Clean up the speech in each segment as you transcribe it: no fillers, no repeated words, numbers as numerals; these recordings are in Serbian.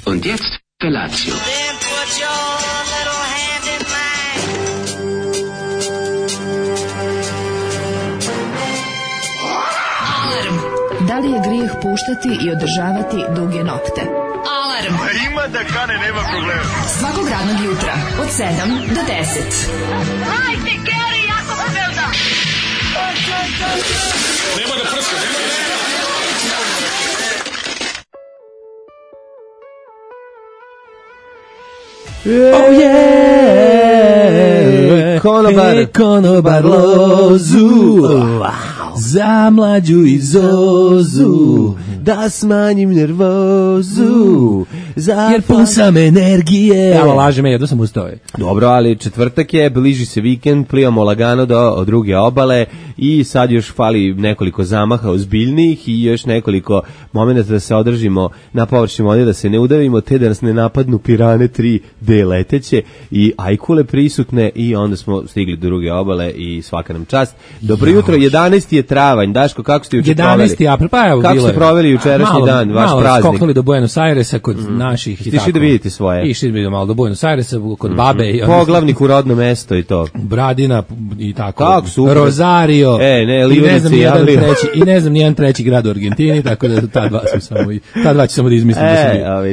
Und jetzt Felatio. Then put your little hand in mine. Da li je grijeh puštati i održavati duge nokte? Alarm! Ima da kane, nema problema. Svakog radnog jutra, od 7 do 10. Hajde, Geri, jako se velda! Nema da prska, nema da prska. Oh yeah, konobar lozu, za mlađu i Zozu, da smanjim nervozu, jer pun sam energije. Evo, laže me, jedno sam ustao. Dobro, ali četvrtak je, bliži se vikend, plivamo lagano do druge obale i sad još fali nekoliko zamaha ozbiljnijih i još nekoliko momenta da se održimo na površini vode, da se ne udavimo, te da nas ne napadnu pirane 3D leteće i ajkule prisutne i onda smo stigli do druge obale i svaka nam čast. Dobro jutro, 11. je travanj. Daško, kako ste juče proveli? 11. april, pa evo, kako ste proveli jučerašnji dan, vaš praznik? Malo skoknuli do Buenos Airesa kod naših i tako. Stiši da vidite svoje? Išli malo do Buenos Airesa kod babe. I poglavnik u rodno mesto i to. Bradina i tako. Kako super. Rosario. I ne znam nijedan treći grad u Argentini, tako da ta dva ću samo da izmislim.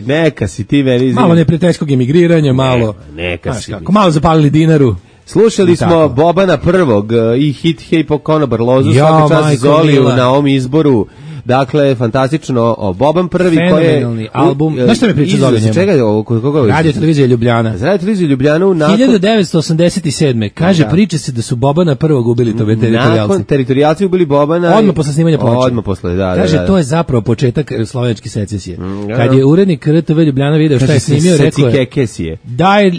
Neka si ti meni. Malo neprijateljskog emigriranja, malo. Neka si. Malo zapalili dinaru. Slušali smo Bobana prvog i hit Hej po konobar lozu, svaka čast Zoliju na ovom izboru. Dakle, fantastično, Boban prvi koji je... Fenomenalni album. Znaš što mi priča Zolija njemu? Čega je ovo? Radio televizija Ljubljana. Radio televizija Ljubljanu nakon... 1987. Kaže, priča se da su Bobana prvog ubili to teritorijalci. Nakon teritorijalci ubili Bobana... Odmah posle snimanja ploče. Odmah posle, da. Kaže, to je zapravo početak slovenačke secesije. Kad je urednik RTV Ljubljana video šta je snimio, rekao je...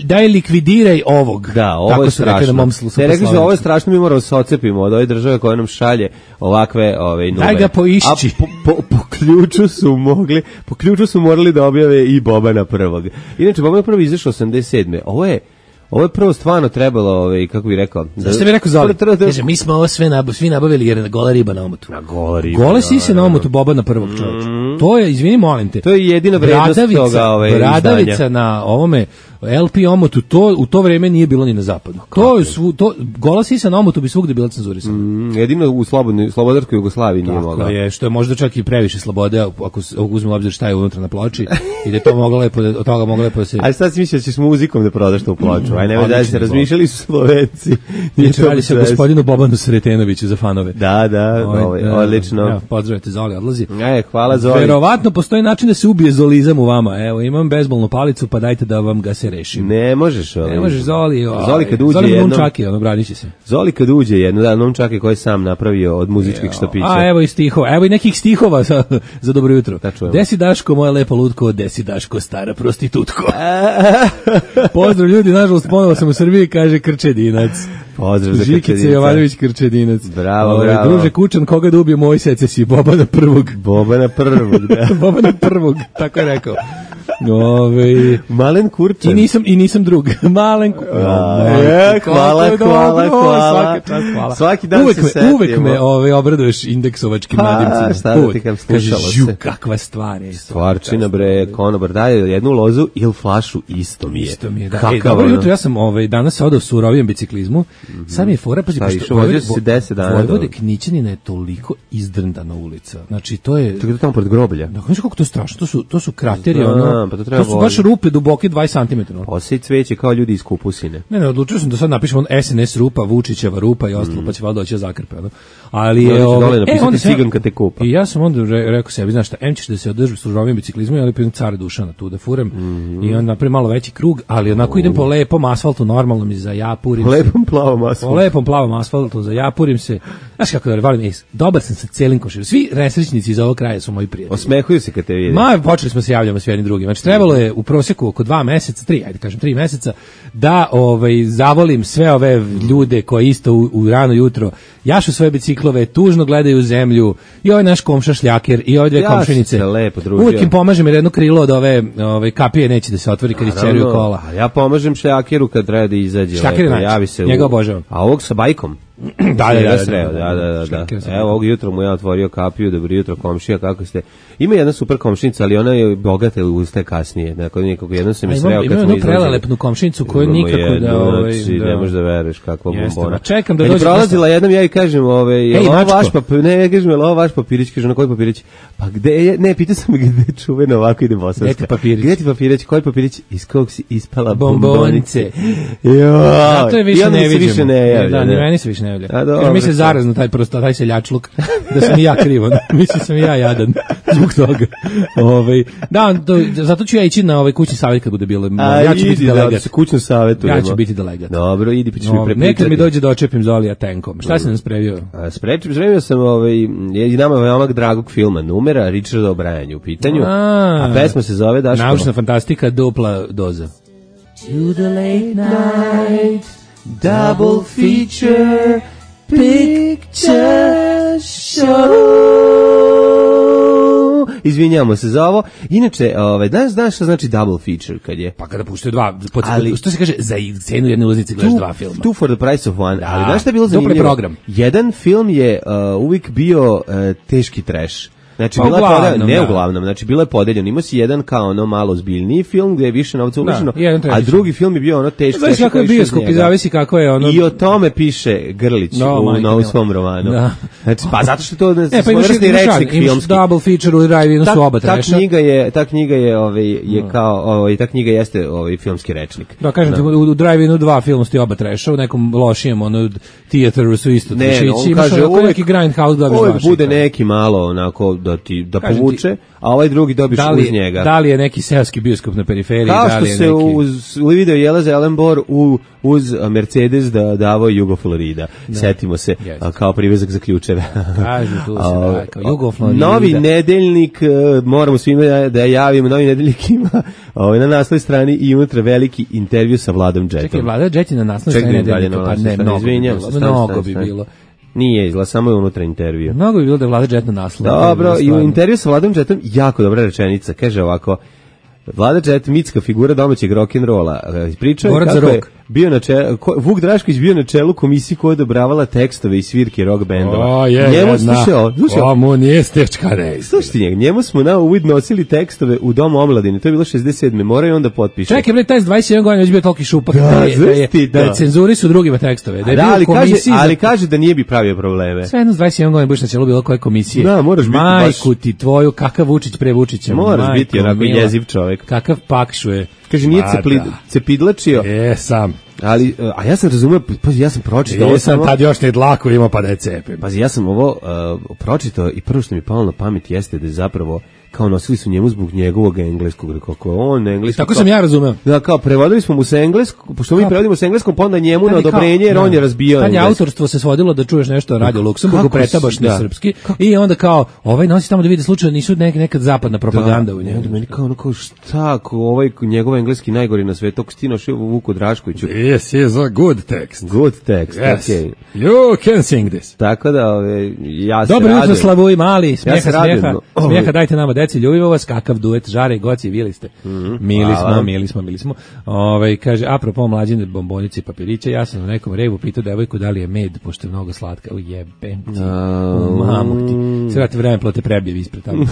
Daj likvidiraj ovog. Da, ovo je strašno. Ne, rekli su, ovo je strašno, mi moramo se ocepimo od ove države koja nam šalje ovakve nube. Daj ga poišći. Po ključu su morali da objave i Bobana prvog. Inače, Bobana prvi izašao 87. Ovo je prvo stvarno trebalo, kako bih rekao... Zašto bih rekao Zoli? Kaže, mi smo ovo svi nabavili jer je gola riba na omotu. Gola sise na omotu Bobana prvog, čovječa. To je, izvini, molim te. To je jedina vrednost toga Bradavica izdanja. Na ovome LP omotu, u to vreme nije bilo ni na zapadu. Gola sisa na omotu bi svugde bila cenzurisana. Jedino u slobodarskoj Jugoslaviji nije mogla. Tako je, što je možda čak i previše slobode, ako uzmemo obzir šta je unutra na ploči, i da je to moglo lepo, od toga moglo lepo da se... Ali sad si mislio da ćeš muzikom da prodaš to u ploču, aj nemoj da se razmišljali su Slovenci. Radi se o gospodinu Bobanu Sretenoviću za fanove. Da, odlično. Pozdravite, Zoli, odlazi. Hvala Zoli. Verovatno postoji način da se ubije zolizam u vama. Evo, imam bejzbolnu palicu, pa dajte da vam ga se rešim. Ne možeš, Zoli. Zoli kad uđe Zoli jednom... Nunčaki, branit će se. Zoli kad uđe jednom, Nunčaki koji sam napravio od muzičkih štapića. A evo i stihova, evo i nekih stihova za dobro jutro. Desi Daško, moja lepa lutko, desi Daško, stara prostitutko. Pozdrav ljudi, nažalost, ponovo sam u Srbiji, kaže Krčedinac. Pozdrav za Žikice Jovanović Krčedinac. Bravo. Druže Kučan, koga da ubije moj secesiji? Bobana prvog, da. Bobana prvog, tako je rekao. Malen Kurčan. I nisam drug. Malen Kurčan. Hvala. Svaki dan se setimo. Uvek me obraduješ indeksovačkim nadimcima. Šta da ti kam slušalo se. Kakva stvar je. Stvarčina bre, konobar daje jednu lozu ili flašu, isto mi je. Da. Dobro jutro, ja sam danas odao su surovijem biciklizmu. Sad mi je fora, pazi, pošto vozio si 10 dana. Vojvode Knićanina je toliko izdrndana ulica. Znači, to je... Tako da tamo pored groblja. Da, znaš kako to je strašno, to su krateri, pa to su baš rupe duboke 20 cm. Posej cveće kao ljudi iz Kupusine. Ne, odlučio sam da sad napišemo SNS rupa, Vučićeva rupa i ostalo, pa će valjda doći da zakrpe. Ali je napisati ciganka te kupa. I ja sam onda rekao sebi, znaš šta, ćeš da se održi surovijem biciklizmu, ali pridem Cara Dušana tu da furem i onda napravim malo veći krug, ali onako idem po lepom asfaltu, normalno mi zajapurim se. Lepom plavom asfaltu, zajapurim se. Znaš kako da volim, dobar sam sa celim komšinom. Svi nesrećnici iz ovog kraja su moji prijatelji. Osmehuju se kad te vide. Počeli smo se javljamo s jednim drugim. Znači trebalo je u prosjeku oko 2 meseca, 3 meseca da zavolim sve ove ljude koji isto u rano jutro jašu svoje biciklove, tužno gledaju u zemlju, i ovaj naš komša šljaker i ove dve komšinice. Uvijek im pomažem jer jedno krilo od ove kapije neće da se otvori kad isceruju kola. Ja pomažem šljakeru kad treba da izađe. Šljaker je način, njega obožavam. A ovog sa bajkom? Da. Šlekera sam. Evo, ovog jutra mu ja otvorio kapiju, dobro jutro komšija, kako ste? Ima jedna super komšinica, ali ona je bogata, ustaje kasnije. Dakle, jednom se mi sreo kad smo izlazili. Ima jednu prelelepnu komšinicu koju nikako da... Ne možeš da veruješ kakva bombona. Čekam da dođe. Kad je prolazila jednom, ja i kažem, ovo vaš papirić, kaže, na koji papirić? Pa gde je, ne, pitao sam gde je čuveno ovako ide bosanska. Gde ti papirić? Koji papirić? Iz kog si ispala bombonice? Zato je više ne vidim. Da, ni meni se više ne javlja. Kaže, mi se zarazno taj seljačluk, da sam i ja krivo, mislim sam i ja jadan zbog toga. Da, zato ću ja ići na kućni savjet kad bude bilo. Ja ću biti delegat. Kućnom savjetu. Ja ću biti delegat. Dobro, idi pa ćeš mi prepričati. Nekad mi dođe da očepim Zolija tenkom. Šta si nam spremio? Spremio sam i nama veoma dragog filma Numera, Richarda O'Briena u pitanju. A pesma se zove Daško. Naučna fantastika, dupla doza. To the late night, double feature, picture show. Izvinjamo se za ovo. Inače, znaš šta znači double feature kad je? Pa kada puštaju dva, što se kaže, za cenu jedne ulaznice gledaš dva filma. Two for the price of one. Ali znaš šta je bilo zanimljivo? Dupli program. Jedan film je uvijek bio teški trash. Znači, uglavnom, znači bilo je podeljeno. Imao si jedan kao ono malo ozbiljniji film gdje je više novca uloženo, a drugi film je bio ono teški. Znaš kako je bioskop i zavisi kako je ono. I o tome piše Grlić u svom romanu. Da. Znači, pa zato što to svojevrsni rečnik filmski. Double feature u drive-inu su oba treša. Ta knjiga jeste filmski rečnik. Da, kažem ti, u drive-inu dva filma su oba treša, u nekom lošijem theateru su isto trešići. Imaš neki grindhouse dobiš uvijek bude neki malo onako da povuče, a ovaj drugi dobiš uz njega. Da li je neki seoski bioskop na periferiji? Kao što se u video Jeleza Ellenbor uz Mercedes davao Jugo Florida. Setimo se, kao privezak za ključeve. Kažu tu se kao Jugo Florida. Novi nedeljnik, moramo svima da javimo, Novi nedeljnik ima na naslovnoj strani i unutra veliki intervju sa Vladom Jetom. Čekaj, Vlada Jet je na naslovnoj strani nedeljnika, pa ne, mnogo bi bilo. Nije izgleda, samo je unutra intervju. Mnogo bi bilo da je Vlada Jet na naslovu. Dobro, i u intervju sa Vladom Jetom jako dobra rečenica. Kaže ovako, Vlada Jet, mitska figura domaćeg rock'n'rolla. Pričao je kako je bio na čelu, Vuk Drašković bio na čelu komisije koja odobravala tekstove i svirke rock bendova. Mu nije stečka reis. Slušajte njega, njemu smo na uvid nosili tekstove u Domu omladine, to je bilo 67. Moraju onda potpiše. Čekaj, bre, taj 27 godina već bio toliki šupak da cenzuri su drugima tekstove. Ali kaže da nije bi pravio probleme. Sve jedno 27 godina budeš na čelu bilo koje komisije. Da, moraš biti majku ti tvoju, kakav Vučić pre Vučića. Moraš biti onako jeziv čovjek. Kakav pakšuje. Kaže, nije cepidlačio. Sam. Ali, a ja sam razumio, pazi, ja sam pročitao. Jesam, tad još ne dlaku imao pa da je cepim. Pazi, ja sam ovo pročitao i prvo što mi palo na pamet jeste da je zapravo kao nosili su njemu zbog njegovog engleskog, kako on engleski. Tako sam ja razumeo. Da, kao prevodili smo mu sa engleskog, pošto mi prevodimo sa engleskom, pa onda njemu na odobrenje, jer on je razbio engleski. Tad autorstvo se svodilo da čuješ nešto Radio Luksemburgu, pretabaš na srpski, i onda kao, nosi tamo da vidi slučajno nisu nekad zapadna propaganda u njemu. Da, meni kao šta, ako njegov engleski najgori na svetu, ako si našao Vuku Draškoviću. This is a good text. Good text, yes. Okay. You can sing this. Tako da, ja se radujem. Dobro jutro, Slavuj mali, smijeha, dajte nama deci, ljubimo vas, kakav duet, Žare i Goci, bili ste. Mili smo. Kaže, apropo mlađine bombonice i papirića, ja sam na nekom revu pitao devojku da li je med, pošto je mnogo slatka. Jebem ti, mamu ti. Sve vrati vreme plote prebijevi ispred tamo.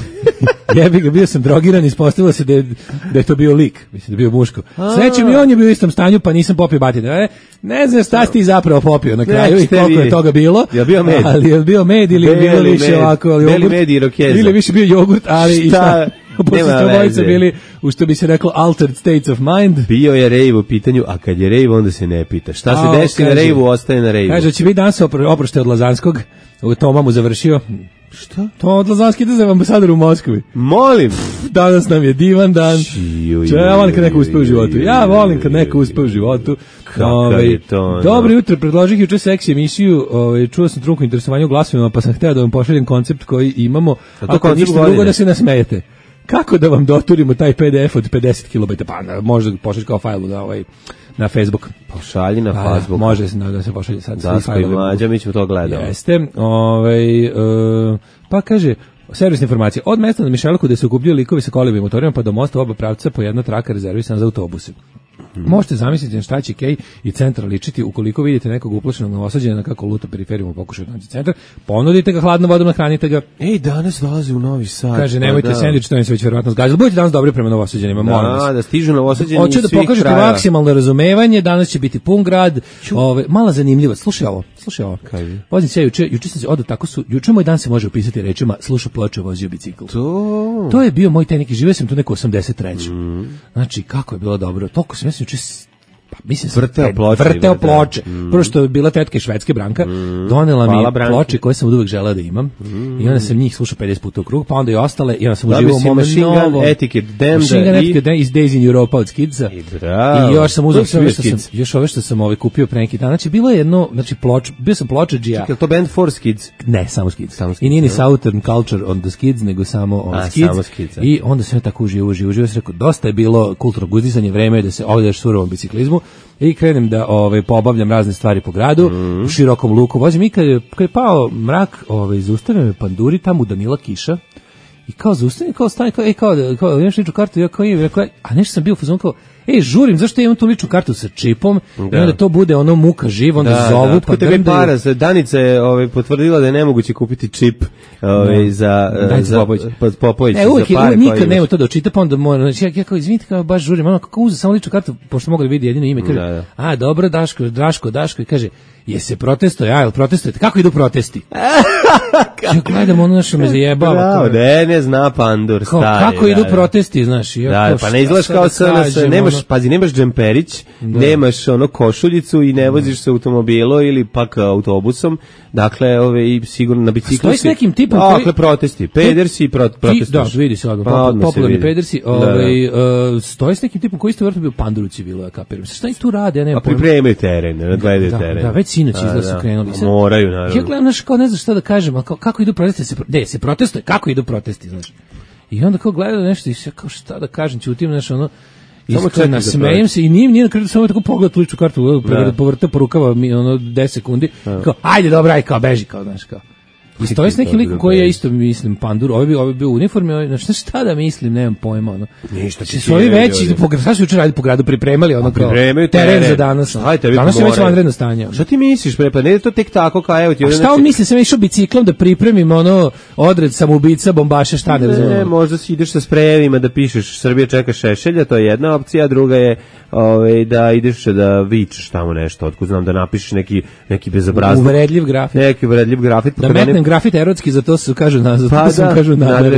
Jebi ga, bio sam drogiran, ispostavilo se da je to bio lik, mislim da je bio muško. Srećem i on je bio u istom stanju, pa nisam popio batine. Ne znam šta si ti zapravo popio na kraju i koliko je toga bilo. Je bio med? Ali je bio med ili je bilo više ovako beli med i rokeza. Ili više bio jogurt, ali i šta? Pošto ste obojice bili, u što bi se reklo, altered states of mind. Bio je rejv u pitanju, a kad je rejv, onda se ne pita. Šta se desi na rejvu, ostaje na rejvu. Kaže, će biti danas oprošte od Lazanskog. Toma mu završio. Šta? To od Lazanski ide za ambasador u Moskvi. Molim. Danas nam je divan dan. Ja volim kad neko uspe u životu. Ja volim kad neko uspe u životu. Kakav je to? Dobro jutro, predložih juče seksi emisiju. Čuo sam trunku interesovanju glasovima, pa sam hteo da vam pošaljem koncept koji imamo. Ako ništa drugo da se nasmejete. Kako da vam doturimo taj PDF od 50 kilobajta? Pa možda pošalj kao fajl na Facebook. Pošalji na Facebook. Može da se pošalje sad. Daško i Mlađa, mi ćemo to gledati. Jeste. Pa kaže, servisna informacija. Od mesta na Mišelku gde se okupljaju likovi sa kolima i motorima pa do mosta oba pravca po jedna traka rezervisana za autobuse. Možete zamisliti na šta će Kej i centar ličiti ukoliko vidite nekog uplašenog Novosađana kako luta periferijom u pokušaju naći centar, ponudite ga hladnom vodom, nahranite ga. Ej, danas dolaze u Novi Sad. Kaže, nemojte sendvič, to im se već verovatno zgazilo. Budite danas dobri prema Novosađanima, molim vas. Da stižu Novosađani. Hoće da pokažete maksimalno razumevanje, danas će biti pun grad. Mala zanimljivost. Slušaj ovo. Vozim se juče sam se juče moj dan se može opisati rečima slušao ploče, vozio bicikl. To je bio moj taj neki, živio sam tu neko 83. Znači, kako je bilo dobro. Toliko sam juče vrteo ploče. Prvo što je bila tetka iz Švedske, Branka, donela mi ploče koje sam uvek želeo da imam. I onda sam njih slušao 50 puta u krug, pa onda i ostale, i onda sam uživao u mome novo Etiket iz Days in Europa od Skidsa. I još sam uzeo još ove što sam kupio pre neki dan. Znači, bilo je jedno, bio sam pločadžija. Čekaj, to band for Skids? Ne, samo Skids. I nije ni Southern Culture on the Skids, nego samo Skids. I onda sam tako uživao, sam rekao, dosta je bilo kulturnog uzdizanja, vreme je da se ovdje surovom biciklizmu. I krenem da pobavljam razne stvari po gradu, u širokom luku vozim i kad je pao mrak, zaustavio me panduri tamo u Danila kiša i kao zaustavim, kao stani, kao imaš ličnu kartu, ja kao imam, rekao, a nešto sam bio u fazonu kao, žurim, zašto ja imam tu ličnu kartu sa čipom, i onda to bude ono muka živ, onda zovu, pa para, Danica je potvrdila da je nemoguće kupiti čip za Popović. Uvijek nikad nema to da očita, pa onda mora, znači ja kao, izvinite, kao baš žurim, ono kako uzeo samo ličnu kartu, pošto mogu da vidi jedino ime, kaže, dobro, Daško, i kaže, se protestuje, jel protestujete, kako idu protesti? Ja gledam ono što me zajebava. Ne zna pandur, stari. Kako idu protesti, znaš? Pa ne izgledaš kao SNS, nemaš džemperić, nemaš košuljicu i ne voziš se automobilom ili pak autobusom, dakle, sigurno na biciklu si. Stoji s nekim tipom koji... Dakle, protesti, pedersi i protestuješ. Da, vidi se odmah, popularni pedersi, stoji s nekim tipom koji isto vrlo bio panduruci bilo, ja kapiram. Šta i tu rade, ja nemam pojma. Pripremaju teren, nadgledaju teren. Da, već sinoć izgleda su krenuli. Moraju, naravno. Ja gledam, kao ne znam šta da kažem, ali kako idu protesti, se protestuje, kako idu protesti, znaš. I onda kao gledam nešto i kao šta da kažem, ćutim, znaš, nasmejem se i nije na kraju samo tako pogled ličnu kartu, povrte po rukava 10 sekundi, kao, ajde dobra, kao beži, kao, znaš, kao. I stoji s nekim likom koji ja isto mislim pandur, ovaj bio u uniformi, znači šta da mislim, nemam pojma, ono. Ništa će su ovi veći, šta su jučer radili po gradu, pripremali ono kao teren za danas. Danas je već vanredno stanje. Šta ti misliš, pa ne je to tek tako kao evo ti. A šta on misli, sam išao biciklom da pripremim ono odred samoubica, bombaša, šta ne razumijem. Ne, možda si ideš sa sprejevima da pišeš Srbija čeka Šešelja, to je jedna opcija, a druga je da ideš da vičeš tamo nešto, otkud znam da napišeš neki bezobrazluk. Uvredljiv grafit. Neki uvredljiv grafit. Da metnem grafit erotski, za to se kažu nazad.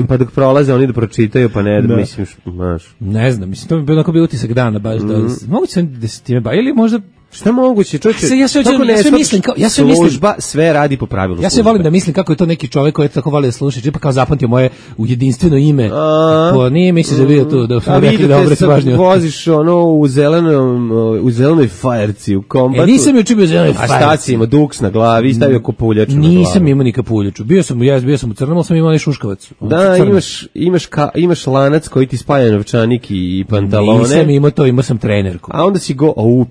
Pa dok prolaze oni da pročitaju, pa ne da mislim, znaš. Ne znam, mislim, to bi bilo onako bio utisak dana, baš da moguće sam da se time ili možda šta moguće, čovječe? Ja sve mislim, služba sve radi po pravilu. Ja sve volim da mislim kako je to neki čovjek koji je tako voli da sluša, pa kao zapamtio moje u jedinstveno ime. Nije misliš da bio tu da rekli da obrati pažnju. Voziš u zelenoj fajerci, u kombatu. Nisam juče bio u zelenoj fajerci. A šta si imao, duks na glavi, stavio kopuljaču na glavu? Nisam imao ni kapuljaču. Bio sam u crnom, ali sam imao i šuškavac. Da, imaš lanac koji ti spaja novčanik i pantalone. Nisam imao to, imao sam trenerku. A onda si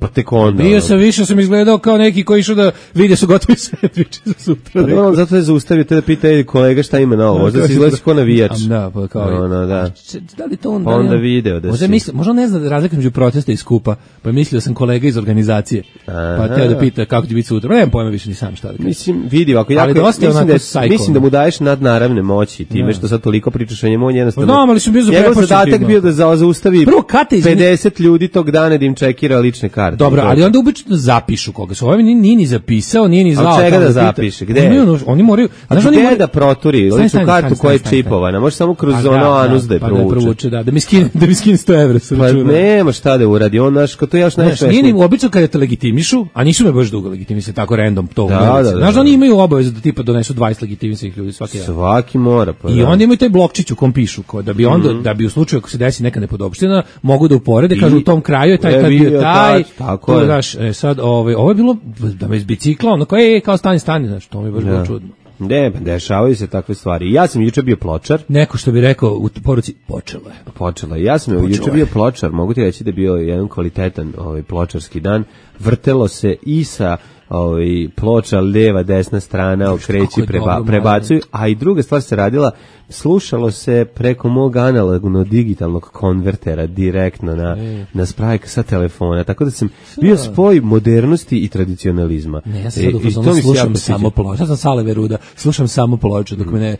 pa tek onda. Više sam izgledao kao neki koji išao da vide su gotovi sendviči za sutra. Zato je zaustavio te da pita kolega šta ima na ovo. Možda si izgledaš kao navijač. Da, pa kao da. Da li to on... Pa onda video da si... Možda ne zna razlika među protesta i skupa, pa je mislio sam kolega iz organizacije. Pa teo da pita kako će biti sutra. Nemam pojma više ni sam šta da kažem. Mislim, vidi, ako jako... Mislim da mu daješ nadnaravne moći time što sad toliko pričaš o njemu, on jednostavno... Njegov zadatak bio da zaustavi 50 ljudi tog dana da im čekira lične karte. Dobro, ali onda obično zapišu koga su. Ovaj nije ni zapisao, nije ni znao. A čega da zapiše? Gde? Oni moraju... A gde da proturi ličnu kartu koja je čipovana? Može samo kroz ono anus da je provuče. Da mi skine 100 evra sa računa. Pa nema šta da uradi, on naš, to je još najsvešnije. Nije ni obično kada te legitimišu, a nisu me baš dugo legitimisali, tako random to. Znaš da oni imaju obavezu da tipa donesu 20 legitimisanih ljudi svaki mora. I onda imaju taj blokčić u kom pišu, da bi u slučaju ako se desi neka nepodopština, mogu da uporede, kažu u tom kraju je taj kad bio taj. Tako je. Sad ovo je bilo da me izbicikla, ono kao stani, znaš, to mi je baš bilo čudno. Ne, dešavaju se takve stvari. Ja sam juče bio pločar. Neko što bi rekao u poruci, počelo je. Ja sam juče bio pločar, mogu ti reći da je bio jedan kvalitetan pločarski dan. Vrtelo se i sa ploča, leva, desna strana, okreći, prebacuju, a i druga stvar se radila, slušalo se preko mog analogno digitalnog konvertera direktno na sprajk sa telefona, tako da sam bio spoj modernosti i tradicionalizma. Ne, ja sam sad slušam samo ploču, ja sam Sale Veruda, slušam samo ploču, dok me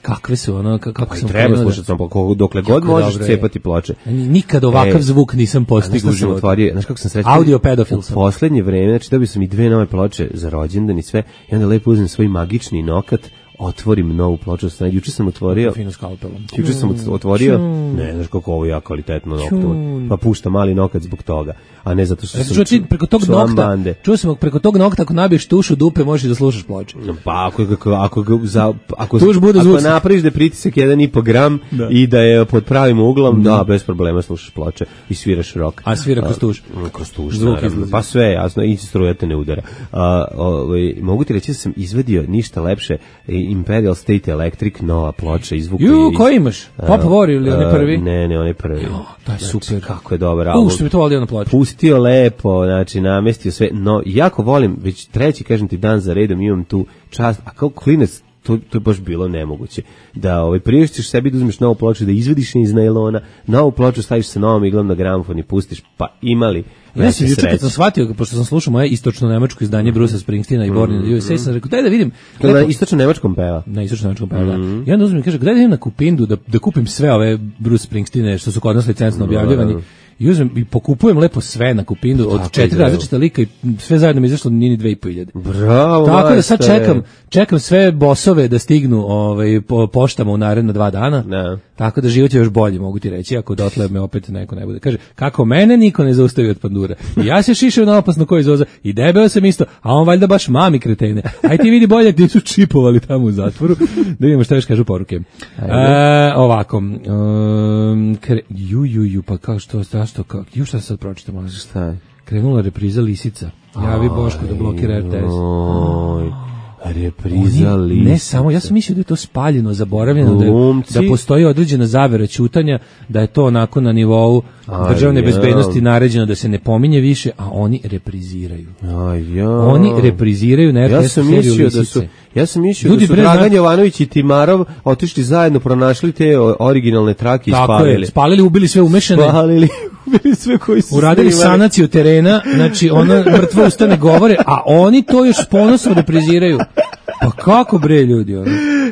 kakve su ono, kako sam treba slušati samo dokle god možeš cepati ploče. Nikad ovakav zvuk nisam postigao u životu. Znaš kako sam srećan? Audio pedofil sam. U poslednje vreme, znači dobio sam i 2 nove ploče za rođendan i sve, i onda lepo uzmem svoj magični nokat, otvorim novu ploču, juče sam otvorio. Fino skalpelom. Juče sam otvorio. Ne, znaš kako ovo ja kvalitetno noktom. Pa pušta mali nokat zbog toga, a ne zato što sam preko tog nokta. Čuo sam preko tog nokta, ako nabiješ tušu dupe, možeš da slušaš ploče. Pa ako napraviš da je pritisak 1,5 gram i da je pod pravim uglom, da, bez problema slušaš ploče i sviraš rok. A svira kroz tuš? Kroz tuš, pa sve jasno, i struja te ne udara. Mogu ti reći da sam izvadio ništa lepše, Imperial State Electric, nova ploča, izvuku. Koji imaš? Pop War ili onaj prvi? Ne, onaj prvi. To je super. Kako je dobar album. Što mi to volio na ploču. Pustio lepo, znači namestio sve, no jako volim, već treći, kažem ti, dan za redom imam tu čast, a kao klinac, to je baš bilo nemoguće. Da priuštiš sebi da uzmeš novu ploču, da izvadiš iz najlona, novu ploču staviš sa novom iglom na gramofon i pustiš, pa imali ja sam juče kad sam shvatio, pošto sam slušao moje istočno-nemačko izdanje Brusa Springsteena i Born in the USA, sam rekao, daj da vidim. Na istočno-nemačkom peva. Na istočno-nemačkom peva, da. I onda uzmem i kaže, daj da idem na Kupindu da kupim sve ove Bruce Springsteene što su kod nas licencno objavljivani. I uzmem i pokupujem lepo sve na Kupindu od 4 različita lika i sve zajedno mi izašlo nini 2.500. Bravo. Tako da sad čekam sve bosove da stignu po poštama u naredna 2 dana. Ne. Tako da život je još bolji, mogu ti reći, ako dotle me opet neko ne bude. Kaže, kako mene niko ne zaustavi od pandura. I ja se šišao na opasno koji zoza i debeo sam isto, a on valjda baš mami kretene. Aj ti vidi bolje gdje su čipovali tamo u zatvoru. Da vidimo šta još kažu poruke. Ovako. Pa kao što šta sad pročitamo? Šta je? Krenula repriza Lisica. Javi Boško da blokira RTS. Repriza Lisica. Ne samo, ja sam mislio da je to spaljeno, zaboravljeno, da postoji određena zavera ćutanja, da je to onako na nivou državne bezbednosti naređeno da se ne pominje više, a oni repriziraju. Oni repriziraju na RTS seriju Lisice. Ja sam mislio da su Dragan Jovanović i Timarov otišli zajedno, pronašli te originalne trake i spalili. Tako je, spalili, ubili sve umešane. Ubili sve koji su uradili sanaciju terena, znači ono mrtvo ustane govore, a oni to još ponosno repriziraju. Pa kako bre ljudi, ono?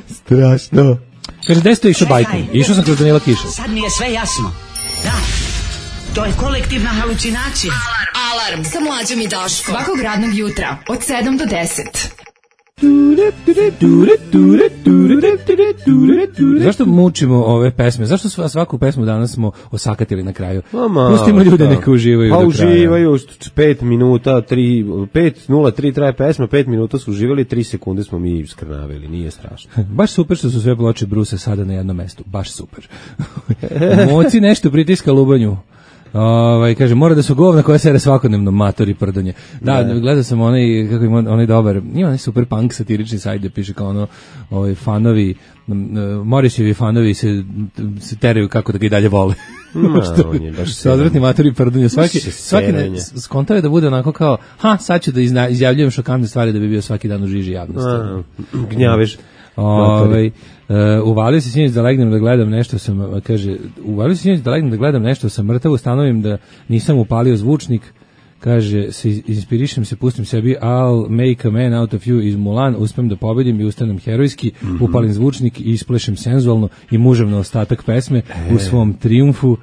Strašno. Kaže, gde ste išao bajkom? Išao sam kroz Danila Kiša. Sad mi je sve jasno. Da, to je kolektivna halucinacija. Alarm sa Mlađom i Daškom. Svakog radnog jutra od 7 do 10. Zašto mučimo ove pesme? Zašto svaku pesmu danas smo osakatili na kraju? Pustimo ljude neka uživaju do kraja. Uživaju 5 minuta, 5:03 traje pesma, 5 minuta su uživali, 3 sekunde smo mi skrnavili, nije strašno. Baš super što su sve ploče Brusa sada na jednom mestu, baš super. Moci nešto pritiska lubanju. Kaže, mora da su govna koja sere svakodnevno, matori prdonje. Da, gledao sam onaj dobar, ima onaj super punk satirični sajt gde piše kao fanovi, Morisjevi fanovi se teraju kako da ga i dalje vole. On je baš sa odvratni matori prdonje. Svaki skontao je da bude onako kao, sad ću da izjavljujem šokantne stvari da bi bio svaki dan u žiži javnosti. Gnjavež. Uvalio se sinoć da legnem da gledam nešto sam, kaže, uvalio se sinoć da legnem da gledam nešto sam mrtav, ustanovim da nisam upalio zvučnik, kaže, inspirišem se, pustim sebi I'll make a man out of you iz Mulan, uspem da pobedim i ustanem herojski, upalim zvučnik i isplešem senzualno i muževno ostatak pesme u svom trijumfu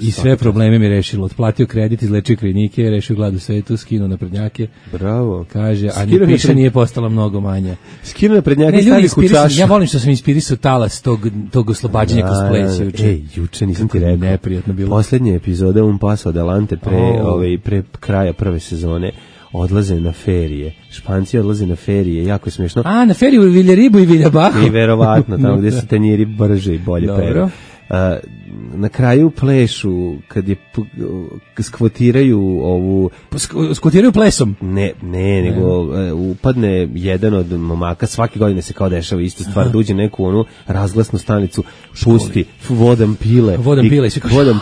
i sve probleme mi rešilo. Otplatio kredit, izlečio krajnike, rešio glad u svetu, skinuo naprednjake. Bravo. Kaže, a ni piša nije postala mnogo manja. Skinuo naprednjake, stavi u čašu. Ja volim što sam inspirisao talas tog oslobađanja cosplay juče. Juče nisam ti rekao. Neprijatno bilo. Poslednja epizoda Un Paso Adelante pre kraja prve sezone odlaze na ferije. Španci odlaze na ferije, jako je smiješno. Na feriju u Viljaribu i Viljabahu. I verovatno, tamo gde se tanjiri brže i bolje peru. na kraju plešu kad je skvotiraju ovu skvotiraju plesom. Ne, nego upadne jedan od momaka, svake godine se kao dešava ista stvar, da uđe neku onu razglasnu stanicu, pusti vodam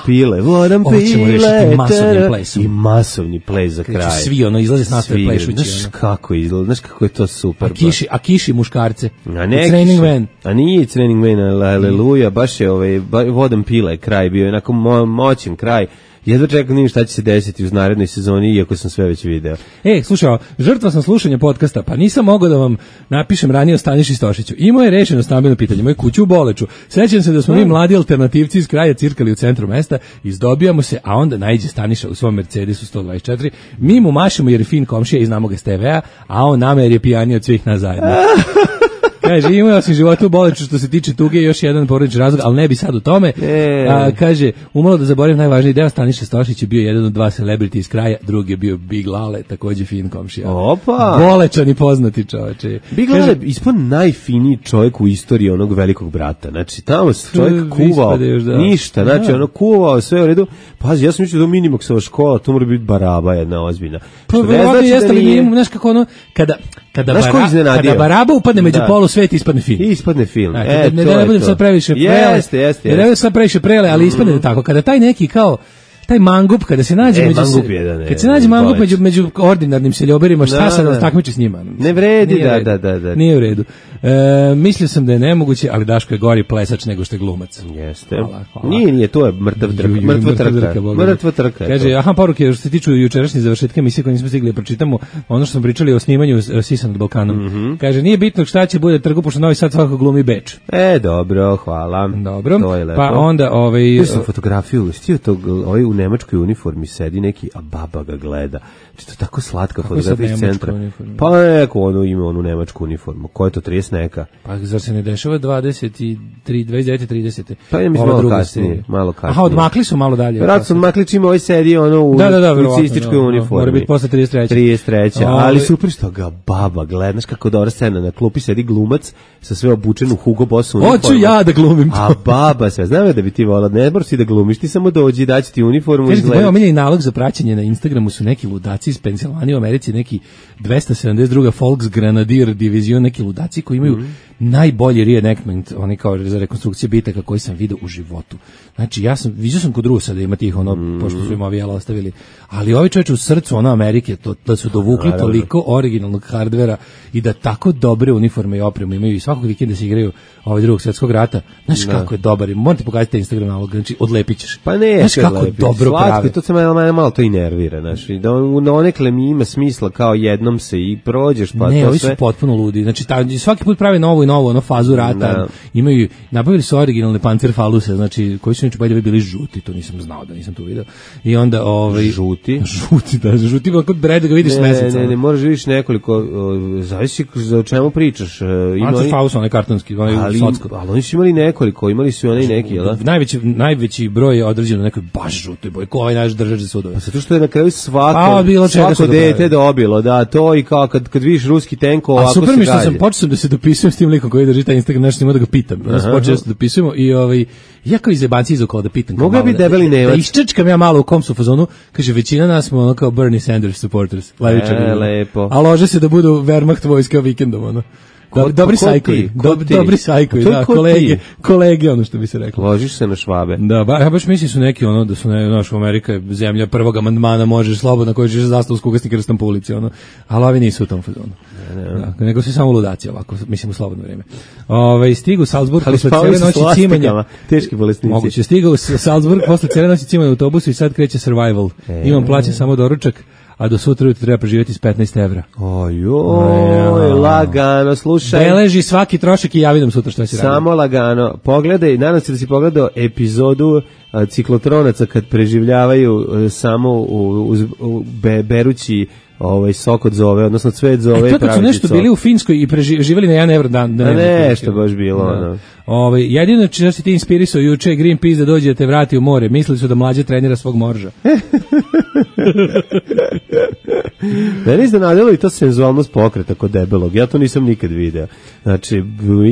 pile i masovni ples za kraj. Svi izlaze s nastave plešući. Znaš kako je to super. A kiši muškarce. A nije Training Man, aleluja, baš je vodam pile kraj, bio je onako moćan kraj. Jedva čekam šta će se desiti uz narednoj sezoni, iako sam sve već video. Slušaj, žrtva sam slušanja podcasta, pa nisam mogao da vam napišem ranije o Staniši Stošiću. Imao je rešeno stambeno pitanje, moju kuću u Boleću. Sećam se da smo mi mladi alternativci iz kraja cirkali u centru mesta, izdobijamo se, a onda naiđe Staniša u svom Mercedesu 124. Mi mu mašemo jer je fin komšija i znamo ga s TV-a, a on nama jer je pijaniji od svih nas zajedno. Kaže, imao sam životu u Boleću što se tiče tuge, još jedan porodični razlog, ali ne bi sad u tome. Kaže, umalo da zaboravim najvažniji deo, Staniša Stošić je bio jedan od 2 celebrity iz kraja, drugi je bio Big Lale, takođe fin komšija. Opa! Bolečani poznati čoveče. Big Lale ispod najfiniji čovjek u istoriji onog Velikog brata. Znači, tamo se čovjek kuvao, ništa, znači, ono kuvao, sve u redu. Pazi, ja sam mislio da Minimaxova škola, to mora biti baraba jedna ozbiljna. Što ne znači da nije... Znaš kako ono, kada baraba upadne među polu svet, ispadne film. Ispadne film. Ne budem sad previše prele. Jeste. Ne budem sad previše prele, ali ispadne tako. Kada taj neki kao taj mangup, kada se nađe mangup među ordinarnim seljoberima, šta sad takmiči s njima? Ne vredi, da. Nije u redu. Mislio sam da je nemoguće, ali Daško je gori plesač nego što je glumac. Jeste. Nije, to je mrtva trka. Kaže, poruke što se tiču jučerašnje završetka emisije koje nismo stigli da pročitamo, ono što smo pričali o snimanju Sisan nad Balkanom. Kaže, nije bitno šta će bude trgu, pošto Novi Sad svakako glumi Beč. Dobro, hvala. Dobro, pa onda tu sam fotografiju, stio tog, u nemačkoj uniformi sedi neki, a baba ga gleda. Znači, to je tako slatka fotografija iz centra. Pa neko ima onu nemačku uniformu. Ko je to, 30 neka? Pa zar se ne dešava 29-30? Pa je mislim malo kasnije. Aha, odmakli su malo dalje. Vratno su odmakli čim ovaj sedi u nacističkoj uniformi. Mora biti posle 33. Ali super što ga baba gleda. Znaš kako dobra scena, na klupi sedi glumac sa sve obučen u Hugo Boss uniformu. Hoću ja da glumim to. A baba sve, znam da bi ti volala, ne moraš ti da glumiš, ti samo dođi, daći ti uniformu. Kažete, moj omiljeni nalog za praćenje na Instagramu su neki ludaci iz Pensilvanije u Americi, neki 272. Volks Grenadier divizion, neki ludaci koji imaju najbolji reenactment, oni kao za rekonstrukcije bitaka koji sam vidio u životu. Znači, vidio sam kod Rusa da ima tih, pošto su im avijala ostavili, ali ovi čovječe u srcu, Amerike, da su dovukli toliko originalnog hardvera i da tako dobre uniforme i opremu imaju i svakog vikenda se igraju Drugog svjetskog rata. Znaš kako je dobar, morate pogledati Instagram nalog, znači odlepit ćeš. Pa ne, znaš kako je dobro pravi. To se malo to i nervira, znači, da onekle mi ima smisla kao jednom se i prođeš, pa ne, to ovi su potpuno ludi, znači svaki put prave novu fazu rata, imaju, nabavili su originalne pancerfaluse, znači, koji su neče bili žuti, to nisam znao da nisam to video. I onda žuti kod breda ga vidiš s meseca. Ne, moraš vidiš nekoliko, zavisi o čemu pričaš. Pancerfaus, onaj kartonski, onaj socko. Ali oni su imali nekoliko, imali su onaj neki, jel da? Najveći broj je određen na nekoj baš žutoj boji, ko ovaj naš držač za sudove. Pa zato što je na kraju svako dete dobilo, da, to i kao kad vidiš ruski tenko ovako se gađe. A super mi što sam počeo da se dopisujem s tim likom koji drži taj Instagram, nešto ima da ga pitam. Počeo da se dopisujemo i ja kao iz jebanci iz okolo da pitam. Mogu bi debeli Nemac. Da iščečkam ja malo u kom su fazonu, kaže, većina nas smo ono kao Bernie Sanders supporters. Lepo. A lože se da budu Wehrmacht vojska vikendom, Dobri sajkovi, da, kolege, ono što bi se reklo. Ložiš se na Švabe. Da, ja baš mislim su neki, da su naša Amerika je zemlja prvog amandmana, možeš slobodno, koji ćeš zastavu s kugasnika rastam po ulici, ali ovi nisu u tom fazonu. Da, nego su samo ludaci ovako, mislim u slobodno vrijeme. Stigu u Salzburg posle cijele noći cimanja. Teški bolesnici. Moguće, stigao u Salzburg posle cijele noći cimanja u autobusu i sad kreće survival. Imam plaćen samo doručak, a do sutra ujutro treba preživjeti s 15 evra. Ojoj, lagano, slušaj. Beleži svaki trošak i javi nam sutra šta će raditi. Samo lagano. Pogledaj, nadam se da si pogledao epizodu ciklotronaca kad preživljavaju samo berući sok od zove, odnosno cvet zove. To kad su nešto bili u Finskoj i preživjeli na 1 evro dan. Da nešto baš bilo. Jedino što si ti inspirisao juče Greenpeace da dođe da te vrati u more. Mislili su da Mlađa trenira svog morža. Meni iznenadilo i to senzualnost pokreta kod debelog. Ja to nisam nikad video. Znači,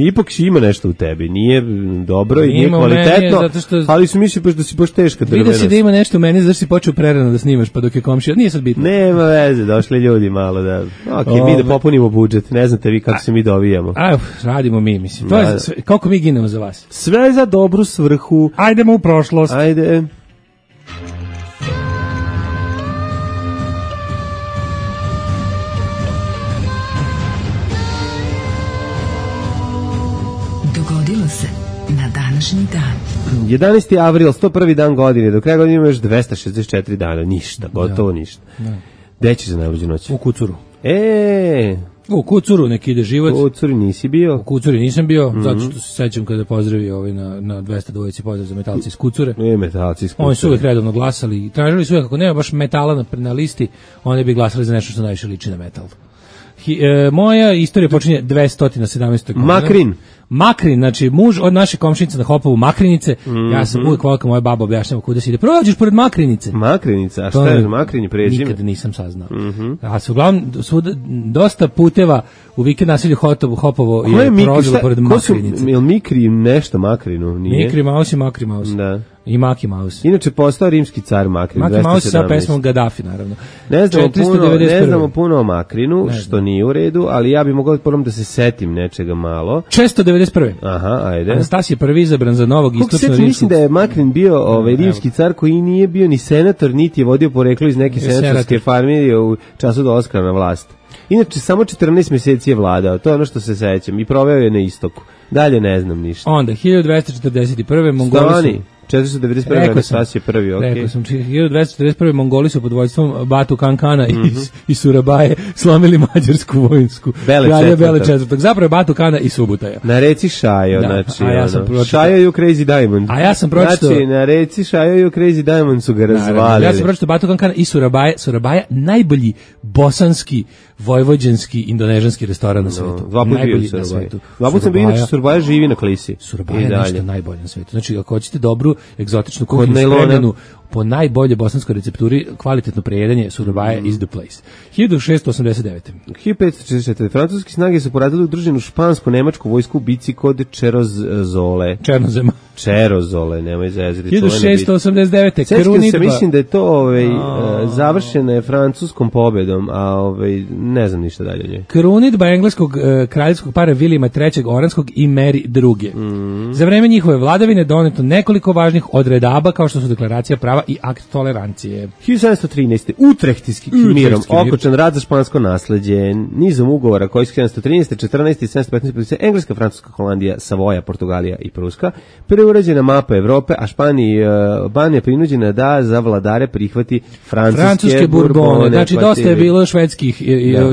ipak ima nešto u tebi. Nije dobro i nije kvalitetno, ali su mislili da si baš teška drvenost. Vidio si da ima nešto u meni, zašto si počeo prerano da snimaš, pa dok je komšija. Nije sad bitno. Nema veze, došli ljudi malo da... mi da popunimo budžet. Ne znate vi kako se mi dovijamo. Radimo mi, mislim. To je sve, koliko mi ginemo za vas. Sve za dobru svrhu. Ajdemo u prošlost. Ajde. Dogodilo se na današnji dan. 11. avril, 101. dan godine. Do kraja godine ima još 264 dana. Ništa, gotovo ništa. Gde ćeš za najluđu noć? U Kucuru. U Kucuru neki ide život. U Kucuri nisi bio? U Kucuri nisam bio, zato što se sećam kada pozdravi na 200 dvojici pozdrav za metalci iz Kucure. Metalci iz Kucure. Oni su uvijek redovno glasali i tražili su uvijek, ako nema baš metala na listi, oni bi glasali za nešto što najviše liči na metal. Moja istorija počinje 217. godine. Makrin, znači muž od naše komšinice na Hopovu Makrinice. Ja sam uvijek volio moja baba objašnjava kuda se ide. Prođeš pored Makrinice. Makrinica, a šta je Makrini prezime? Nikad nisam saznao. A su uglavnom dosta puteva u vikend naselju Hopovo je prolazilo pored Makrinice. Je li Mikri nešto Makrinu? Nije? Mikri Mouse i Makri Mouse. Da. I Maki Mouse. Inače postao rimski car Makrin. Maki Mouse sa pesmom Gaddafi, naravno. Ne znamo puno o Makrinu, što nije u redu, ali ja bih mogao da se setim nečega malo. 691. Aha, ajde. Anastasije prvi izabran za novog istočno-rimskog. Mislim da je Makrin bio rimski car koji nije bio ni senator, niti je vodio poreklo iz neke senatorske familije u času dolaska na vlast. Inače, samo 14 mjeseci je vladao, to je ono što se sećam, i proveo je na istoku. Dalje ne znam ništa. Onda, 1241. Mongoli su... 491. Anastasije prvi, okej. Rekao sam, 1241. Mongoli su pod vođstvom Batu Kankana i Surabaje slomili mađarsku vojsku. Bele četvrtog. Zapravo je Batu Kana i Subutaja. Na reci Šajo, znači. Šajo i Crazy Diamond. A ja sam pročitao... Znači, na reci Šajo i Crazy Diamond su ga razvalili. Ja sam pročitao Batu Kankana i Surabaja, najbolji bosanski, vojvođanski, indonežanski restoran na svetu. Dva put bio u Surabaji. Dva put sam bio, inače Surabaja živi na klisi. Surabaja je nešto najbolje na svetu. Znači, ako hoćete dobru egzotičnu kuhinju spremljenu po najbolje bosanskoj recepturi, kvalitetno prejedanje, Surabaja is the place. 1689. 1544. Francuski snage su poradili udruženu špansko-nemačku vojsku u bici kod Čerozole, nemoj zezati. 1689. Sećam se, mislim da je to završeno je francuskom pobedom, a ne znam ništa dalje o njoj. Krunidba engleskog kraljevskog para Vilijama III. Oranskog i Mary II. Za vreme njihove vladavine doneto nekoliko važnih odredaba, kao što su deklaracija prava i akt tolerancije. 1713. Utrehtijski mirom okončan rat za špansko nasleđe, nizom ugovora koji su 1713, 14 i 715 Engleska, Francuska, Holandija, Savoja, Portugalija i Pruska, preurađena mapa Evrope, a Španija prinuđena da za vladare prihvati francuske burbone. Znači dosta je bilo švedskih,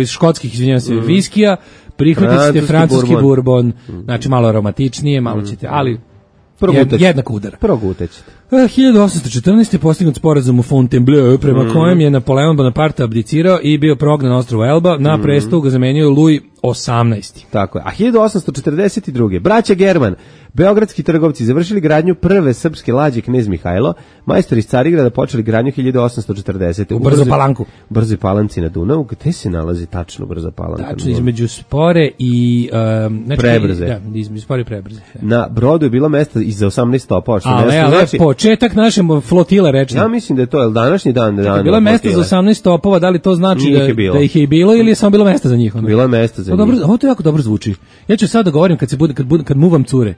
škotskih, izvinjavam se, viskija, prihvatite francuski burbon, znači malo aromatičnije, malo ćete, ali jednak udar. Progutećete. 1814. je postignut sporazum u Fontainebleau, prema kojem je Napoleon Bonaparte abdicirao i bio prognan na ostrvo Elba, na prestol ga zamenio Louis XVIII. Tako je. A 1842. braća German, beogradski trgovci, završili gradnju prve srpske lađe Knez Mihajlo, majstori iz Carigrada počeli gradnju 1840. U Brzo Palanku. Brzo Palanci na Dunavu. Gde se nalazi tačno Brzo Palanka? Tačno između Spore i... Prebrze. Da, između Spore i Prebrze. Na brodu je bilo mesta i za 18 stopova. Ali početak naše flotile rečne. Ja mislim da je to današnji dan. Bilo je mesta za 18 stopova, da li to znači da ih je i bilo ili je samo bilo mesta za njih? Bilo je mesta za njih. Ovo to jako dobro zvuči. Ja ću sad da govorim kad muvam cure.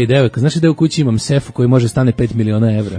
Devojka, znaš da u kući imam sefu koji može stane 5 miliona evra.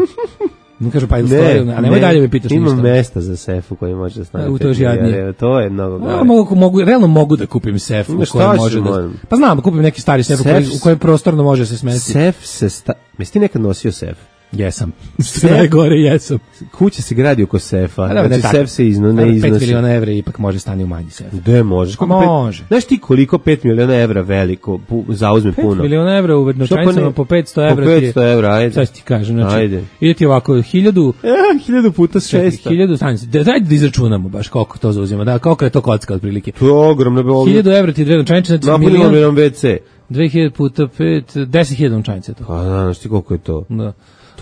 Mi kažu pa a nemoj dalje me pitaš ništa. Imam mesta za sefu koji može da stane 5 miliona evra. To je mnogo gore. Realno mogu da kupim sefu koji može da... Pa znam, kupim neki stari sef u kojem prostorno može se smestiti. Sef se... Jesi ti nekad nosio sef? Jesam. Sve najgore jesam. Kuća se gradi oko sefa. A da, znači sef se ne iznosi. 5 miliona evra ipak može stani u manji sef. Gde možeš? Može. Znaš ti koliko 5 miliona evra veliko zauzme 5 puno? 5 miliona evra u novčanicama po 500 evra. Po 500 evra, ajde. Šta ti kažem? Znači, ajde. Ide ti ovako 1000... 1000 puta 600. 1000 stanice. Daj da izračunamo baš koliko to zauzima. Da, koliko je to kocka otprilike. To je ogromno. 1000 evra ti dve novčanice, znači milion WC. 2000 puta 5, 10.000 novčanica to. Pa znaš ti koliko je to? Da.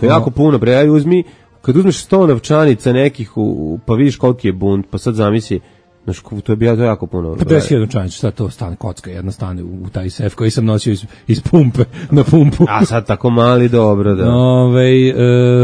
To je jako puno, bre, aj uzmi, kad uzmeš 100 novčanica nekih, pa vidiš koliki je bunt, pa sad zamisli, znaš, to je jako puno. 50.000 novčanica, šta to stane, kocka jedna stane u taj sef koji sam nosio iz pumpe, na pumpu. A sad tako mali, dobro, da.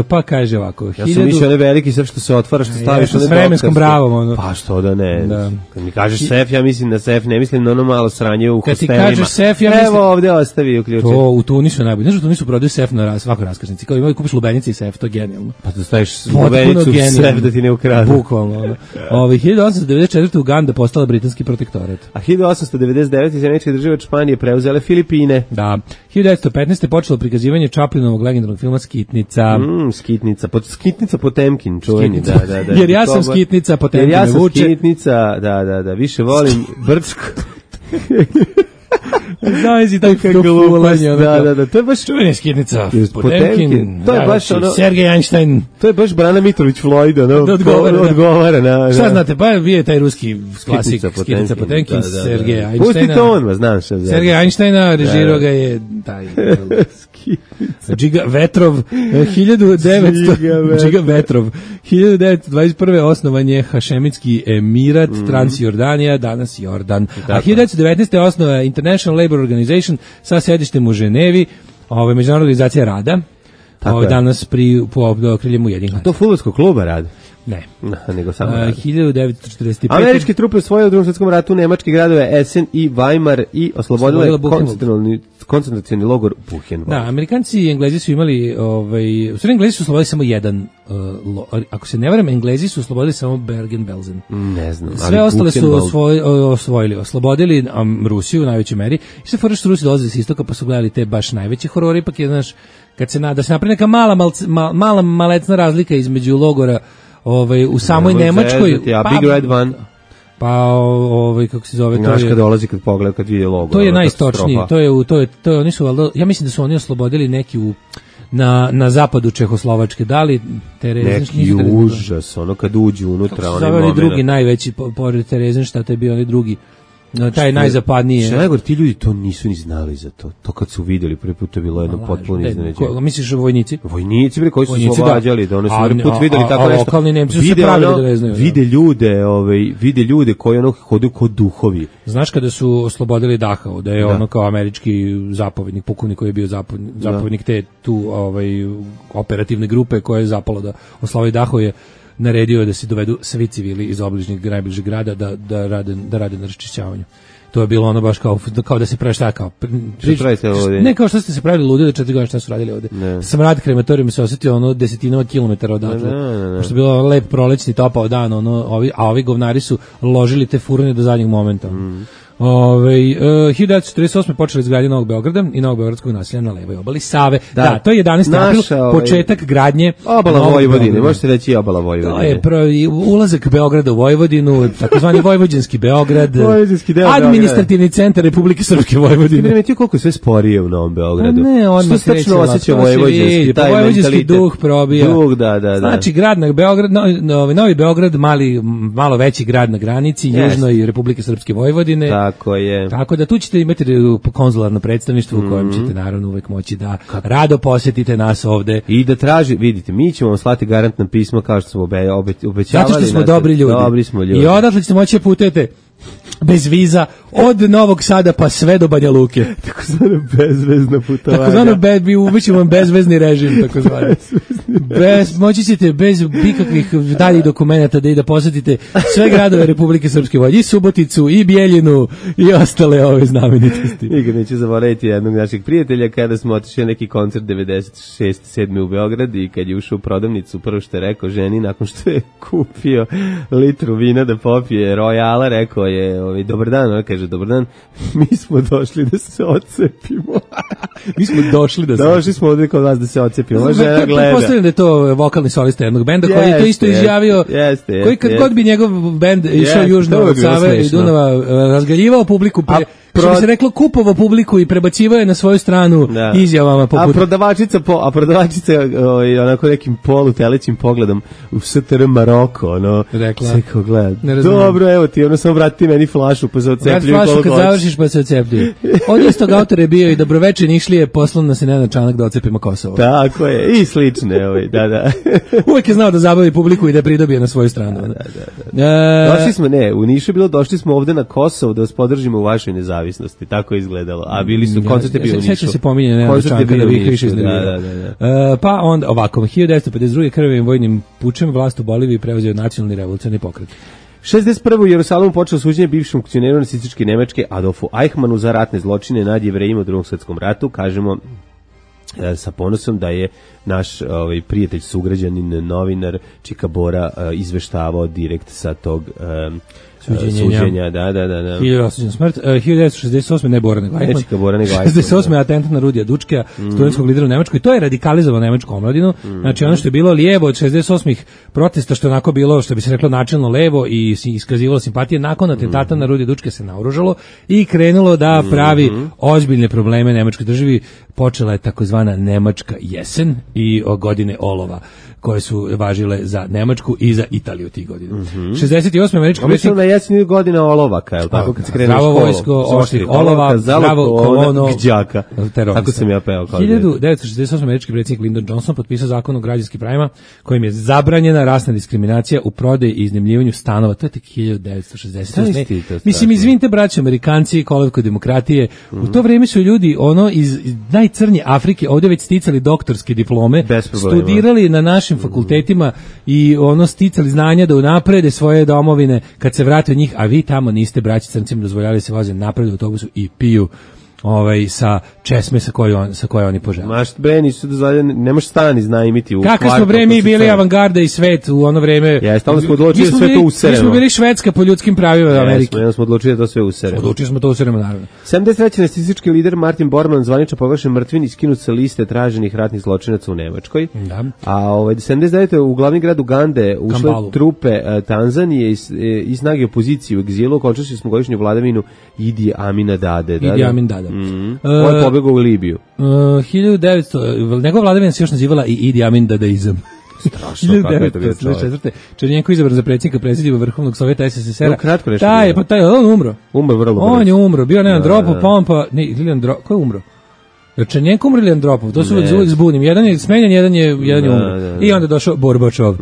Pa kaže ovako, Ja sam mislio onaj veliki sef što se otvara, što staviš s vremenskom bravom. Ono. Pa što da ne. Da. Kad mi kažeš sef, ja mislim na sef, ne mislim na ono malo sranje u hostelima. Kad ti kažeš sef, ja mislim... Evo ovde ostavi uključen. To u Tunisu je najbolje. Znaš, u Tunisu prodaju sef na svakoj raskrsnici. Kao imaju kupiš lubenice i sef, to je genijalno. Pa da staviš lubenicu u sef da ti ne ukradu. Bukvalno. 1894. Uganda postala britanski protektorat. A 1899. iz Američke države Španije preuzele Filipine. Da. 1915. počelo prikazivanje Chaplinovog legendarnog filma Skitnica. Skitnica Potemkin, čuveni. Da. Jer ja sam Skitnica, Potemkin me vuče. Jer ja sam Skitnica, da, više volim Brčko. Znaš i tako fulanje. Da, to je baš čuveni Skitnica, Potemkin. To je baš ono... Sergej Einstein. To je baš Brana Mitrović Floyd, ono, odgovara na... Šta znate, pa je taj ruski klasik Skitnica, Potemkin, Sergej Einsteina. Pusti to on, znam šta. Sergej Einsteina, režirao ga je taj... Džiga Vetrov, 1921. osnovan je Hašemitski emirat, Transjordanija, danas Jordan. A 1919. osnova International Labour Organization sa sedištem u Ženevi, Međunarodna organizacija rada, danas pod okriljem Ujedinjenih nacija. To fudbalskog kluba radi? Ne. Nego samo 1945. Američke trupe osvojile u Drugom svjetskom ratu nemačke gradove Essen i Weimar i oslobodile koncentracioni logor Buchenwald. Da, Amerikanci i Englezi su imali, u stvari Englezi su oslobodili samo jedan, ako se ne varam, Englezi su oslobodili samo Bergen-Belsen. Ne znam. Sve ostale su osvojili, oslobodili Rusiju u najvećoj meri i sve fora što Rusi dolaze s istoka pa su gledali te baš najveće horore, ipak je, znaš, kad se da se napravi neka mala malecna razlika između logora u samoj Nemačkoj, Big Red One. Pa kako se zove, to je kad dolazi kad pogleda kad vidi logo. To je najistočniji, to je oni su ja mislim da su oni oslobodili neki na zapadu Čehoslovačke, dali neki užas, ono kad uđu unutra, onaj moment. Drugi najveći pored Terezenštata je bio onaj drugi. Taj najzapadniji. Što najgore, ti ljudi to nisu ni znali za to. To kad su vidjeli prvi put je bilo jedno potpuno iznenađenje. Misliš vojnici? Vojnici bre koji su oslobađali, da oni su prvi put videli tako nešto. Lokalni Nemci su se pravili da ne znaju. Vide ljude koji ono hodaju kao duhovi. Znaš kada su oslobodili Dachau, da je ono kao američki zapovjednik, pukovnik koji je bio zapovjednik te tu operativne grupe koja je zapalo da oslobodi Dachau, je naredio da se dovedu svi civili iz najbližeg grada da rade na raščišćavanju. To je bilo ono baš kao da se pravi šta kao... Ne kao što ste se pravili ludi da 4 godine šta su radili ovde. Smrad krematorijuma se osjetio ono desetinama kilometara odatle. Pošto je bilo lep prolećni topao dan, a ovi govnari su ložili te furune do zadnjeg momenta. 1948. počeli izgradnje Novog Beograda i Novog beogradskog naselja na levoj obali Save. Da, to je 11. april, početak gradnje obala Vojvodine, možete reći obala Vojvodine. To je ulazak Beograda u Vojvodinu, takozvani Vojvođanski Beograd, administrativni centar Republike Srpske Vojvodine. Ne, ti koliko je sve sporije u Novom Beogradu. Ne, on se tačno osjeća vojvođanski, taj vojvođanski duh probija. Da. Znači, grad na Beograd, Novi Beograd, malo veći grad na granici, južnoj Republike Srpske Vojvodine. Tako je. Tako da tu ćete imati konzularno predstavništvo u kojem ćete naravno uvek moći da rado posjetite nas ovde. I da vidite, mi ćemo vam slati garantna pisma kao što smo obećavali. Zato što smo dobri ljudi. Dobri smo ljudi. I odatle ćete moći da putujete bez viza od Novog Sada pa sve do Banja Luke. Takozvano bezvezno putovanje. Takozvano uvećemo vam bezvezni režim, takozvano. Moći ćete bez ikakvih daljih dokumenata da posjetite sve gradove Republike Srpske Vojvodine, i Suboticu, i Bijeljinu, i ostale ove znamenitosti. Nikad neću zaboraviti jednog našeg prijatelja kada smo otišli neki koncert 96-7 u Beograd i kad je ušao u prodavnicu, prvo što je rekao ženi nakon što je kupio litru vina da popije Royala, rekao je, dobar dan, ona kaže, dobar dan, mi smo došli da se odcepimo. Mi smo došli da se... Došli smo ovdje kod vas da se odcepimo. Ova žena gleda. Pretpostavljam da je to vokalni solista jednog benda koji je to isto izjavio, koji kad god bi njegov bend išao južno od Save i Dunava, razgaljivao publiku, što bi se reklo, kupovao publiku i prebacivao je na svoju stranu izjavama poput... A prodavačica onako nekim polutelećim pogledom u STR Maroko, ono, sve kao gleda. Dobro, evo ti, ono, samo vrati meni flašu pa se odcepljuju. Vrati flašu kad završiš pa se odcepljuju. Od istog autora je bio i Dobroveče Nišlije, poslan nas je Nenad Čanak da odcepimo Kosovo. Tako je, i slične, da. Uvijek je znao da zabavi publiku i da pridobije na svoju stranu. Da. Došli smo, u Nišu je bilo, došli smo ovde na Kosovo da vas podržimo u vašoj nezavisnosti, tako je izgledalo. A bili su, koncert je bio u Nišu. Sjeća se pominje Nenad Čanka da vi više iznervirao. Pa onda ovako, 1952. krvavim vojnim pučem vlast u Boliviji preuzeo nacionalni revolucionarni pokret. 61. u Jerusalimu počelo suđenje bivšem funkcioneru nacističke Nemačke Adolfu Eichmannu za ratne zločine nad Jevrejima u Drugom svetskom ratu. Kažemo sa ponosom da je naš prijatelj, sugrađanin, novinar Čika Bora izveštavao direkt sa tog suđenja. Da. 1968. smrt, 1968. ne Bora nego Eichmann. Nečika Bora nego Eichmann. 68. atentat na Rudija Dučkea, studentskog lidera u Nemačkoj. To je radikalizovalo nemačku omladinu. Znači ono što je bilo lijevo od 68. protesta, što je onako bilo, što bi se reklo, načelno levo i iskazivalo simpatije, nakon atentata na Rudija Dučkea se naoružalo i krenulo da pravi ozbiljne probleme nemačkoj državi. Počela je takozvana Nemačka jesen i godine olova, koje su važile za Nemačku i za Italiju tih godina. 68. američki predsjednik... na jesen godina olovaka, je li tako, kad se krene u školu? Zdravo vojsko, oštrih olova, zdravo kolono, gđaka. Tako sam ja peo. 1968. američki predsjednik Lyndon Johnson potpisao zakon o građanskim pravima kojim je zabranjena rasna diskriminacija u prodaji i iznajmljivanju stanova. To je tek 1968. Mislim, izvinite, braći Amerikanci, kolevko demokratije, u to vrijeme su ljudi iz najcrnje Afrike ovdje već sticali doktorske diplome, studirali na našim fakultetima i sticali znanja da unaprede svoje domovine kad se vrate od njih, a vi tamo niste, braći crncima, dozvoljali se voze napred u autobusu i piju sa česme sa koje oni požele. Maš bre, nisu dozvoljeni, nemaš stan iznajmiti u kvartu. Kako smo bre mi bili avangarda i svet u ono vreme. Jeste, onda smo odlučili da sve to useremo. Mi smo bili Švedska po ljudskim pravima Amerike. Onda smo odlučili da to sve useremo. Odlučili smo to useremo, naravno. 73. nacistički lider Martin Bormann zvanično proglašen mrtvim i skinut sa liste traženih ratnih zločinaca u Nemačkoj. Da. A 79. u glavni grad Ugande ušle trupe Tanzanije i snage opozicije u egzilu, okončali smo godišnju vladavinu Idi Amina Dade. Idi Amin Dada. On je pobegao u Libiju. 1900, njegova vladavina se još nazivala i Idi Amin Dadaizam. Strašno, kako je to bio čovjek. Černjenko izabran za predsjednika Vrhovnog sovjeta SSSR-a. Kratko nešto. On umro. Umro vrlo brzo. On je umro, bio Nenad Andropov, ko je umro? Černjenko umro ili Andropov, to su uvijek zbunim. Jedan je smenjen, jedan je umro. I onda je došao Borbačov.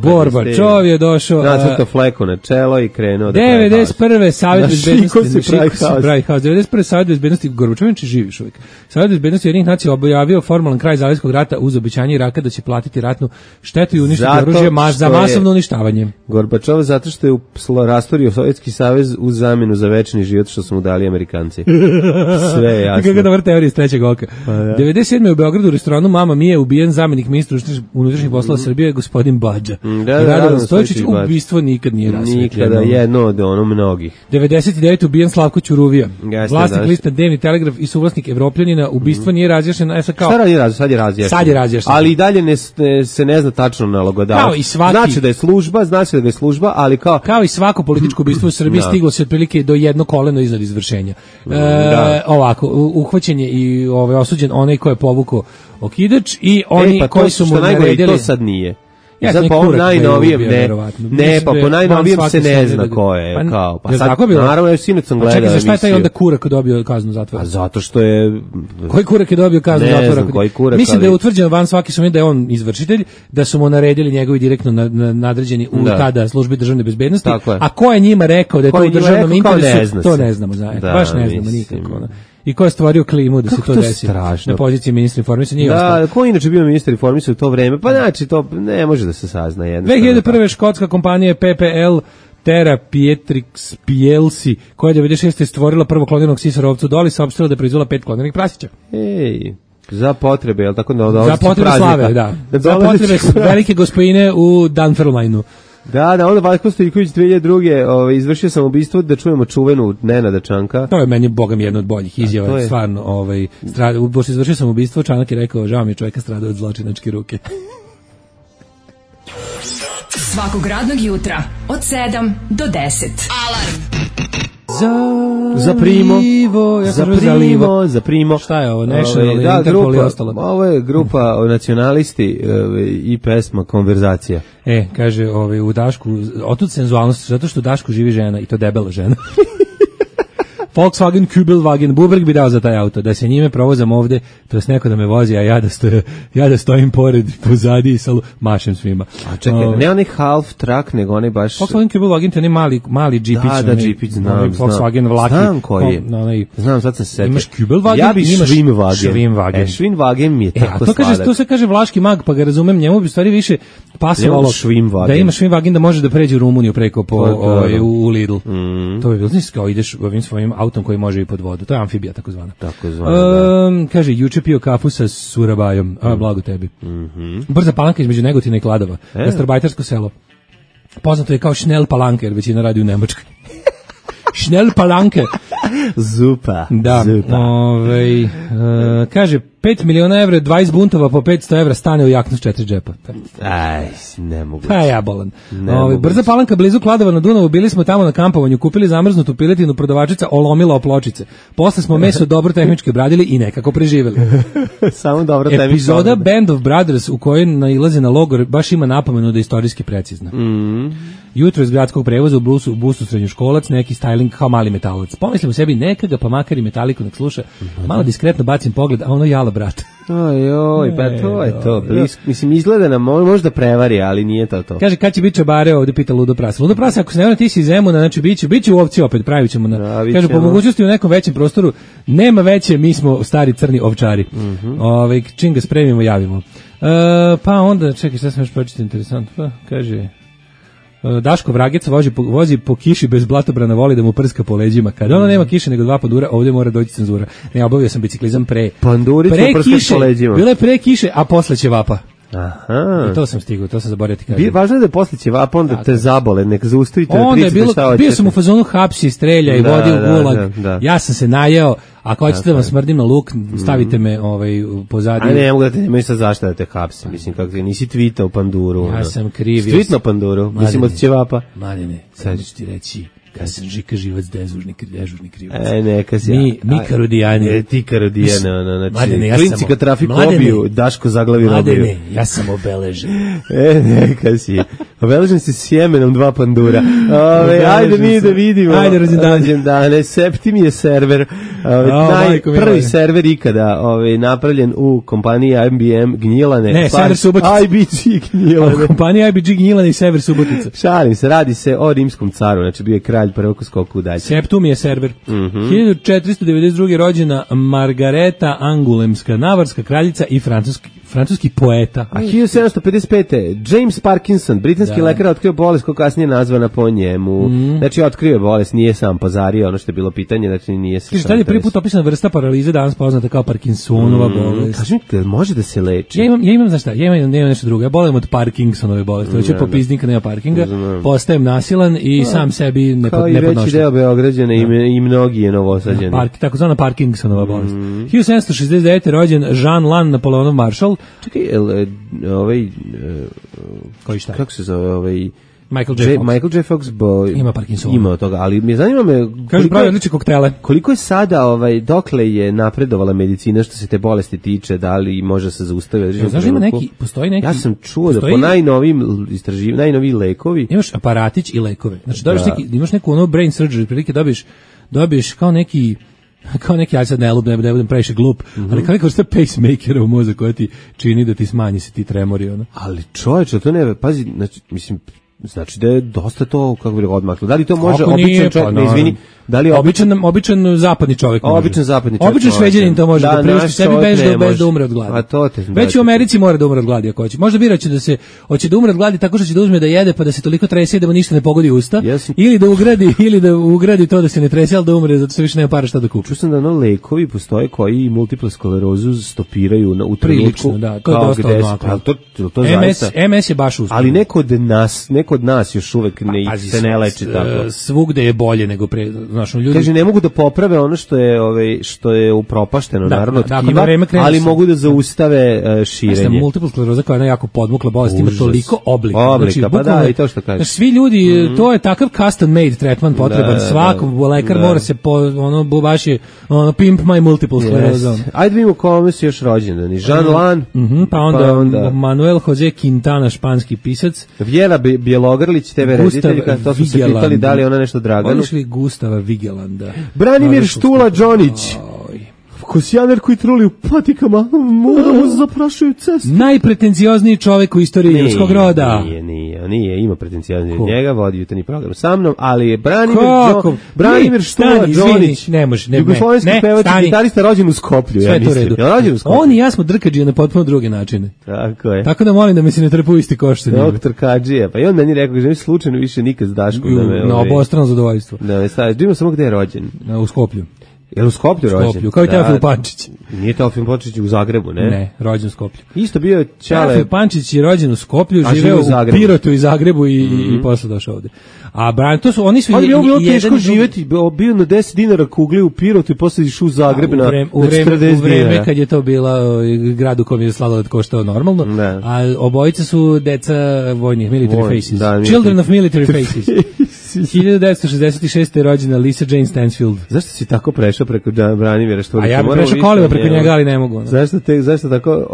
Borbačov je došao. Nacrtao fleku na čelo i krenuo da 91. Savjet bezbednosti. 91. Savjet bezbednosti, Gorbačović živiš uvijek. Savjet bezbednosti Ujedinjenih nacija objavio formalan kraj Zalivskog rata uz obećanje Iraka da će platiti ratnu štetu i uništiti oružje za masovno uništavanje. Gorbačov zato što je rastorio Sovjetski savez uz zamjenu za večni život što su mu dali Amerikanci. Sve je jasno. Iz trećeg oka. 97. u Beogradu u restoranu Mama Mije ubijen zamjenik ministra unutrašnjih poslova Srbije gospodin Badža. Radovan Stojičić, ubistvo nikad nije rasvetljeno. Nikada, jedno od mnogih. 99. ubijen Slavko Ćuruvija. Vlasnik lista Dnevni telegraf i suvlasnik Evropljanina, ubistvo nije razjašnjeno. Sad je razjašnjeno. Ali i dalje se ne zna tačno nalogodavac. Znači da je služba, ali kao i svako političko ubistvo u Srbiji stiglo se otprilike do jedno koleno iznad izvršenja. Ovako, uhvaćen je i osuđen onaj ko je povukao okidač i oni koji su mu naredili. To sad nije. Sad po najnovijem po najnovijem se ne zna ko je. Pa sad, naravno, je sinoć sam gledao. Čekaj, za šta je taj onda kurak dobio kaznu zatvora? A zato što je... Koji kurak je dobio kaznu zatvora? Ne znam koji kurak. Mislim da je utvrđeno van svaki sumnje da je on izvršitelj, da su mu naredili njegovi direktno nadređeni u tada službi državne bezbednosti, a ko je njima rekao da je to u državnom interesu, to ne znamo. Baš ne znamo nikako. I ko je stvorio klimu da se to desi na poziciji ministra informisanja? Da, ko je inače bio ministar informisanja u to vreme? Pa znači, to ne može da se sazna. 2001. škotska kompanija PPL Terra Pietrix PLC, koja je 96. stvorila prvo kloniranog sisara ovcu Doli, saopštila da je proizvela 5 kloniranih prasića. Za potrebe, je li tako? Za potrebe slave, da. Za potrebe velike gospojine u Dunfermlineu. Da, onda Valjko Stojiković 2002. Izvršio sam ubistvo da čujemo čuvenu Nenada Čanka. To je meni, bogam, jedno od boljih izjava, stvarno, pošto izvršio sam ubistvo, Čanak je rekao, žao mi je, čovjeka stradao od zločinačke ruke. Svakog radnog jutra od 7 do 10. Alarm. Za primo. Šta je ovo? National Interpol i ostalo. Ovo je grupa nacionalisti i pesma Konverzacija. Kaže, u Dašku, otud senzualnost, zato što u Dašku živi žena i to debela žena. Volkswagen Kübelwagen, Bubreg bi dao za taj auto, da se njime provozam ovde, to je neko da me vozi, a ja da stojim pored, pozadi i mašem svima. A čekaj, ne onaj half truck, nego onaj baš... Volkswagen Kübelwagen, to je mali džipić. Da, džipić, znam. Volkswagen vlaki. Znam koji je. Znam, sad sam se setio. Imaš Kübelwagen, ja bi Schwimmwagen. Schwimmwagen mi je tako sladak. To se kaže vlaški mag, pa ga razumem, njemu bi stvari više pasovalo da ima Schwimmwagen, da može da pređe u Rumuniju preko u Lidl. To bi bilo, znaš, kao ideš ovim svojim autom koji može i pod vodu. To je amfibija takozvana. Kaže, juče pio kafu sa surabajom. Blago tebi. Brza Palanka između Negotina i Kladova. Gastarbajtersko selo. Poznato je kao Schnell Palanke, jer većina radi u Nemačkoj. Schnell Palanke. Zupa. Da. Kaže, 5 miliona evra, 20 buntova po 500 evra stane u jaknu s 4 džepa. Aj, ne mogu. Pa ja bolan. Brza Palanka blizu Kladova na Dunavu, bili smo tamo na kampovanju, kupili zamrznutu piletinu, prodavačica olomila o pločice. Posle smo meso dobro tehnički obradili i nekako preživeli. Samo dobro tehnički. Epizoda Band of Brothers u kojoj nailaze na logor baš ima napomenu da je istorijski precizna. Jutro iz gradskog prevoza u busu srednjoškolac, neki styling kao mali metalac. Pomislim u sebi neka ga, pa makar i metaliku nek sluša. Malo diskretno bacim pogled, a ono jala brat. Oj, pa to je to. Mislim, izgleda nam, možda prevari, ali nije to. Kaže, kad će biti čabare, ovdje pita Ludo Prasa. Ludo Prasa, ako se ne vrati, ti si iz Zemuna, znači biće u ovci opet, pravit ćemo. Kaže, po mogućnosti u nekom većem prostoru, nema veće, mi smo stari crni ovčari. Čim ga spremimo, javimo. Pa onda, čekaj, šta sam još početi interesantno, kaže... Daško Vragec vozi po kiši bez blatobrana, voli da mu prska po leđima. Kada ono nema kiše nego 2 pandura, ovdje mora doći cenzura. Ne, obavio sam biciklizam pre. Panduricu prska po leđima. Bilo je pre kiše, a posle ćevapa. Aha. I to sam stigao, to sam zaboravio ti kažem. Važno je da posle ćevapa, onda te zabole, nek zaustavite da pričate šta hoćete. Bio sam u fazonu hapsi, strelja i vodi u gulag. Ja sam se najeo. Ako hoćete da vam smrdim na luk, stavite me pozadnje. A ne mogu da te nemaš sa zašto da te hapsi. Mislim, kako nisi tvitao panduru. Ja sam krivio. Tvitno panduru, mislim od ćevapa. Mladene, sad ću ti reći, kad sam Žika Živac dežurni krivac. Neka si. Mi karodijani. Ti karodijani, znači, klinci kad trafik obiju, Daško zaglavi robiju. Mladene, ja sam obeležen. Neka si. Obeležen si sjemenom 2 pandura. Ajde mi da vidimo. Ajde, rođendane. Septim je server. Prvi server ikada napravljen u kompaniji IBM Gnjilane. Ne, Sever Subotica. IBG Gnjilane. Kompanija IBG Gnjilane i Sever Subotica. Šalim se, radi se o rimskom caru, znači bio je kralj prvog skoku dalje. Septum je server. 1492. rođena Margareta Angulemska, navarska kraljica i francuski poeta. A 1755. James Parkinson, britanski lekar, otkrio bolest koja kasnije nazvana po njemu. Znači, otkrio je bolest, nije sam pozario, ono što je bilo pitanje, znači nije se... Šta je prvi put opisana vrsta paralize, danas poznata kao Parkinsonova bolest? Kaži mi, može da se leči? Ja imam, znaš šta, ja imam nešto drugo, ja bolim od Parkinsonove bolesti, hoću popiznika, nema parkinga, postajem nasilan i sam sebi nepodnošan. Kao i veći deo Beograđana i mnogi je novosađeni. Takozvana Parkinsonova bolest. 1769. rođen Jean Lannes Napoleonov maršal. Čekaj, koji šta? Kako se zove Michael J. Fox ima Parkinsona. Ima toga, ali me zanima kaže pravi odlične koktele. Koliko je sada dokle je napredovala medicina što se te bolesti tiče, da li može se zaustaviti? Znaš, ima postoji neki. Ja sam čuo da po najnovijim istraživanjima, najnoviji lekovi. Imaš aparatić i lekove. Znači imaš neku brain surgery, prilike dobiješ kao neki, ja sad ne budem previše glup, ali kao neka vrsta pacemakera u mozak koja ti čini da ti smanji se ti tremori. Ali čovječe, to ne, pazi, znači, mislim, znači da je dosta to, kako bi rekao, odmaklo. Da li to može običan čovjek, izvini, Da li običan zapadni čovjek može. Običan zapadni čovjek. Običan Šveđanin to može da priušti sebi bez da umre od gladi. A to te već u Americi mora da umre od gladi ako hoće. Možda bira će hoće da umre od gladi tako što će da uzme da jede pa da se toliko trese da mu ništa ne pogodi usta ili da ugradi to da se ne trese al da umre zato što više nema para šta da kupi. Čuo sam da lekovi postoje koji multiplu sklerozu stopiraju u trenutku. Da, to je dosta odmaklo. To MS je baš uspjeh. Ali neko od nas još uvek se ne leči tako. Svugde je bolje nego pre, znaš, ljudi. Kaže ne mogu da poprave ono što je upropašteno naravno tkiva, ali mogu da zaustave širenje. Multipla skleroza koja je jako podmukla bolest ima toliko oblika. Znači, pa da, i to što kažeš. Svi ljudi, to je takav custom made tretman potreban. Svaki lekar mora se baš je pimp my multiple skleroza. Ajde vidimo kome si još rođendan. Jean Lan, pa onda Manuel Jose Quintana, španski pisac. Vjera Bjelogrlić, TV rediteljka, to su se pitali da li ona nešto Draganu. Voliš li Gustava Vigelanda? Branimir Štula Đonić. Kosijaner koji truli u patikama, mu zaprašuju cestu. Najpretenciozniji čovjek u istoriji ljudskog roda. Nije, ima pretenciozniji od njega, vodi jutarnji program sa mnom, ali je Branimir Štula Đonić. Ne može, jugoslovenski pevač i gitarista rođen u Skoplju, ja mislim. On i ja smo drkađije na potpuno druge načine. Tako je. Tako da molim da mi se ne trpu isti koš sa njima. Doktor Kadžija, pa i on meni rekao, že slučajno više nikad s Daškom da me... Na obostrano zadovoljstvo. Da me staviš, vidimo samo gde je rođen. U Skoplju. Je li u Skoplju rođen? Kao i Teofil Pančić. Nije Teofil Pančić u Zagrebu, ne? Ne, rođen u Skoplju. Isto bio je Čale. Teofil Pančić je rođen u Skoplju, živeo u Pirotu i Zagrebu i posle došao ovde. A oni su ali bilo teško živeti, bio na 10 dinara kugli u Pirotu i posle išao u Zagreb na 40 dinara. U vreme kad je to bila grad u kom je sladoled koštao normalno, a obojice su deca vojnih, military faces. Children of military faces. 1966. je rođena Lisa Jane Stansfield. Zašto si tako prešao preko Branimira Šturića? A ja bih prešao kolima preko njega, ali ne mogu. Zašto tako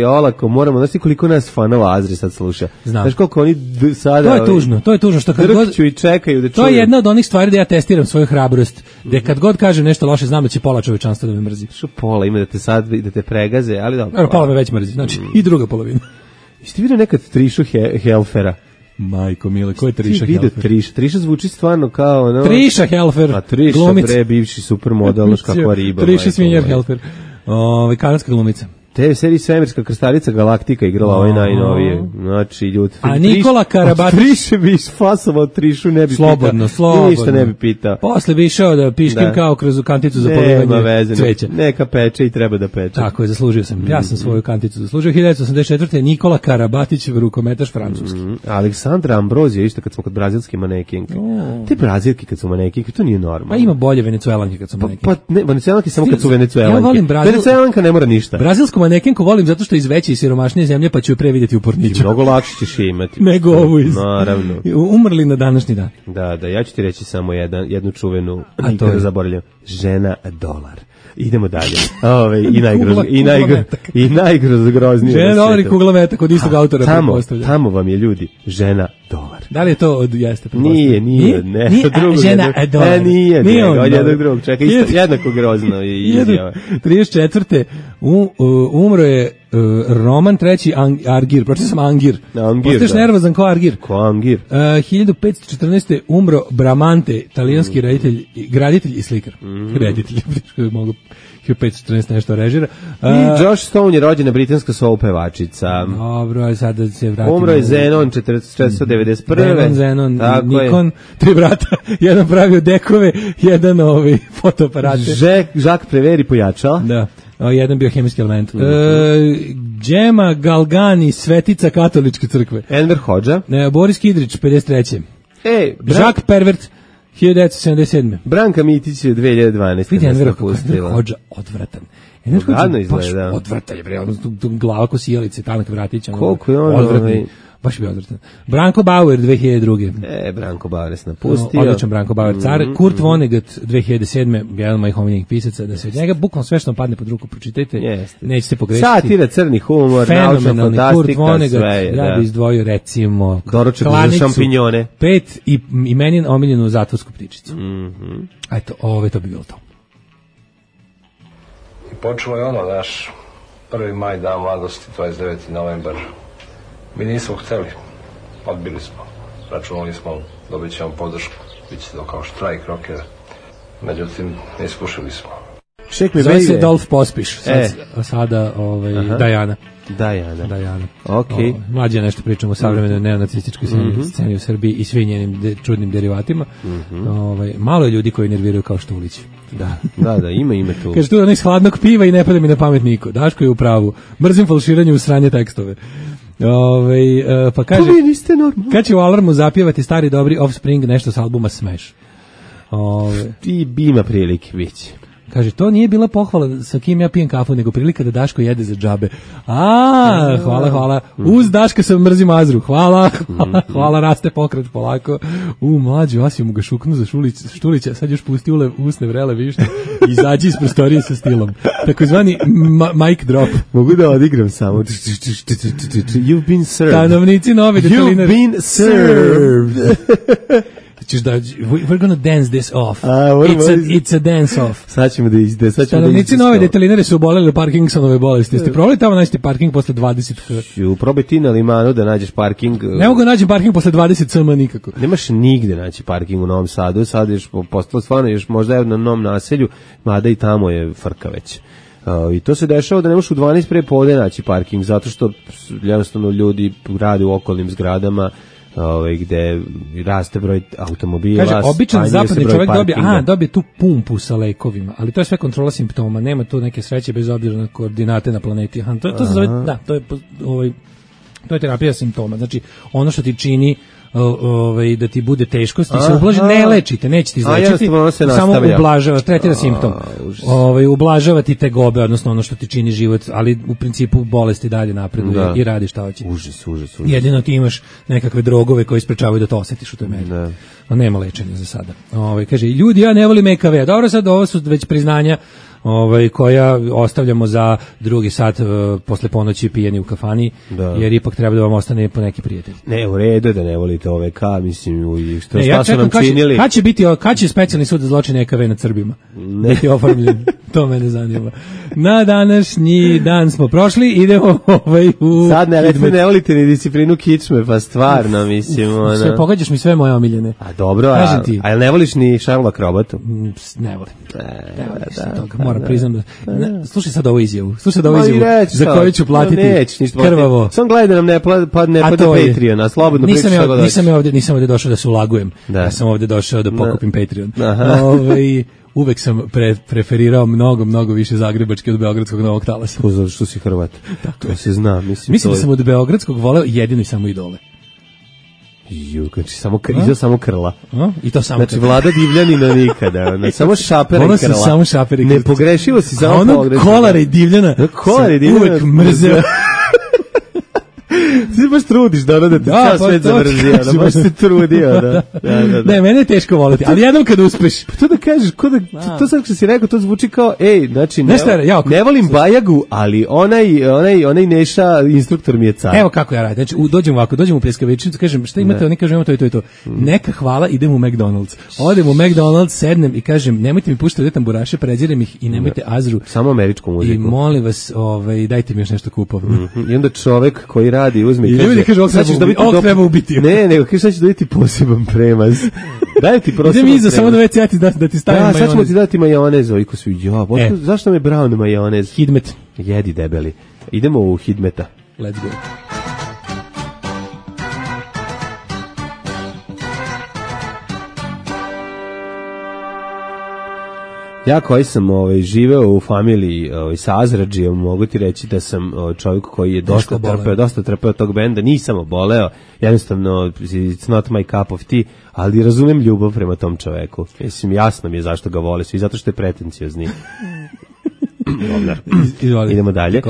olako moramo, znaš ti koliko nas fanova Azri sad sluša? Znaš koliko oni sada... To je tužno što kad god... i čekaju da čuju. To je jedna od onih stvari da ja testiram svoju hrabrost, da kad god kažem nešto loše, znam da će pola čovečanstva da me mrzi. Što pola, ima da te pregaze, ali dobro. Pola me već mrzi, znači i druga polovina. Jeste vidio nekad Trišu Helfera? Majko mile, ko je Triša Helfer? Triša zvuči stvarno kao... No, Triša Helfer, a Triša, bre, bivši supermodel, kakva riba. Triša Svinjar Helfer, kanadska glumica. TV seriji Svemirska krstarica Galaktika igrala ovaj najnovije. Znači, ljudi. A Nikola Karabatić... Triše bi isfasovao Trišu, ne bi slobodno. Ništa ne bi pitao. Posle bi išao da piškim kao kroz kanticu za polivanje cveća. Neka peče i treba da peče. Tako je, zaslužio sam. Ja sam svoju kanticu zaslužio. 1984. Nikola Karabatić, rukometaš francuski. Aleksandra Ambrozija, isto kad smo kod brazilske manekenke. Te brazilke kad su manekenke, to nije normalno. Pa ima bolje venecuelanke kad su manekenke. Pa ne, venecuelanke samo kad su venecuelanke. Ja volim Venecuelanka ne mora ništa. Manekenku volim zato što iz veće i siromašnije zemlje, pa ću je pre vidjeti u porniću. Mnogo lakše ćeš imati. Nego ovu iz... Naravno. Umrli na današnji dan. Da, ja ću ti reći samo jednu čuvenu, nikada zaboravljam. Žena dolar. Idemo dalje. I najgroznije. Žena dolar i kugla metak od istog autora. Tamo vam je, ljudi, žena dolar. Da li je to od jeste? Nije, ne. Žena dolar. Nije od jednog drugog. Čekaj, isto jednako grozno je izjava. 34. Umro je Roman III. Argir, pročito sam Angir. Postaješ nervozan ko Argir. 1514. umro Bramante, italijanski graditelj i slikar. Reditelj, mogu 1514 nešto režira. I Josh Stone je rođena britanska soul pevačica. Dobro, sad da se vratimo. Umro je Zenon 491. Zenon, Nikon, 3 brata, jedan pravio dekove, jedan fotoaparate. Jacques Preveri pojačao. Da. Jedan bio hemijski element. Džema Galgani, svetica katoličke crkve. Enver Hodža. Boris Kidrić, 53. Jacques Pervert, 1977. Branka Mitić je 2012. Vidi Enver Hodža, odvratan. Enver Hodža baš odvratan je, glava ko sijalice, tanak vratić. Koliko je on baš bi odvratan. Branko Bauer, 2002. Branko Bauer se napustio. Odličan Branko Bauer car. Kurt Vonnegut, 2007. Jedan od mojih omiljenih pisaca, da se od njega bukvalno sve što vam padne pod ruku pročitajte, nećete pogrešiti. Satira, crni humor, naučna fantastika, sve. Ja bi izdvojio recimo Doručak za šampinjone. 5 i meni omiljenu zatvorsku ptičicu. Eto, to bi bilo to. I počelo je naš 1. maj, dan mladosti, 29. novembar. Mi nismo hteli, odbili smo, računali smo, dobit ćemo podršku, bit će to kao štrajk rokera. međutim ispušili smo. Zove se Dolf Pospiš, sada Dajana. Dajana. Okay. Mlađe nešto pričamo o savremenoj neonacističkoj sceni u Srbiji i svim njenim čudnim derivatima. Malo je ljudi koji nerviraju kao Štulić. Da, ima tu. Kaže tu da iz hladnog piva i ne pada mi na pamet niko. Daško je u pravu. Mrzim falširanje u sranje tekstove. Pa kaže, kad će u Alarmu zapjevati stari dobri Offspring nešto s albuma Smash? I ima prilike, biće. Kaže, to nije bila pohvala sa kim ja pijem kafu, nego prilika da Daško jede za džabe. Hvala. Uz Daška sam mrzim Azru. Hvala, raste pokret polako. Mlađu, Asiju mu ga šuknu za Štulića, sad još pusti usne vrele višnje i izađi iz prostorije sa stilom. Takozvani mic drop. Mogu da odigram samo. You've been served. Stanovnici nove detalinare. You've been served. We're gonna dance this off. It's a dance off. Sad ćemo da izde. Stanovnici nove detalinare su oboleli od Parkinsonove bolesti. Jeste probali tamo naći parking posle 20? Probaj ti na Limanu da nađeš parking. Ne mogu naći parking posle 20 cm nikako. Nemaš nigde naći parking u Novom Sadu. Sad još postalo stvarno još možda je na Novom naselju, mada i tamo je frka već. I to se dešava da ne možeš u 12 pre podne naći parking, zato što jednostavno ljudi rade u okolnim zgradama, gde raste broj automobila. Kaže, običan zapadni čovjek dobije tu pumpu sa lekovima, ali to je sve kontrola simptoma, nema tu neke sreće bez obzira na koordinate na planeti. To se zove, to je terapija simptoma. Znači, ono što ti čini da ti bude teško, ti se ublaži, ne lečite, neće ti izlečiti, samo ublažava, tretira simptom. Ublažava ti tegobe, odnosno ono što ti čini život, ali u principu bolesti dalje napreduje i radi šta hoće. Užas. Jedino ti imaš nekakve drogove koji sprečavaju da to osjetiš u toj meri. Nema lečenja za sada. Kaže, ljudi, ja ne volim EKV. Dobro, sad ovo su već priznanja koja ostavljamo za drugi sat posle ponoći pijeni u kafani, jer ipak treba da vam ostane po neki prijatelj. Ne, u redu da ne volite OVK, mislim, šta su nam činili. Kad će specijalni sud za zločine EKV nad Srbima? Biti oformljen, to mene zanima. Na današnji dan smo prošli, idemo u... Sad ne volite ni disciplinu kičme, pa stvarno, mislim, sve pogađaš mi sve moje omiljene. A dobro, a ne voliš ni Šarla Krobatu? Ne volim. Moram priznam. Slušaj sad ovu izjavu. Za koju ću platiti krvavo. Sam gledaj da nam ne padne Patreon, a slobodno pričaš šta god hoćeš. Nisam ovdje došao da se ulagujem. Ja sam ovdje došao da pokupim Patreon. Uvek sam preferirao mnogo više zagrebački od beogradskog Novog Talasa. Zato što si Hrvat. To se zna. Mislim da sam od beogradskog voleo jedino i samo Idole. Znači samo krla. I to samo znači Vlada Divljanina nikada. Samo šapera i krla. Samo šapera i krla. Nepogrešivo si samo pogrešio. Kolara i Divljana. Uvek mrzeo. Ti baš trudiš da ti čas svet zamrzio, baš se trudio, da. Ne, mene je teško voliti, ali jednom kad uspeš. Pa to da kažeš, to sad što si rekao, to zvuči kao, znači, ne volim Bajagu, ali onaj Neša instruktor mi je car. Evo kako ja radim, znači, dođem u pljeskavičnicu, kažem, šta imate, oni kažu, imamo to. Neka hvala, idem u McDonald's. Odem u McDonald's, sednem i kažem, nemojte mi puštati tamburaše, prezirem ih i nemojte Azru. Samo američku muziku. I molim vas, dajte mi još nešto kupovno. I onda čovek koji radi uzme i kaže, ovo treba ubiti. Ne, nego kaže, sad ću dobiti poseban premaz. Daj ti poseban premaz. Idem iza, samo da već ja da ti stavim majonez. Sad ćemo ti dati majonez, oviko su, zašto me brown majonez? Hidmet. Jedi debeli. Idemo u Hidmeta. Let's go. Ja koji sam živeo u familiji sa Azradžijom, mogu ti reći da sam čovjek koji je dosta trpeo tog benda, nisam oboleo, jednostavno it's not my cup of tea, ali razumem ljubav prema tom čoveku. Mislim, jasno mi je zašto ga vole svi, zato što je pretenciozni. Idemo dalje.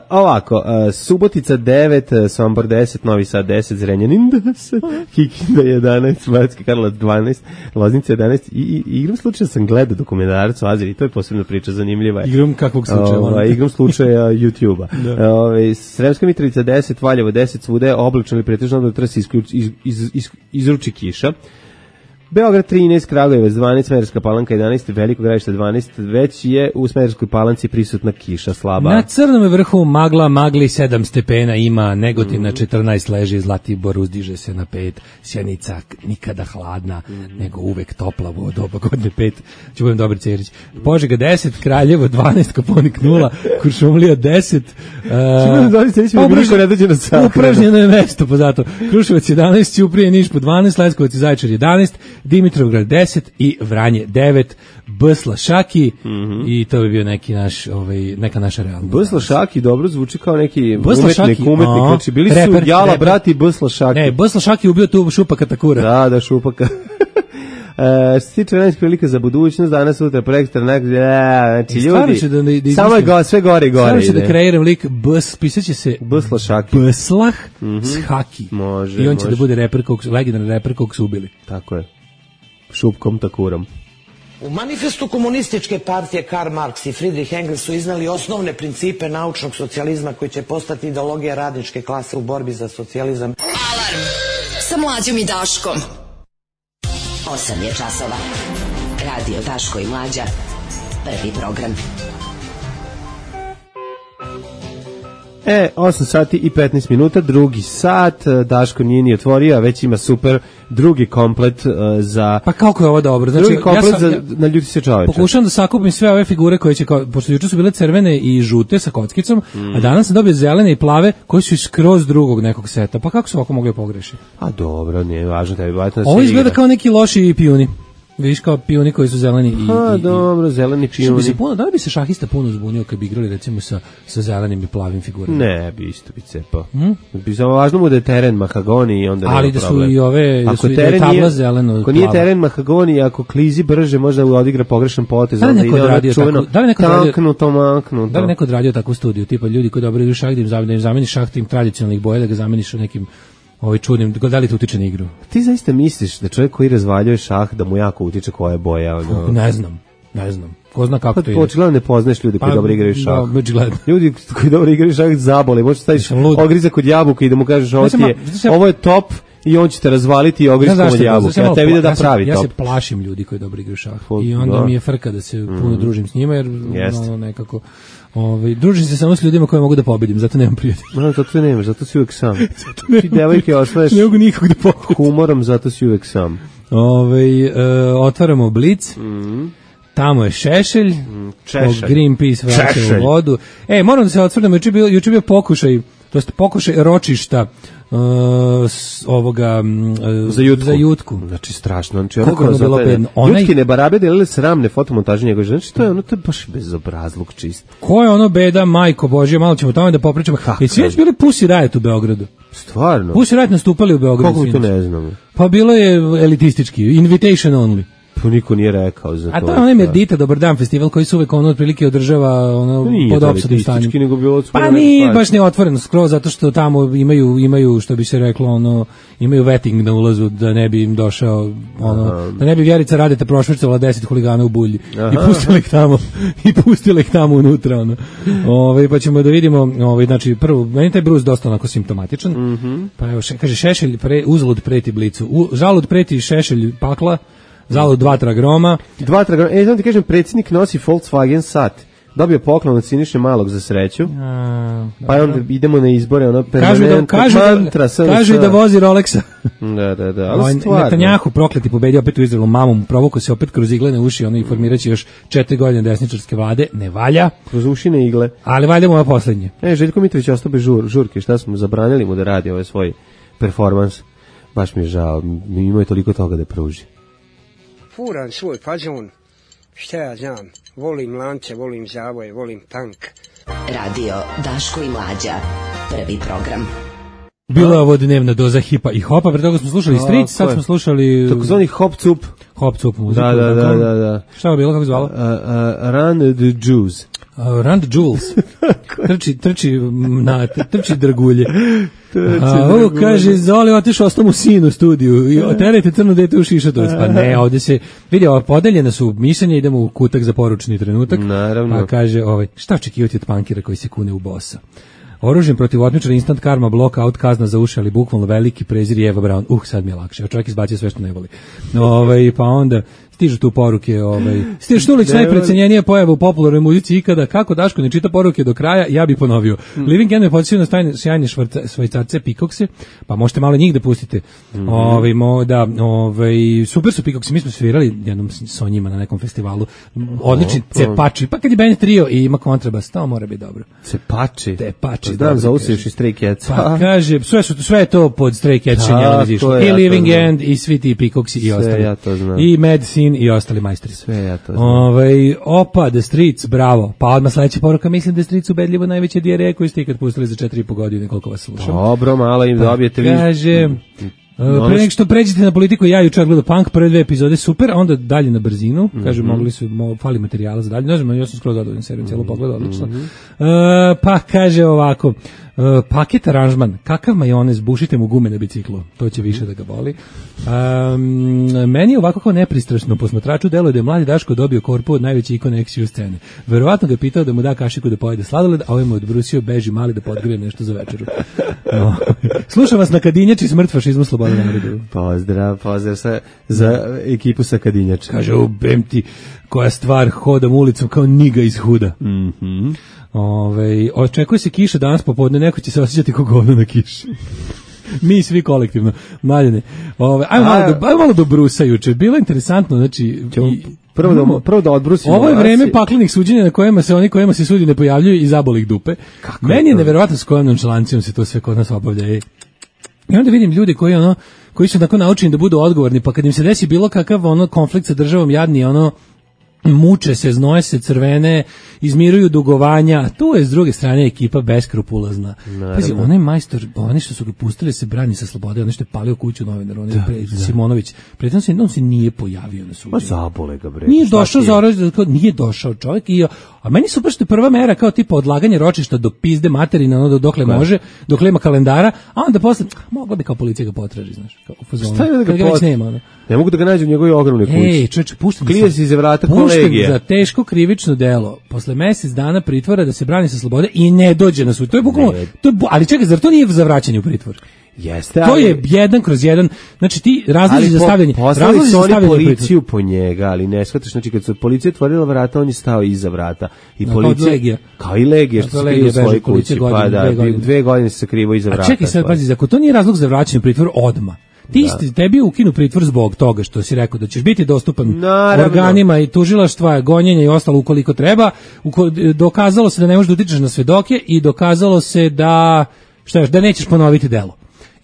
Ovako, Subotica 9, Sombor 10, Novi Sad 10, Zrenjanin 10, Kikinda 11, Banatski Karlovac 12, Loznica 11 i igram slučaja sam gledao dokumentarac o Azeri, to je posebna priča, zanimljiva je. Igram kakvog slučaja? Igram slučaja YouTube-a. Sremska Mitrovica 10, Valjevo 10, svude oblačno ili pretežno da trasi izruči kiša. Beograd 13, Kragujevac 12, Smederevska Palanka 11, Veliko Gradište 12, već je u Smederevskoj Palanci prisutna kiša slaba. Na Crnom vrhu magli 7 stepena ima, Negotin na 14 leži, Zlatibor uzdiže se na 5, Sjenica nikada hladna, nego uvek topla u doba godine 5, ću budem dobar Cerić. Požega 10, Kraljevo 12, Koponik 0, Kuršumlija 10, upražnjeno je mesto, pa zato Kruševac 11, Ćuprije, Niš po 12, Leskovac i Zaječar 11, Dimitrovgrad 10 i Vranje 9, Bsla Šaki i to bi bio neki naš, neka naša realna. Bsla Šaki dobro zvuči kao neki umetnik, znači bili su Jala brati Bsla Šaki. Ne, Bsla Šaki ubio tu Šupaka Takura. Da, Šupaka. Što se tiče vremenskih prilika za budućnost, danas, sutra, prekstra, znači ljudi, samo je sve gore i gore. Stvarno ću da kreiram lik, pisaće se Bsla Šaki. Bslah s Haki. Može, i on će da bude legendarni reper kog su ubili. Tako je. Šupkom Takurom. U manifestu komunističke partije Karl Marx i Friedrich Engels su iznali osnovne principe naučnog socijalizma koji će postati ideologija radničke klase u borbi za socijalizam. Alarm sa Mlađom i Daškom. 8 je časova. Radio Daško i Mlađa. Prvi program. 8 sati i 15 minuta, drugi sat, Daško nije ni otvorio, a već ima super drugi komplet za... Pa kako je ovo dobro? Znači, drugi komplet za naljuti se čoveče. Pokušavam da sakupim sve ove figure koje će, pošto juče su bile crvene i žute sa kockicom, a danas sam dobio zelene i plave koji su skroz drugog nekog seta. Pa kako su ovako mogli pogrešiti? A dobro, nije važno tebi. Ovo izgleda kao neki loši pijuni. Vidiš kao pijuni koji su zeleni i... dobro, zeleni pijuni. Da li bi se šahista puno zbunio kad bi igrali recimo sa zelenim i plavim figurama? Ne, bi isto bi cepao. Bi samo važno mu da je teren mahagoni i onda nema ali da su i ove, da su i da je tabla zeleno. Ako nije teren mahagoni, ako klizi brže, možda odigra pogrešan potez. Da li neko odradio Da li neko odradio takvu studiju? Tipa ljudi koji dobro idu šah, da im zameniš šah tim tradicionalnih boja, da ga zameniš nekim čudnim, da li to utiče na igru? Ti zaista misliš da čovjek koji razvaljuje šah da mu jako utiče koja je boja? Ne znam. Ko zna kako to ide? Očigledno ne poznaš ljudi koji dobro igraju šah. Očigledno. Ljudi koji dobro igraju šah zabole. Možeš staviš ogrizak od jabuka i da mu kažeš ovo je top i on će te razvaliti i ogrizkom od jabuka. Ja tebi da pravi top. Ja se plašim ljudi koji dobro igraju šah. I onda mi je frka da se puno družim s njima jer nekako... družim se samo s ljudima koje mogu da pobedim, zato nemam prijatelja. Zato nemaš, zato si uvek sam. Ti devojke osvaješ ne mogu nikog da pobedim. Humorom, zato si uvek sam. Otvaramo Blic. Tamo je Šešelj. Greenpeace vraća u vodu. Moram da se odsvrnemo, juče bio pokušaj, to jest pokušaj ročišta za jutku. Znači strašno. Znači, kako je bilo bedno. Jutki ne barabe delile sramne fotomontaže njegove. Znači to je baš bezobrazluk čist. Ko je ono beda, majko Božje, malo ćemo tamo da popričamo. I svi već bili Pussy Riot u Beogradu. Stvarno? Pussy Riot nastupali u Beogradu. Kako mi to ne znamo? Pa bilo je elitistički, invitation only. To niko nije rekao za to. A to je onaj Merdita Dobar dan festival koji se uvek otprilike održava pod opsadnim stanjem. Pa nije baš ne otvoreno skroz zato što tamo imaju što bi se reklo imaju vetting na ulazu da ne bi im došao da ne bi Vjerica Radeta prošvrcala 10 huligana u bulji i pustili ih tamo unutra pa ćemo da vidimo znači prvo meni taj Bruce dosta onako simptomatičan. Pa evo kaže Šešelj uzalud preti Blicu. Žalud preti Šešelj pakla. Zalud 2 tragroma. 2 tragroma. Znam ti kažem, predsjednik nosi Volkswagen sat. Dobio poklon od Siniše Malog za sreću. Pa onda idemo na izbore, Kažu da vozi Rolexa. Da. Ali stvarno. Netanjahu prokleti pobedio opet u Izraelu, mamom provukao se opet kroz iglene uši, i formiraće još 4 godine desničarske vlade. Ne valja. Kroz ušine igle. Ali valja mu na poslednje. Željko Mitrović ostao bez žurke. Šta smo zabranili mu da radi ovaj svoj performans? Baš mi je žao. Imao je toliko toga da pruži. Furam svoj fazon, šta ja znam, volim lance, volim zavoje, volim tank. Radio Daško i Mlađa, prvi program. Bila je ovo dnevna doza hipa i hopa, pre toga smo slušali Street, sad smo slušali... Takozvani hop-cup. Hop-cup muziku. Da. Šta je bilo, kako je zvala? Run the Jews. Run the Jules. Trči dragulje. Ovo kaže, Zoli otišao ostao u sinu studiju i terajte crno dete u šišatovac. Pa ne, ovdje se vidi, podeljene su mišljenja, idemo u kutak za poručni trenutak. Naravno. Pa kaže, šta očekivati od punkira koji se kune u bossa? Oružjem protiv otmičara, instant karma, blockout, kazna za uši, ali bukvalno veliki prezir i Eva Braun. Sad mi je lakše. Čovjek izbacio sve što ne voli. Pa onda stižu tu poruke, Štulić najprecenjenija pojava u popularnoj muzici ikada, kako Daško ne čita poruke do kraja, ja bih ponovio. Living End me podsjetio na sjajne švajcarce Pikokse, pa možete malo njih da pustite. Super su Pikokse, mi smo svirali jednom sa njima na nekom festivalu, odlični cepači, pa kad je band trio i ima kontrabas, to mora biti dobro. Cepači? Da, zausiš i Stray Cats. Pa kaže, sve je to pod Stray Cats, i Living End, i svi ti Pikoksi i ostali. I Medicine i ostali majstori. Sve ja to znam. Opa, The Streets, bravo. Pa odmah sledeća poruka, mislim da The Streets ubedljivo najveće dijareje koju ste ikad pustili za 4,5 godine, koliko vas slušam. Dobro, malo im dobijete vi. Kaže, pre nek što pređete na politiku, ja jučer gledao Punk, prve 2 epizode super, onda dalje na brzinu, kaže, mogli su, fali materijala za dalje, ne znam, ja sam skroz zadovoljan serijom, cijelo pogledao, odlično. Pa kaže ovako, paket aranžman, kakav majonez, bušite mu gume na biciklu, to će više da ga boli. Meni je ovako kao nepristrasno posmatraču deluje da je mladi Daško dobio korpu od najveće ikone action scene. Verovatno ga je pitao da mu da kašiku da pojede sladoled, a ovaj mu odbrusio beži mali da podgrije nešto za večeru. Slušam vas na Kadinjači, smrt fašizmu, sloboda narodu. Pozdrav za ekipu sa Kadinjača. Kaže, ubem ti koja stvar, hodam ulicom kao niga iz Huda. Očekuje se kiša danas popodne, neko će se osjećati kao govno na kiši. Mi svi kolektivno. Mlaljene. Ajmo malo do Brusa juče. Bilo je interesantno, znači... Prvo da odbrusimo. Ovo je vreme paklenih suđenja na kojima se oni kojima se sudi ne pojavljuju i zaboli ih dupe. Meni je neverovatno s kojom nonšalancijom se to sve kod nas obavlja. I onda vidim ljudi koji su tako naučeni da budu odgovorni, pa kad im se desi bilo kakav konflikt sa državom, jadni muče se, znoje se, crvene, izmiruju dugovanja, tu je s druge strane ekipa beskrupulozna. Pazi, onaj majstor, oni što su ga pustili se brani sa slobode, oni što je palio kuću novinar, Simonović, prethodno on se nije pojavio na suđenju. Ma zabole ga bre. Nije došao čovjek a meni su baš prva mera kao tipa odlaganje ročišta do pizde materina, dokle može, dokle ima kalendara, a onda posle, mogla bi kao policija ga potraži, znaš, kao u fazonu. Šta je da ga već nema, Ne mogu da ga nađu u njegovoj ogromnoj kući. Čoveče, puštam se iza vrata kolegije. Za teško krivično delo, posle mesec dana pritvora da se brani sa slobode i ne dođe na sud. To je bukvalno, ali čekaj, zar to nije za vraćanje u pritvor? Jeste, to je 1/1, znači ti razlozi za stavljanje. Poslali su oni policiju po njega, ali ne shvataš, znači kad su policija otvorila vrata, on je stao iza vrata. I policija, kao i Legija što se krije u svojoj kući, pa da, 2 godine se sakrivo iza vrata. A čekaj sad, pazi, ako to nije razlog za vraćanje u pritvor odmah, tebi ukinu pritvor zbog toga što si rekao da ćeš biti dostupan organima i tužilaštva, gonjenja i ostalo ukoliko treba, dokazalo se da ne možeš da utičeš na svedoke i dokazalo se da nećeš ponoviti delo.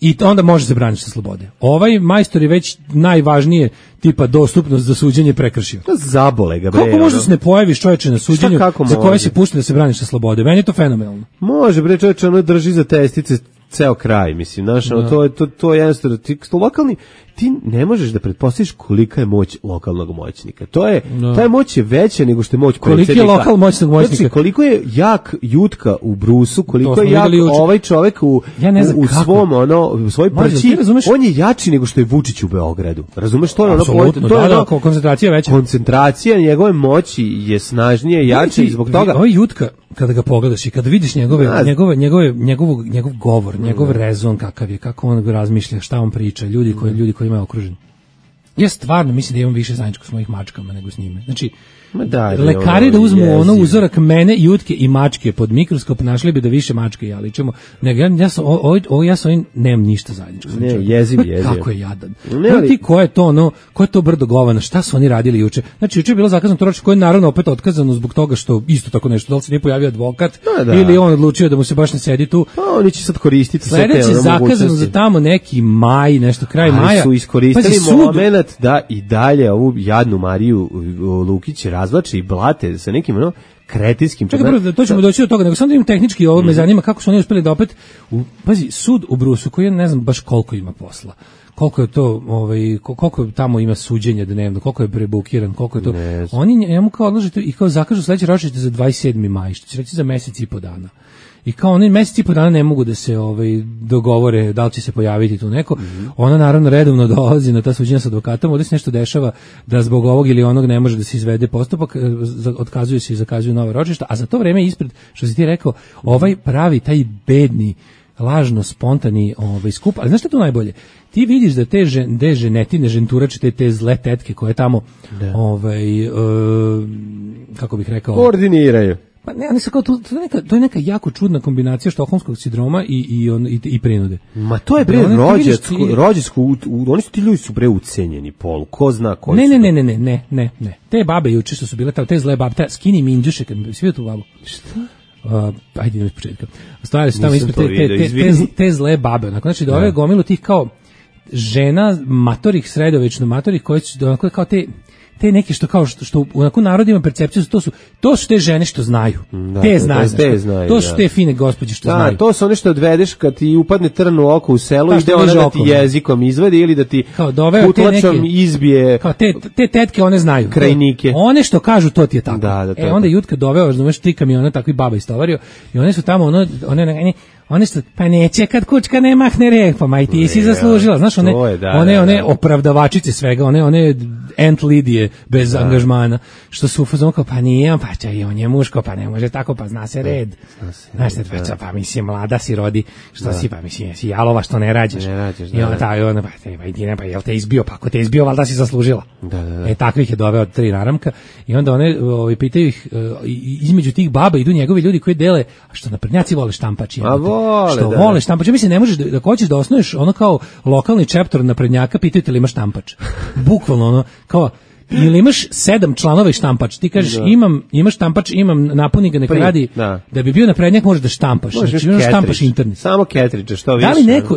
I onda može se braniti sa slobode. Ovaj majstor je već najvažnije tipa dostupnost za suđenje prekršio. Zabole ga bre. Kako možda se ne pojaviš čoveče na suđenju za koje se pušta da se braniš sa slobode? Meni je to fenomenalno. Može bre čoveče, ono drži za testice ceo kraj, mislim, znaš, to je jednostavno, ti ne možeš da pretpostaviš kolika je moć lokalnog moćnika. Ta moć je veća nego što je moć predsjednika. Koliki je lokal moćnog moćnika? Znači, koliko je jak Jutka u Brusu, koliko je jak ovaj čovek u svom, u svojoj prći, on je jači nego što je Vučić u Beogradu. Razumeš, to je ono, koncentracija veća. Koncentracija njegove moći je snažnija i jača i zbog toga. Ovaj Jutka, kada ga pogledaš i kada vidiš njegov govor, njegov rezon kakav je, kako on razmišlja, šta on priča, ljudi koji ima okružen. Ja stvarno mislim da imam više zajedničko s mojih mačkama nego s njime. Znači, lekari da uzmu uzorak mene, Jutke i mačke pod mikroskop, našli bi da više mačke ja ličimo. Ja sa ovim nemam ništa zajedničko. Jeziv. Kako je jadan. Ko je to brdo govana, šta su oni radili juče? Znači, juče je bilo zakazano to ročište koje je naravno opet otkazano zbog toga što isto tako nešto, da li se nije pojavio advokat ili on odlučio da mu se baš ne sedi tu. Oni će sad koristiti sve te mogućnosti. Sledeće zakazano za tamo neki maj, nešto kraj maja. Su iskoristili moment da i dalje ovu jadnu Mariju Lukić razvlače i blate sa nekim kretinskim. Čekaj, to ćemo doći do toga, nego sam da im tehnički ovo me zanima kako su oni uspeli da opet, pazi, sud u Brusu koji ne znam baš koliko ima posla. Koliko je to, koliko tamo ima suđenja dnevno, koliko je prebukiran, koliko je to. Oni njemu kao odložite i kao zakažu sledeće ročište za 27. maj, što će reći za mesec i po dana. i kao oni meseci i po dana ne mogu da se dogovore da li će se pojaviti tu neko. Ona naravno redovno dolazi na ta suđenja sa advokatom, ovdje se nešto dešava da zbog ovog ili onog ne može da se izvede postupak, otkazuje se i zakazuju nova ročišta, a za to vreme ispred, što si ti rekao, pravi taj bedni lažno spontani skup, ali znaš što je tu najbolje? Ti vidiš da te ženetine, ženturače, te zle tetke koje tamo kako bih rekao, koordiniraju. Pa ne, oni su kao to je neka jako čudna kombinacija štokholmskog sindroma i prinude. Ma to je rođačko, oni su ti ljudi su preucenjeni, Pol, ko zna koji su. Ne. Te babe juče što su bile te zle babe, te skinny minđuše, kad svi tu babu. Šta? Ajde idemo iz početka. Stavili su tamo ispred te zle babe, onako, znači da ove gomilu tih kao žena matorih, sredovečno matorih, koje su onako kao te neke što onako narod ima percepciju, to su te žene što znaju. Te znaju. To su te fine gospođe što znaju. To su one što odvedeš kad ti upadne trn u oko u selu i ide ona da ti jezikom izvadi ili da ti kutlačom izbije. Kao te tetke one znaju. Krajnike. One što kažu to ti je tako. Onda Jutka doveo, znaš, 3 kamiona takvi baba istovario i one su tamo one su, pa neće kad kučka ne mahne rep, pa maj ti si zaslužila, znaš, one opravdavačice svega, one Ant Lidije bez angažmana, što su u fazonu kao, pa nije, pa će i on je muško, pa ne može tako, pa zna se red. Znaš, pa mislim, mlada si rodi, što si, pa mislim, si jalova što ne rađaš. I ona, pa jel te izbio, pa ako te izbio, valjda si zaslužila. Takvih je doveo 3 naramka i onda one pitaju ih, između tih baba idu njegovi ljudi koji dele, a što naprednjaci vole štampači. Vole štampač. Mislim, ne možeš da hoćeš da osnuješ ono kao lokalni chapter naprednjaka, pitaju te li ima štampač. Bukvalno ono, kao, ili imaš 7 članova i štampač, ti kažeš imaš štampač, imam, napuni ga, neka radi, da bi bio naprednjak možeš da štampaš, znači imaš štampaš internet. Samo ketridže, što više.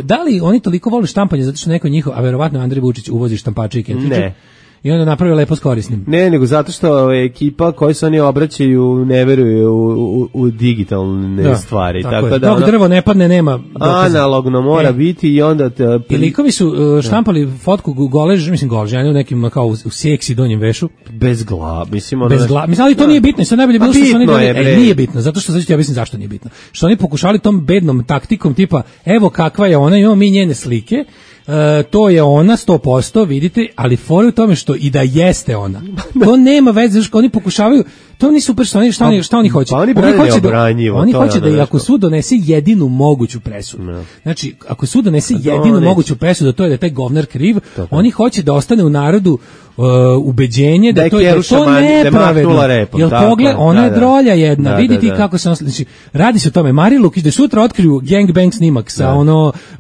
Da li oni toliko vole štampanje zato što neko njihov, a verovatno Andrej Vučić uvozi štampače i ketridže? Ne. I onda napravio lepo s korisnim. Ne, nego zato što ekipa koji se oni obraćaju ne veruje u digitalne stvari. Tako da dok drvo ne padne nema dokaza. Analogno mora biti i onda... I likovi su štampali fotku golež, žene u nekim kao u seksi donjem vešu. Bez glava. Mislim, ali to nije bitno. Sad najbolje bilo što su oni nije bitno, zato što ja mislim zašto nije bitno. Što oni pokušali tom bednom taktikom tipa, evo kakva je ona, imamo mi njene slike, to je ona 100%, vidite, ali fora u tome što i da jeste ona. To nema veze, što oni pokušavaju, to nije super šta oni hoće. Pa oni hoće da i ako sud donese jedinu moguću presudu. Znači, ako sud donese jedinu moguću presudu, to je da je taj govnar kriv, oni hoće da ostane u narodu ubeđenje da to je nepravedno. Jel pogled, ona je drolja jedna, vidite kako se on, znači, radi se o tome, Mari Lukić da sutra otkriju gangbang snimak sa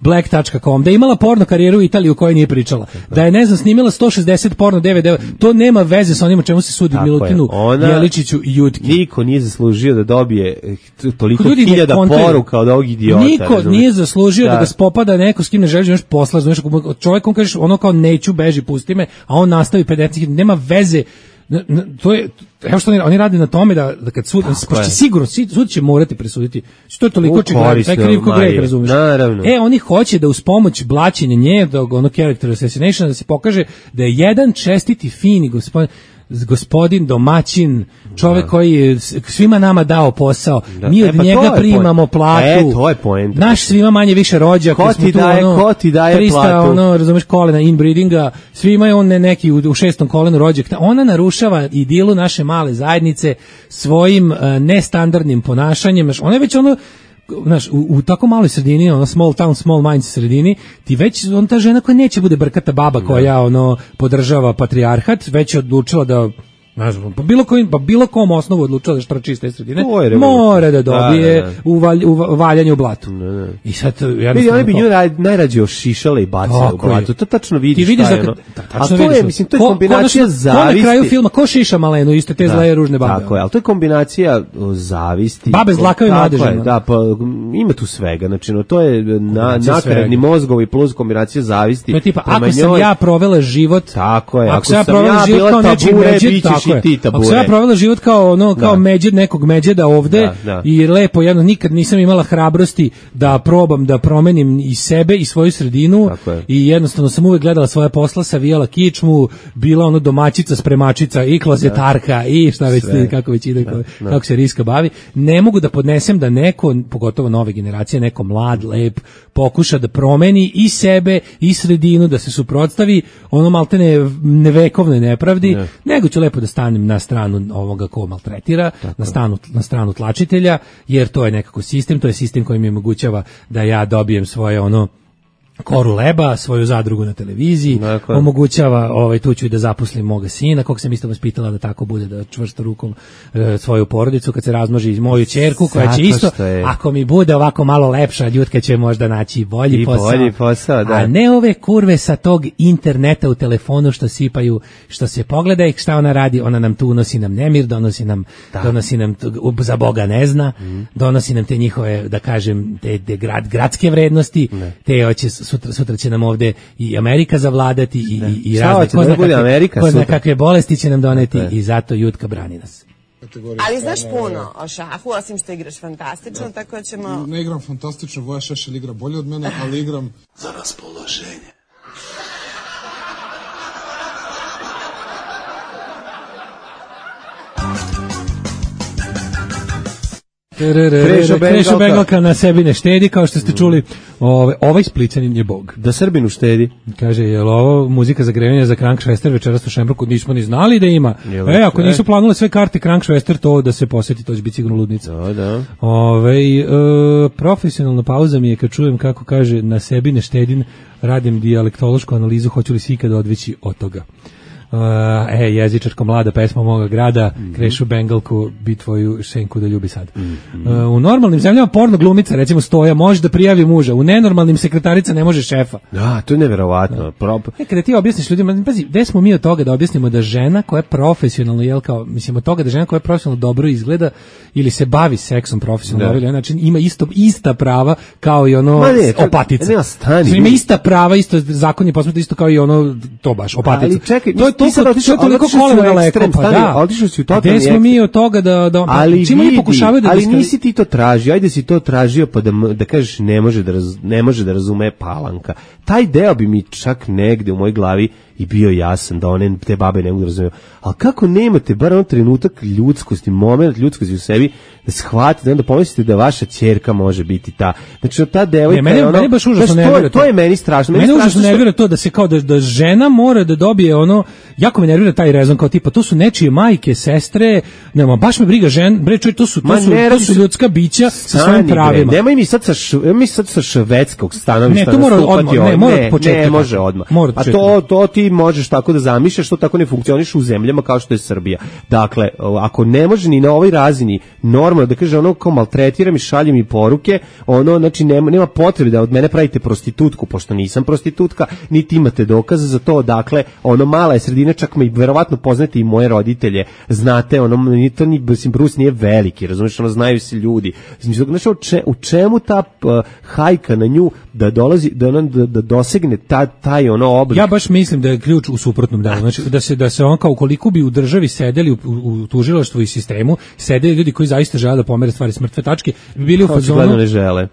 black.com, da je imala porno karijeru u Italiji u kojoj nije pričala, da je, ne znam, snimila 160 porno DVD, to nema veze sa onim o čemu se sudi Milutinu, Jeličiću i Jutki. Niko nije zaslužio da dobije toliko hiljada poruka od ovog idiota. Niko nije zaslužio da ga spopada neko s kim ne želiš još posla, znaš, čovjek on kažeš ono kao neću, beži, pusti me, a on nastavi 50, nema veze. To je, evo što oni rade na tome da kad sud, sigurno sud će morati presuditi, to je toliko očigledno, taj krivko greh, razumiješ? Oni hoće da uz pomoć blaćenja nje, ono character assassination, da se pokaže da je jedan čestiti, fini gospodin domaćin, čovjek koji je svima nama dao posao, mi od njega primamo platu, to je poenta. Naš svima manje više rođak, ko ti daje 300, platu, razumeš, kolena inbreedinga, svima je on neki u 6. kolenu rođak. Ona narušava idilu naše male zajednice svojim nestandardnim ponašanjem. Ona je već znaš, u tako maloj sredini, small town, small minds sredini, ti već, ta žena koja neće bude brkata baba koja podržava patrijarhat, već je odlučila da, ne znam, po bilo kom osnovu odlučila da štrači iz te sredine, mora da dobije valjanje u blatu. I sad, oni bi nju najrađe ošišale i bacile u blatu, to tačno vidiš šta je ono. A to je, mislim, to je kombinacija zavisti. Na kraju filma, ko šiša Malenu, iste te zle ružne babe. Tako je, ali to je kombinacija zavisti. Babe zlakave mladeže. Da, pa ima tu svega, znači, to je nakaradni mozgovi plus kombinacija zavisti. To je tipa, ako sam ja provela život, tako je, ako sam ja bila tabure, i ti tabure. Ako sam ja provela život kao nekog međeda ovde i lepo, jedno, nikad nisam imala hrabrosti da probam da promenim i sebe i svoju sredinu i jednostavno sam uvek gledala svoje posla, savijala kičmu, bila ono domaćica, spremačica i klozetarka i šta već kako već ide, kako se Riska bavi. Ne mogu da podnesem da neko, pogotovo nove generacije, neko mlad, lep, pokuša da promeni i sebe i sredinu, da se suprotstavi ono maltene nevekovnoj nepravdi, nego ću lepo da stanem na stranu ovoga ko maltretira, na stranu tlačitelja, jer to je nekako sistem, to je sistem koji mi omogućava da ja dobijem svoje ono koru leba, svoju zadrugu na televiziji, omogućava tu ću i da zaposlim moga sina, kog sam isto vaspitala da tako bude, da čvrsto rukom svoju porodicu, kad se razmnoži iz moju ćerku, koja će isto, ako mi bude ovako malo lepša, Ljutka će možda naći bolji posao, a ne ove kurve sa tog interneta u telefonu što sipaju, što se pogleda i šta ona radi, ona nam tu unosi nam nemir, donosi nam za Boga ne zna, donosi nam te njihove, da kažem, te gradske vrednosti, te hoće sutra će nam ovde i Amerika zavladati i razne kakve bolesti će nam doneti i zato Jutka brani nas. Ali znaš puno o šahu, osim što igraš fantastično, tako ćemo... Ne igram fantastično, Voja Šešelj igra bolje od mene, ali igram za raspoloženje. Krešo Bengalka na sebi ne štedi, kao što ste čuli, ovaj Splićanin je bog. Da Srbinu štedi. Kaže, je li ovo muzika za grevanje za Krankšvester večeras u Šembruku? Nismo ni znali da ima. Ako nisu planule sve karte Krankšvester, to da se posjeti, to će biti sigurno ludnica. Profesionalna pauza mi je kad čujem kako kaže na sebi ne štedim, radim dijalektološku analizu, hoću li se ikada odvići od toga. Jezičarko mlada pesma moga grada, Krešu Bengalku, bi tvoju šenku da ljubi sad. U normalnim zemljama porno glumica, recimo Stoja, može da prijavi muža, u nenormalnim sekretarica ne može šefa. Da, to je neverovatno. Kada ti objasniš ljudima, pazi, gde smo mi od toga da objasnimo da žena koja je profesionalno, od toga da žena koja je profesionalno dobro izgleda ili se bavi seksom profesionalno, znači ima ista prava kao i ono opatica. Ima ista prava, isto zakon je posmetno isto kao i ono, to baš, opatica. Ali čekaj, to je toliko koleno daleko, otišao si u totalni gde smo mi od toga da čim oni pokušavaju da... Ali nisi ti to tražio, ajde si to tražio pa da kažeš ne može da razume Palanka. Taj deo bi mi čak negde u mojoj glavi i bio jasan da te babe ne mogu da razumiju. Ali kako nemate bar on trenutak ljudskosti, moment ljudskosti u sebi, da shvatite, da pomislite da vaša ćerka može biti ta. Znači, ta devojka meni baš užasno nervira to je meni strašno. Mene užasno nervira to da se kao da žena mora da dobije ono, jako me nervira taj rezon kao tipa, to su nečije majke, sestre, nema, baš me briga to su ljudska bića sa svojim pravima. Nemoj mi sad sa švedskog stanovišta ne može odmah. A to ti možeš tako da zamišljaš, to tako ne funkcioniše u zemljama kao što je Srbija. Dakle, ako ne može ni na ovoj razini normalno da kaže ono kao maltretiram i šaljem mi poruke, ono, znači nema potrebe da od mene pravite prostitutku, pošto nisam prostitutka, niti imate dokaza za to, dakle, ono, mala je sredina, čak me i verovatno poznate i moje roditelje, znate, ono, Bruce nije veliki, razumiješ, ono, znaju se ljudi. Znači, u čemu ta hajka na nju da dolazi, da dosegne taj ono oblik? Ja baš mislim da je ključ u suprotnom delu, znači da se on kao koliko bi u državi sedeli u tužilaštvu i sistemu, sedeli ljudi koji zaista žele da pomere stvari s mrtve tačke, bili u fazonu, ne žele.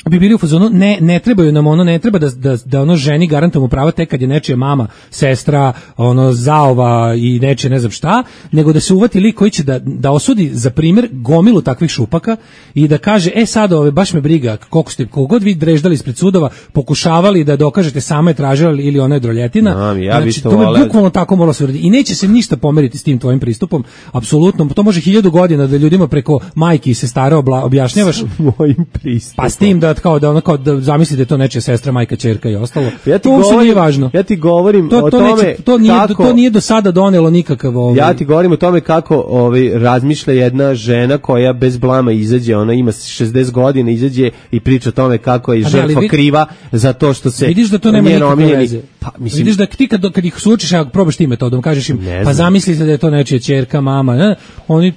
Bi bili u fazonu, ne trebaju nam ono, ne treba da ono ženi garantujemo prava tek kad je nečija mama, sestra, ono, zaova i nečije ne znam šta, nego da se uvati lik koji će da osudi za primjer gomilu takvih šupaka i da kaže, sad baš me briga koliko god vi dreždali ispred sudova, pokušavali da dokažete sama je tražila ili ona je droljetina, znači to me bukvalno tako moralo se uraditi i neće se ništa pomeriti s tim tvojim pristupom, apsolutno, to može 1000 godina da ljudima preko majki i sestara objašnjavaš mojim pristupom, pa s tim da zamislite to nečija sestra, majka, ćerka i ostalo. Nije važno. Ja ti govorim o tome to nije do sada donelo nikakav Ja ti govorim o tome kako razmišlja jedna žena koja bez blama izađe, ona ima 60 godina, izađe i priča o tome kako je žrtva kriva za to što se vidiš da to nema nikakve veze. Vidiš da ti kad ih sučiš, ako probaš ti metodom, kažeš im, pa zamislite da je to nečija ćerka, mama, oni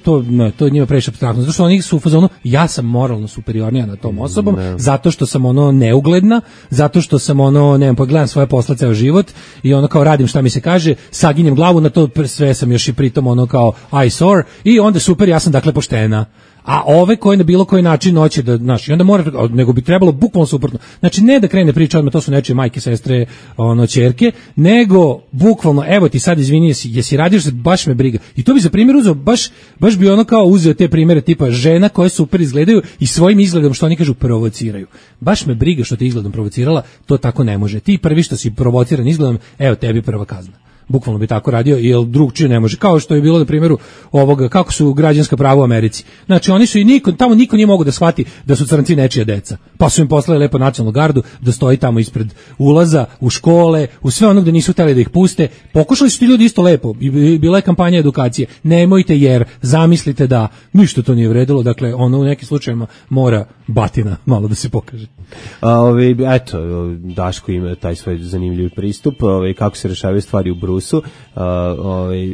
to njima previše apstraktno, zato što oni su u fazonu, ja sam moralno superiornija nad tom osobom, zato što sam ono neugledna, zato što sam ono, ne znam, pogledam svoje posla ceo život i ono kao radim šta mi se kaže, saginjem glavu na to, sve sam još i pritom ono kao eyesore i onda super, ja sam dakle poštena. A ove koje na bilo koji način hoće da, znaš, i onda mora, nego bi trebalo bukvalno suprotno. Znači, ne da krene priča odmah, to su nečije majke, sestre, ono, ćerke, nego bukvalno, evo ti sad izvini, jesi radiš, baš me briga. I to bi za primjer uzeo, baš bi ono kao uzeo te primjere tipa žena koje super izgledaju i svojim izgledom, što oni kažu, provociraju. Baš me briga što te izgledom provocirala, to tako ne može. Ti prvi što si provociran izgledom, evo tebi prva kazna. Bukvalno bi tako radio, jer drugčije ne može. Kao što je bilo na primjeru ovoga, kako su građanska prava u Americi. Znači, oni su tamo niko nije mogao da shvati da su crnci nečija deca. Pa su im poslali lepo nacionalnu gardu da stoji tamo ispred ulaza, u škole, u sve ono gde nisu hteli da ih puste. Pokušali su ti ljudi isto lepo. Bila je kampanja edukacije. Nemojte jer zamislite da ništa to nije vredilo. Dakle, ono u nekim slučajevima mora batina malo da se pokaže. Eto, Daško ima taj svoj zanimljiv pristup, kako se rešavaju stvari u Brusu.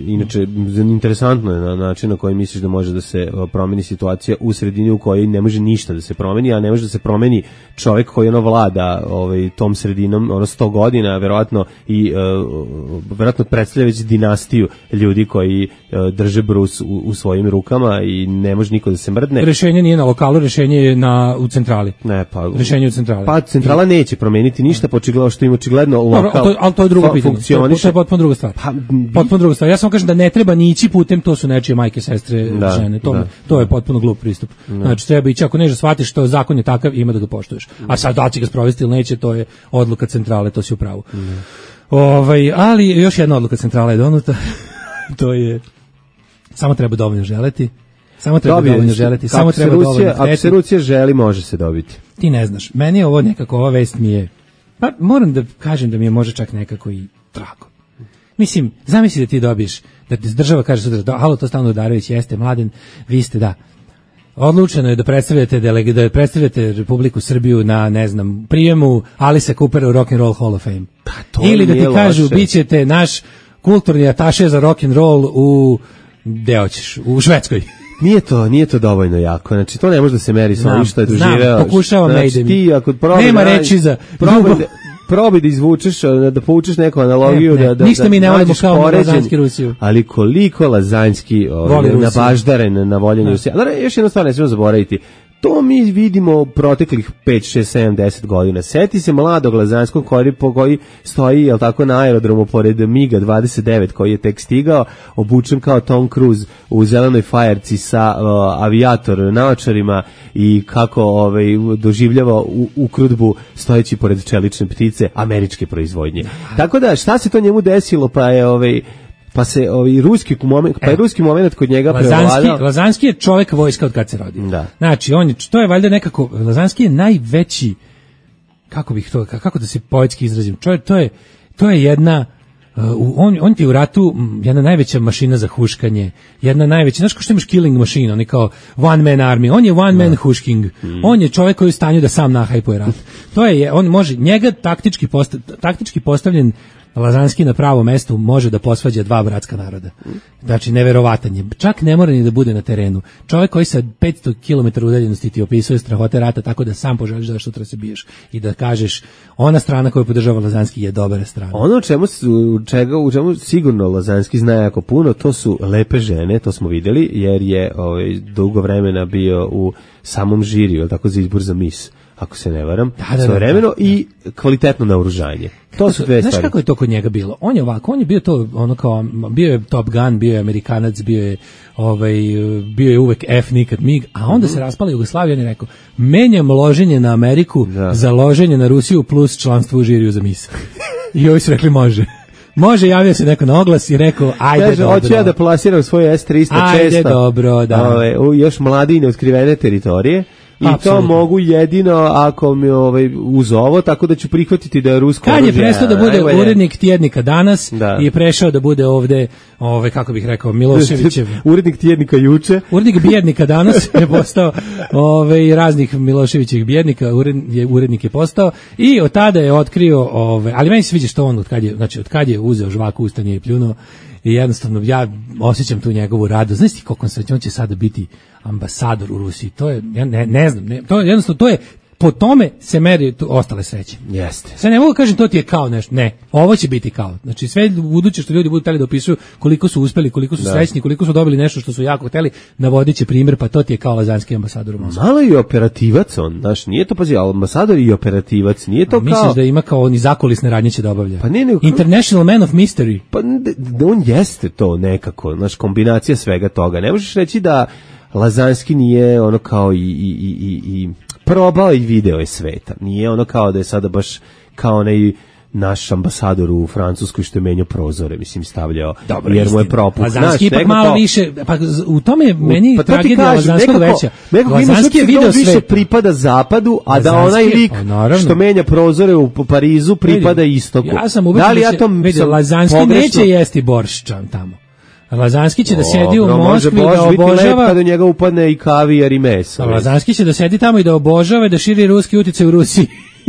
Inače, interesantno je na način na koji misliš da može da se promeni situacija u sredini u kojoj ne može ništa da se promeni, a ne može da se promeni čovjek koji ono vlada tom sredinom 100 godina, verovatno predstavlja već dinastiju ljudi koji drže Brus u svojim rukama i ne može niko da se mrdne. Rešenje nije na lokalu, rešenje je u centrali. Rešenje u centrali. Pa centrala neće promeniti ništa, počigledno što im očigledno lokal. Ali to je drugo pitanje. To je potpuno druga stvar. Potpuno druga stvar. Ja samo kažem da ne treba ni ići putem, to su nečije majke, sestre, žene. To je potpuno glup pristup. Znači treba ići, ako nešto shvatiš što zakon je takav, ima da ga poštuješ. A sad da će ga sprovesti ili neće, to je odluka centrale, to si u pravu. Ali još jedna odluka centrale je donuta. To je samo treba dovoljno želeti. Samo treba dovoljno želeti, samo treba dovoljno hteti. Ako se Rusija želi, može se dobiti. Ti ne znaš, meni je ovo nekako, ova vest mi je, pa moram da kažem da mi je može čak nekako i drago. Mislim, zamisli da ti dobiješ, da ti država kaže sutra, halo, to Stano Udarević, jeste mladen, vi ste, da. Odlučeno je da predstavljate Republiku Srbiju na, ne znam, prijemu Alisa Coopera u Rock and Roll Hall of Fame. Ili da ti kažu, bit ćete naš kulturni ataše za rock and roll gde hoćeš, u Švedskoj. Nije to dovoljno jako. Znači, to ne može da se meri sa onim što je doživeo. Znam, pokušavam ne ide mi. Nema reči za probaj da izvučeš, da povučeš neku analogiju, ništa mi ne volimo kao Lazanski Rusiju. Ali koliko Lazanski nabaždaren na voljenju Rusije. Ali još jedna stvar ne smijemo zaboraviti. To mi vidimo proteklih 5, 6, 7, 10 godina. Seti se mladog Lazanskog koji stoji, jel tako, na aerodromu pored Miga 29 koji je tek stigao, obučen kao Tom Cruise u zelenoj fajerci sa avijator naočarima i kako doživljava ukrutbu stojeći pored čelične ptice američke proizvodnje. Tako da, šta se to njemu desilo, pa je pa se ruski moment kod njega prevladao. Lazanski je čovjek vojska od kad se rodio. Da. Znači, to je valjda nekako, Lazanski je najveći, kako da se poetski izrazim, to je jedna, on ti u ratu jedna najveća mašina za huškanje, jedna najveća, znaš ko što imaš killing machine, on je kao one man army, on je one man hušking, on je čovjek koji je u stanju da sam nahajpuje rat. On može, njega taktički postavljen Lazanski na pravo mesto može da posvađa dva bratska naroda. Znači, neverovatan je. Čak ne mora ni da bude na terenu. Čovjek koji sa 500 km udaljenosti ti opisuje strahote rata tako da sam poželiš da sutra se biješ i da kažeš ona strana koju podržava Lazanski je dobra strana. Ono u čemu sigurno Lazanski zna jako puno, to su lepe žene, to smo vidjeli, jer je dugo vremena bio u samom žiriju, tako za izbor za mis, ako se ne varam, svojevremeno i kvalitetno naoružanje. To su dve stvari. Znaš kako je to kod njega bilo? On je bio to, bio je Top Gun, bio je Amerikanac, bio je uvek F, nikad MIG, a onda se raspala Jugoslavija, on je rekao, menjam loženje na Ameriku za loženje na Rusiju plus članstvo u žiriju za mis. I ovi su rekli može. Može, javio se neko na oglas i rekao, ajde kaže, dobro. Hoću ja da plasiram svoj S-300 često. Ajde dobro, da. Još mladi i neotkrivene teritorije. I to mogu jedino ako mi uz ovo, tako da ću prihvatiti da je rusko oružje. Kad je prestao da bude urednik tjednika Danas i je prešao da bude ovde, kako bih rekao, Miloševićev. Urednik tjednika juče. Urednik bjednika Danas je postao, raznih Miloševićevih bjednika, urednik je postao i od tada je otkrio, ali meni se sviđa što on od kad je uzeo žvaku ustane i pljunuo. I jednostavno ja osjećam tu njegovu radost. Znaš ti koliko on će sada biti ambasador u Rusiji? To je, ja ne znam, to je jednostavno, to je po tome se meri ostale sreće. Jeste. Sad ne mogu kažem to ti je kao nešto. Ne, ovo će biti kao. Znači sve buduće što ljudi budu hteli da opisuju koliko su uspeli, koliko su srećni, koliko su dobili nešto što su jako hteli, navodiće primjer, pa to ti je kao lazanski ambasador u Moskvi. Malo i operativac on, znaš, nije to, pazi, ambasador i operativac, nije to misliš kao... Misliš da ima kao oni zakulisne radnje će da obavlja? Pa ne, International Man of Mystery. Pa on jeste to nekako, znaš, kombinacija svega toga. Ne možeš reći da Lazanski nije ono kao i probao i video je sveta. Nije ono kao da je sada baš kao onaj naš ambasador u Francuskoj što je menjao prozore, mislim, stavljao, dobro, jer mu je propuk. Lazanski ipak malo više, pa u tome je meni pa tragedija Lazanskog veća. Lazanski je video sve. Više pripada zapadu, a da onaj lik što menja prozore u Parizu pripada istoku. Ja sam ubeđen da se Lazanski neće jesti borščan tamo. Lazanski će da sedi u Moskvi da obožava, kada do njega upadne i kavijar i meso. Lazanski će da sedi tamo i da obožava, da širi ruski uticaj u Rusiji,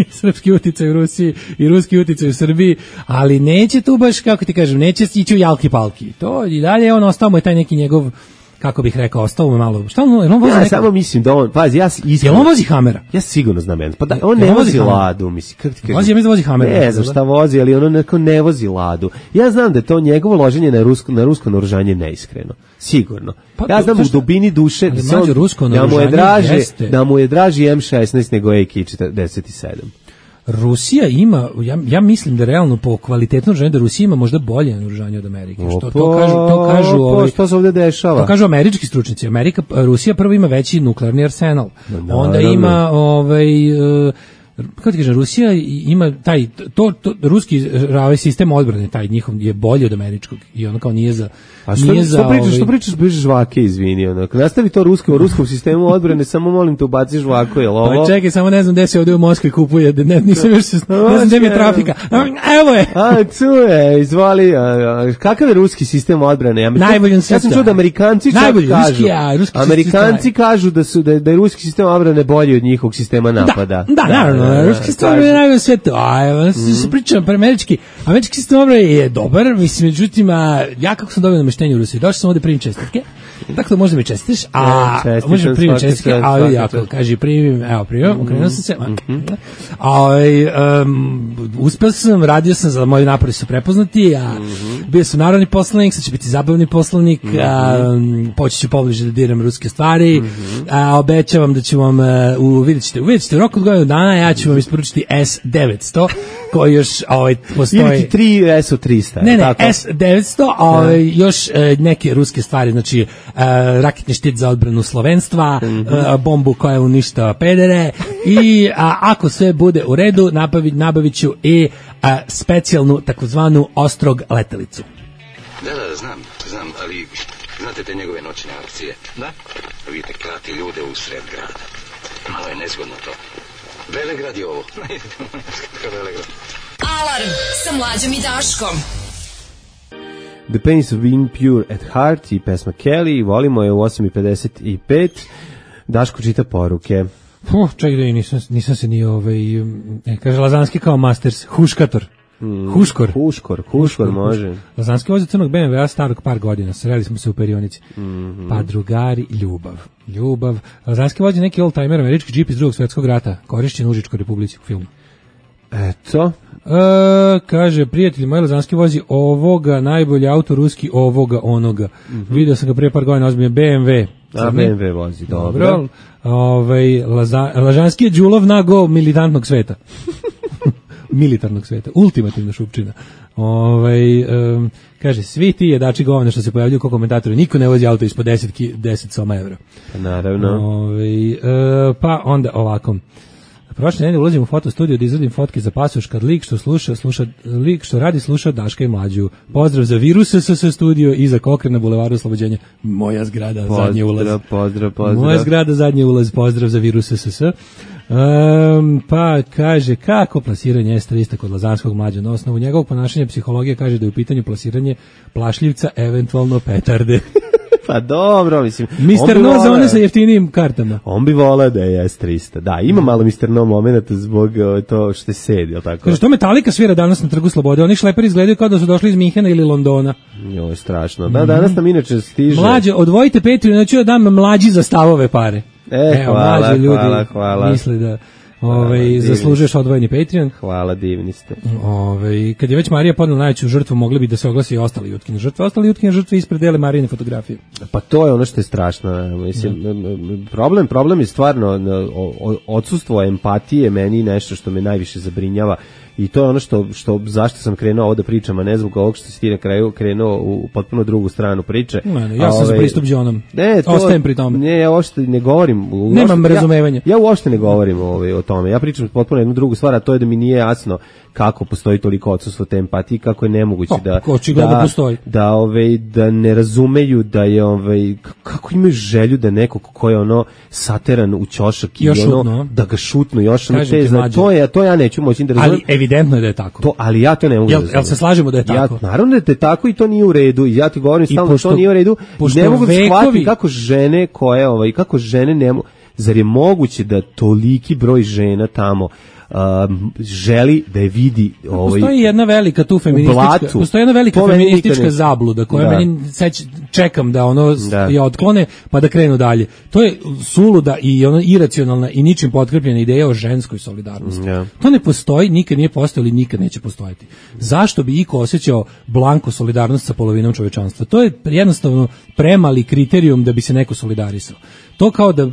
srpski uticaj u Rusiji i ruski uticaj u Srbiji, ali neće tu baš, kako ti kažem, neće ići u jalki palki. To i dalje on ostao mu je taj neki njegov, kako bih rekao, ostao mu malo. Šta on vozi? Ja samo mislim da on, pazi, jel on vozi Hamera? Ja sigurno znam, pa da on ne vozi Ladu, mislim, kako ti kažem. Vozi, ja mislim da vozi Hamera. Ne znam šta vozi, ali ono neko ne vozi Ladu. Ja znam da je to njegovo loženje na rusko naoružanje neiskreno. Sigurno. Pa, ja znam u dubini duše da mu je draži M16 nego AK-47. Rusija ima, ja mislim da realno po kvalitetnom naoružanju da Rusija ima možda bolje naoružanje od Amerike. To kažu što se ovdje dešava? To kažu američki stručnjaci. Rusija prvo ima veći nuklearni arsenal. Onda ima kako ti kažem, Rusija ima taj ruski sistem odbrane, taj njihov je bolji od američkog i ono kao nije za... A što pričaš bez žvake, izvini, onako. Nastavi to u ruskom sistemu odbrane, samo molim te ubaci žvaku, jel ovo? Pa čekaj, samo ne znam gde se ovdje u Moskvi kupuje, nisam još ne znam gde mi je trafika. Evo je! Tu je, izvoli, kakav je ruski sistem odbrane? Najbolji sistem. Ja sam čuo da Amerikanci kažu da je ruski sistem odbrane bolji od njihovog sistema napada. Da, naravno. Ruski sistem odbrane je najbolji sve to. Se pričam, američki sistem odbrane je dobar, mislim, međutim, ja kako sam dobio nameštenje u Rusiji, došao sam ovdje primim čestitke, tako da možda mi čestiš, možda primim čestitke, ali jako, kaži primim, evo primim, okrenuo sam se, uspio sam, radio sam, za moji napori su prepoznati, bio sam narodni poslanik, sad će biti zabavni poslanik, poći ću pobliže da diram ruske stvari, obećavam da ću vam, vidjet ćete u roku od godinu dana, ja ću vam isporučiti S-900, koji još postoji... Ili ti 3 SO-300. Ne, S-900, još neke ruske stvari, znači raketni štit za odbranu slovenstva, bombu koja uništava pedere i ako sve bude u redu, nabavit ću i specijalnu takozvanu ostrog letelicu. Da, znam, ali znate te njegove noćne akcije? Da. Vidite, klati ljude u sred grada. Malo je nezgodno to. Velegrad je ovo. Alarm sa Mlađom i Daškom. The Pains of Being Pure at Heart i pesma Kelly, volimo je u 8:55. Daško čita poruke. Čekaj da nisam se ni kaže Lazanski kao Masters, huškator. Huškor može. Lazanski vozi crnog BMW-a starog par godina, sreli smo se u perionici. Pa drugari, ljubav. Lazanski vozi neki old-timer, američki džip iz Drugog svjetskog rata, korišćen u Užičkoj Republici u filmu. Eto. Kaže, prijatelj moj, Lazanski vozi ovoga, najbolji auto ruski, ovoga, onoga. Vidio sam ga prije par godina, ozbiljno BMW. BMW vozi, dobro. Lazanski je Đulov nago militantnog sveta. Militarnog sveta, ultimativna šupčina. Kaže, svi ti jedači govana što se pojavljuju kao komentatori, niko ne vozi auto ispod 10 soma evra. Naravno. Pa onda ovako. Prošle nedelje ulazim u fotostudio da izradim fotke za pasoš kad lik što radi sluša Daška i Mlađu. Pozdrav za Virus SS studio i za Kokre na bulevaru Oslobođenja. Moja zgrada, zadnji ulaz. Pozdrav. Moja zgrada, zadnji ulaz. Pozdrav za Virus SS. Pa kaže, kako plasiranje S-300 kod Lazanskog Mlađa? Na osnovu njegovog ponašanja psihologija kaže da je u pitanju plasiranje plašljivca, eventualno petarde. Pa dobro, mislim. Mr. No za one sa jeftinijim kartama. On bi volao da je S-300. Da, ima malo Mr. No momenata zbog to što sedi, jel tako? Kaže, što Metallica svira danas na Trgu Slobode? Oni šleperi izgledaju kao da su došli iz Minhena ili Londona. Jo, strašno. Da, danas nam inače stiže. Mlađe, odvojite Petriju, neću da dam Mlađi za stavove pare. Hvala. Misle da... Zaslužuješ odvojeni Patreon. Hvala, divni ste. Kad je već Marija podnela najveću žrtvu, mogli bi da se oglasi i ostali Jutkine žrtve. Ostali Jutkine žrtve ispred dele Marijine fotografije. Pa to je ono što je strašno. Mislim, problem je stvarno odsustvo empatije meni nešto što me najviše zabrinjava. I to je ono što zašto sam krenuo ovo da pričam, a ne zbog ovog što si ti na kraju krenuo u potpuno drugu stranu priče. Ja sam za pristup Đonom. Ostajem pri tome. Ne, ja uopšte ne govorim. Nemam razumevanja. Ja uopšte ne govorim o tome. Ja pričam potpuno jednu drugu stvar, a to je da mi nije jasno kako postoji toliko odsustvo te empatije, kako je nemoguće da ne razumeju da je kako imaju želju da neko ko je ono sateran u ćošak i ono da ga šutnu još ono to ja neću moći da razumem. Ali evidentno je da je tako. Ali ja to ne mogu da razumem. Jel se slažemo da je tako? Naravno da je tako i to nije u redu. I ja ti govorim stalno što nije u redu. Ne mogu da shvatim kako žene kako žene ne mogu. Zar je moguće da toliki broj žena tamo želi da je vidi postoji jedna velika tu feministička zabluda koja meni čekam da je otklone pa da krenu dalje. To je suluda i iracionalna i ničim potkrepljena ideja o ženskoj solidarnosti. To ne postoji, nikad nije postojalo i nikad neće postojati. Zašto bi iko osjećao blanko solidarnost sa polovinom čovečanstva? To je jednostavno premali kriterijum da bi se neko solidarisao. To kao da,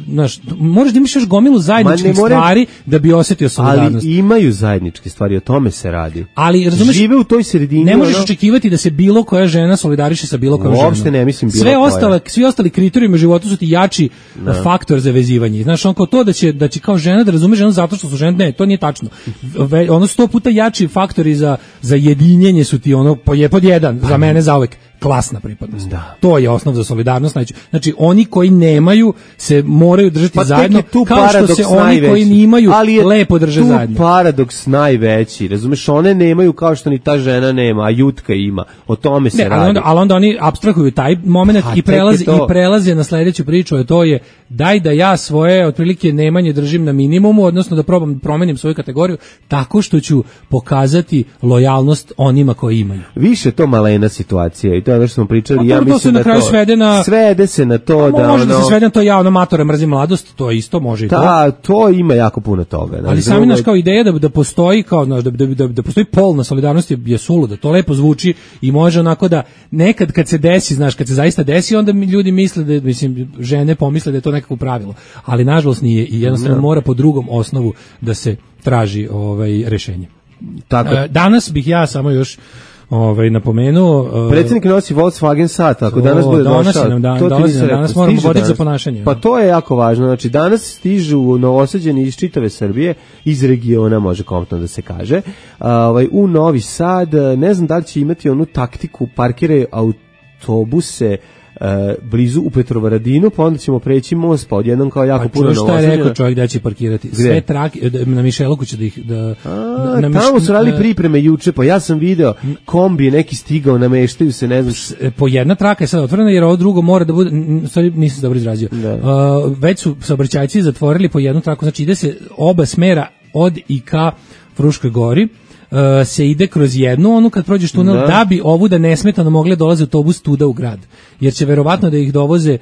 možeš da imaš još gomilu zajedničkih stvari da bi osjetio solidarnost. Ali imaju zajedničke stvari, o tome se radi. Ali, razumeš, žive u toj sredini. Ne možeš očekivati da se bilo koja žena solidariše sa bilo kojom ženom. Uopšte ne mislim bilo koja. Svi ostali kriterijumi u životu su ti jači faktor za vezivanje. Znaš, kao to da će kao žena da razume ženu zato što su žene, ne, to nije tačno. 100 puta jači faktori za jedinjenje su ti pod jedan, za mene zauvek. Klasna pripadnost. To je osnov za solidarnost. Znači, oni koji nemaju se moraju držati zajedno, kao što se oni koji nimaju lepo drže zajedno. Tu paradoks najveći. Razumeš, one nemaju kao što ni ta žena nema, a Jutka ima. O tome se radi. Ali onda oni apstrahuju taj moment i prelaze na sledeću priču, a to je daj da ja svoje otprilike nemanje držim na minimumu, odnosno da probam promenim svoju kategoriju tako što ću pokazati lojalnost onima koji imaju. Više to malena situacija i to je ono što smo pričali. Ja mislim da to svede se na to da može da se svede na to ja matore mrzim mladost, to isto može i to. Da, to ima jako puno toga. Ali sami naš kao ideja da postoji kao da postoji polna solidarnost je suluda. To lepo zvuči i može onako da nekad kad se desi, znaš, kad se zaista desi, onda ljudi misle da žene pomisle da je to nekako pravilo. Ali nažalost nije i jednostavno mora po drugom osnovu da se traži rešenje. Tako. Danas bih ja samo još napomenuo predsjednik nosi Volkswagen sat, ako danas bude došao danas moramo voditi za ponašanje. Pa to je jako važno, znači danas stižu Novosađani iz čitave Srbije, iz regiona može kompletno da se kaže, u Novi Sad, ne znam da li će imati onu taktiku parkiraju autobuse blizu u Petrovaradinu, pa onda ćemo preći most, pa odjednom kao jako puno Novosađana. Šta je rekao čovjek da će parkirati? Sve trake, na Mišeluku će tamo su radili pripreme juče, pa ja sam video kombi neki stigao, nameštaju se, ne znam. Po jedna traka je sad otvorena, jer ovo drugo mora da bude, sorry, nisam dobro izrazio. Već su saobraćajci zatvorili po jednu traku, znači ide se oba smera od i ka Fruškoj Gori, se ide kroz jednu, kad prođeš tunel, da bi ovu da nesmetano mogle dolaze autobus tuda u grad. Jer će verovatno da ih dovoze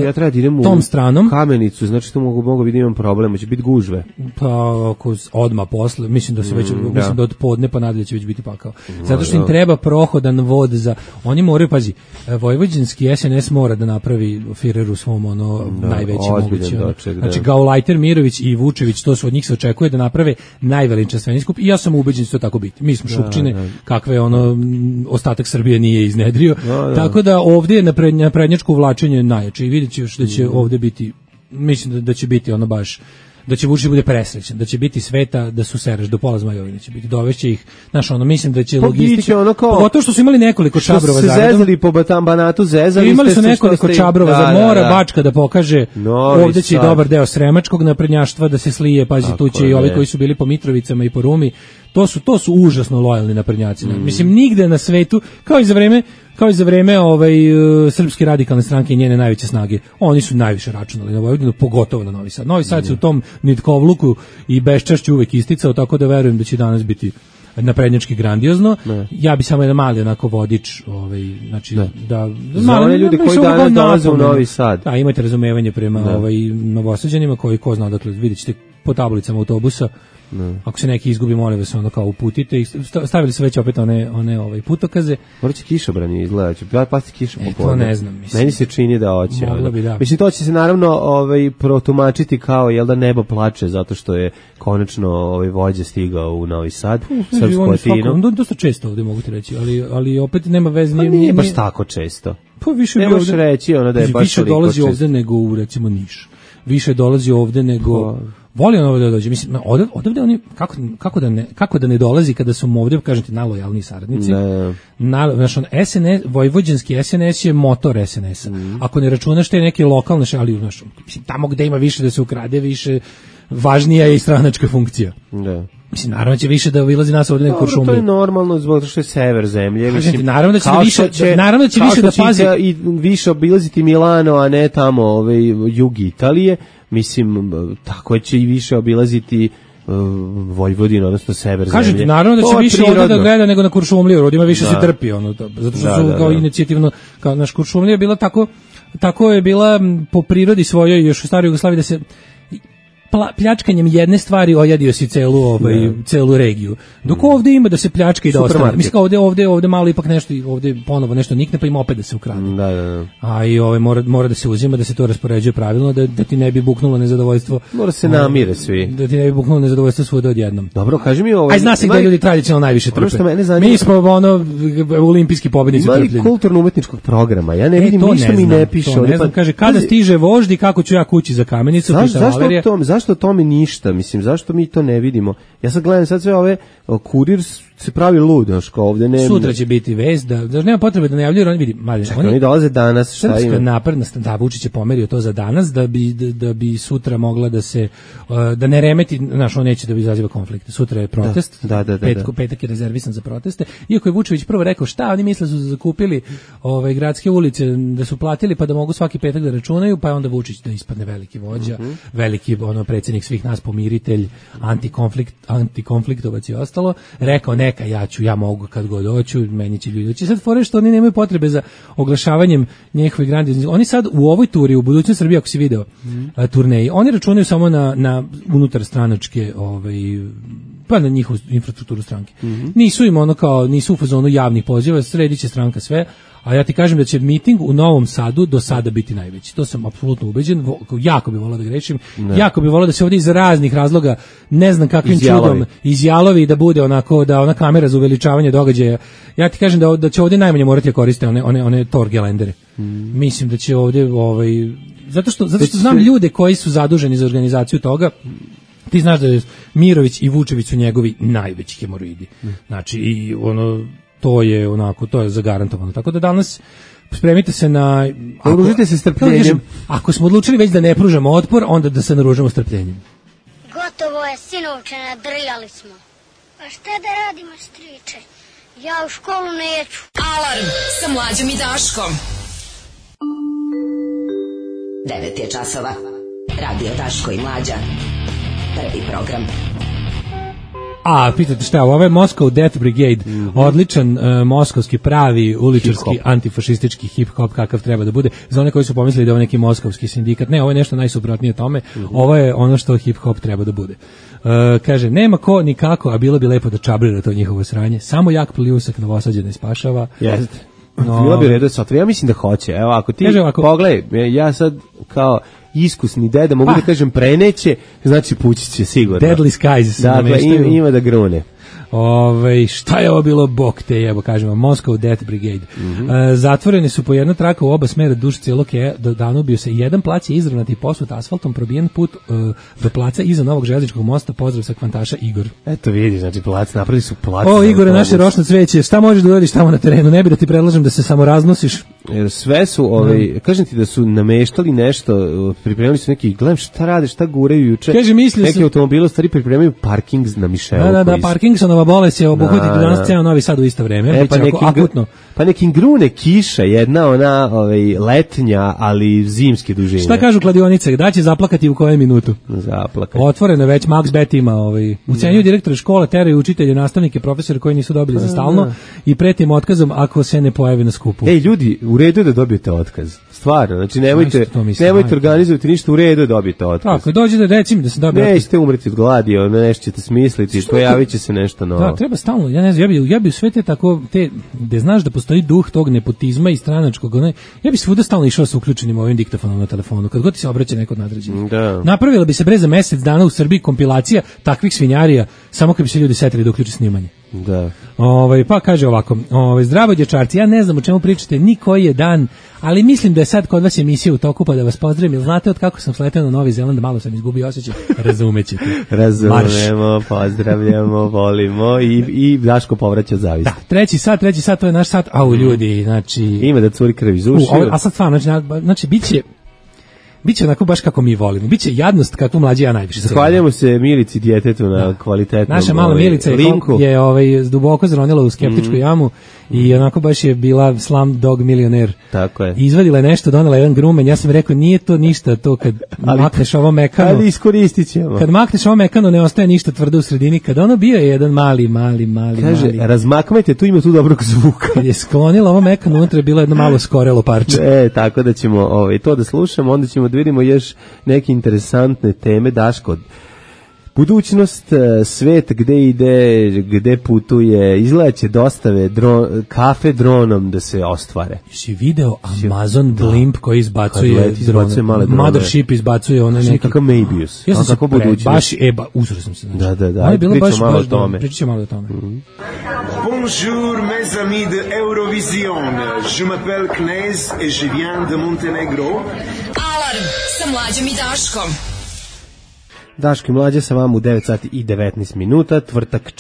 ja treba da idem tom stranom. Kamenicu, znači to mogu biti imam problem, će biti gužve. Pa ako odmah posle, mislim da se već, mislim da od podne pa nadalje će već biti pakao. Zato što im treba prohodan vod za, oni moraju, pazi, vojvođanski SNS mora da napravi Firer u svom najveći mogući. Znači Gaulajter, Mirović i Vučević, to su od njih se očekuje da naprave najveličanstveniji skup i ja sam ubeđen da će to tako biti. Mi smo Šupčine, kakve ostatak Srbije nije iznedrio. Tako da ovdje je naprednjačko uvlačenje najjače i vidjet ćeš da će ovdje biti, mislim da će biti baš, da će Vučić bude presrećan, da će biti sveta da su sereš do pola Zmajovine će biti, dovešće ih, mislim da će logistika, pogotovo što su imali nekoliko čabrova zajedno. Što se zezali po Banatu, zezali imali su nekoliko čabrova za mora, Bačka da pokaže, ovdje će i dobar deo sremačkog naprednjaštva da se slije, pazi, tu će i ovi koji su bili po Mitrovicama i po Rumi, to su užasno lojalni naprednjaci. Mislim, nigde na svetu, kao i za vreme Srpske radikalne stranke i njene najveće snage, oni su najviše računali na Vojvodinu, pogotovo na Novi Sad. Novi Sad se u tom nitkovluku i beščašću uvek isticao, tako da verujem da će danas biti naprednjački grandiozno. Ja bi samo jedan mali onako vodič, znači da za one ljudi koji danas dolaze u Novi Sad. Da, imate razumevanje prema Novosađanima koji ko zna, dakle vidjet ćete po tablicama autobusa. Ako se neki izgubi, molim vas, ono kao uputite i stavili su već opet one putokaze. Morat će kišobrani izgledati, pasti kiša popodne. To ne znam, mislim. Meni se čini da hoće. Moglo bi, da. Mislim, to će se naravno protumačiti kao, jel da nebo plače, zato što je konačno vođa stigao u Novi Sad, srpsku Atinu. Dosta često ovdje mogu ti reći, ali opet nema veze. Pa nije baš tako često. Pa više ne možeš reći da je baš više dolazi ovdje nego u, recimo, Niš. Više dolazi ovdje nego... Voli on ovdje da dođe. Mislim, odavde oni, kako da ne dolazi kada su mu ovdje, kažem ti, najlojalniji saradnici. Znaš, SNS, vojvođanski SNS je motor SNS-a. Ako ne računaš te neke lokalne, ali znaš, tamo gde ima više da se ukrade, više važnija je i stranačka funkcija. Da. Mislim, naravno će više da obilazi nas ovdje na Kuršumliju. To je normalno zbog što je sever zemlje. Mislim, naravno da će više da pazi. I više obilaziti Milano, a ne tamo jug Italije. Mislim, tako će i više obilaziti Vojvodinu, odnosno sever zemlje. Kažete, naravno da će više ovdje da gleda nego na Kuršumliju, ovdje ima više se trpi, zato što su kao inicijativno, kao naš Kuršumlija je bila tako je bila po prirodi svojoj još u staroj Jugoslaviji da se pljačkanjem jedne stvari ojadio si celu regiju. Dok ovdje ima da se pljačka i da ostane. Mislim kao ovdje malo ipak nešto, ovdje ponovo nešto nikne pa ima opet da se ukrade. Da. A i mora da se uzima, da se to raspoređuje pravilno, da ti ne bi buknulo nezadovoljstvo. Mora se namire svi. Da ti ne bi buknulo nezadovoljstvo svuda odjednom. Dobro, kaži mi ovo. Aj zna se gde ljudi tradicionalno najviše trpe. Mi smo olimpijski pobednici trpljenja. Ima li kulturno-umetničkog programa? Ja ne vidim, ništa mi ne piše. Ne znam, kaže, kada stiže vožd i kako ću ja kući za Kamenicu, pita Valerija. Zašto o tome ništa? Mislim, zašto mi to ne vidimo? Ja sad gledam sve ove, Kurir se pravi lud, kao ovdje ne... Sutra će biti vest, da nema potrebe da najavljuju, oni vidi... Oni dolaze danas, šta ima? Srpska napredna, da, Vučić je pomerio to za danas, da bi sutra mogla da se... da ne remeti, znaš, on neće da bi izaziva konflikte. Sutra je protest, petak je rezervisan za proteste, iako je Vučević prvo rekao šta, oni misle su zakupili gradske ulice, da su platili pa da mogu svaki petak da računaju, pa je onda Vučić da ispadne veliki vođa, veliki predsjednik svih nas, pomiritelj, antikonfliktovac i ostalo, rekao neka, ja mogu kad god hoću, meni će ljudi doći. Sad fore što oni nemaju potrebe za oglašavanjem njihovih grandioznih. Oni sad u ovoj turi, u budućnosti Srbije, ako si video turneji, oni računaju samo na unutar stranačke pa na njihovu infrastrukturu stranke. Nisu im nisu u fazonu javnih poziva, sredit će stranka sve, a ja ti kažem da će miting u Novom Sadu do sada biti najveći. To sam apsolutno ubeđen, jako bih volao da grešim, jako bih volao da se ovdje iz raznih razloga, ne znam kakvim čudom, izjalovi da bude onako, da ona kamera za uveličavanje događaja. Ja ti kažem da će ovdje najmanje morati da koriste one torgelendere. Mislim da će ovdje, zato što znam ljude koji su zaduženi za organizaciju toga. Ti znaš da je Mirović i Vučević su njegovi najveći hemoroidi. Znači, i to je zagarantovano. Tako da danas spremite se na... Naružite se strpljenjem. Ako smo odlučili već da ne pružamo otpor, onda da se naružamo strpljenjem. Gotovo je, sinovče, nadrljali smo. A šta da radimo, striče? Ja u školu neću. Alarm sa Mlađom i Daškom. 9 je časova. Radio Daško i Mlađa. Prvi program. A, pitate šta, ovo je Moscow Death Brigade, odličan moskovski pravi uličarski antifašistički hip-hop kakav treba da bude. Za one koji su pomislili da je ovo neki moskovski sindikat, ne, ovo je nešto najsuprotnije tome, ovo je ono što hip-hop treba da bude. Kaže, nema ko nikako, a bilo bi lepo da čabrira to njihovo sranje, samo jak pljusak Novosađe ne spašava. Jeste. Bilo bi redo satva, ja mislim da hoće. Evo, ako ti pogledaj, ja sad kao iskusni deda, mogu da kažem preneće, znači pući će sigurno. Deadly Skies. Dakle, ima da grune. Šta je ovo bilo, bok te jebo, kažemo, Moscow Death Brigade. Zatvoreni su po jedna traka u oba smera duž cijelog Danubiju se. Jedan plac je izravnati posut asfaltom, probijen put do placa iza novog železničkog mosta. Pozdrav sa kvantaša Igor. Eto vidi, znači plac, napravili su plac. Igore, naše rošno cveće, šta možeš da uradiš tamo na terenu? Ne bi da ti predlažem da se samo raznosiš. Jer sve su, kažem ti da su nameštali nešto, pripremili su neki, gledam šta rade, šta guraju juče. Neki automobili stari pripremaju parking na Mišelu. Da, Parkinsonova bolest je obuhvatiti danas ceo Novi Sad u isto vreme. Pa nekim grune kiša, jedna ona letnja, ali zimske dužine. Šta kažu kladionice, da će zaplakati u kojem minutu? Zaplakati. Otvoreno već, Max Bet ima, ucenjuju direktore škola, teraju učitelje, nastavnike, profesore koji nisu dobili za stalno i pretim otkazom ako se ne pojave na skupu. Ljudi, u redu je da dobijete otkaz. Stvarno, znači nemojte organizovati ništa, u redu je dobijete otkaz. Tako, dođe da recimo da se dobije otkaz. Nećete umreti od gladi, nešto ćete smisliti, pojavit će se nešto novo. Da, treba stalno, ja ne znam, ja bi sve te tako, gde znaš da postoji duh tog nepotizma i stranačkog, ja bi svuda stalno išao sa uključenim ovim diktafonom na telefonu, kad god ti se obraća neko od nadređenih. Da. Napravila bi se bre za mesec dana u Srbiji kompilacija takvih svinjarija, samo kad bi se ljudi setili da uključe snimanje. Da. Pa kaže ovako, zdravo dječarci, ja ne znam o čemu pričate ni koji je dan, ali mislim da je sad kod vas emisija u toku, pa da vas pozdravim, jer znate od kako sam sletao na Novi Zeland, malo sam izgubio osjećaj, razumećete. Razumemo, pozdravljamo, volimo i Daško povraća zavist. Da, treći sat, to je naš sat, ljudi, znači... Ima da curi krv iz ušiju. A sad stvarno, znači, biće onako baš kako mi volimo. Biće jadnost kako mlađi ja najviše. Zahvaljujemo se Milici djetetu na kvalitetnom naša mala Milica linku. Je duboko zronila u skeptičku jamu i onako baš je bila slam dog milioner. Tako je. Izvadila je nešto, donela jedan grumen. Ja sam rekao nije to ništa to kad makneš ovo mekano. Ali iskoristit ćemo. Kad makneš ovo mekano ne ostaje ništa tvrdo u sredini. Kad ono bio je jedan mali. Kaže, razmakmajte, tu ima tu dobrog zvuka. Kad je sklonila ovo mekano, unutra je bilo jedno malo skorelo parče. Tako da ćemo to da slušamo, onda ćemo da vidimo još neke interesantne teme. Daško, budućnost, svet gde ide, gde putuje, izgledaće dostave kafe dronom da se ostvare. Si video Amazon Blimp koji izbacuje drone. Mothership izbacuje one neki... Kakav Maybius. Ja sam kako budućnost. Baš, uzro sam se. Da. Pričamo malo o tome. Pričamo malo o tome. Bonjour mes amis de Eurovision. Je m'appelle Knez et je viens de Montenegro. Alarm sa Mlađom i Daškom. Daško i Mlađa sa vama u 9 sati i 19 minuta, tvrtak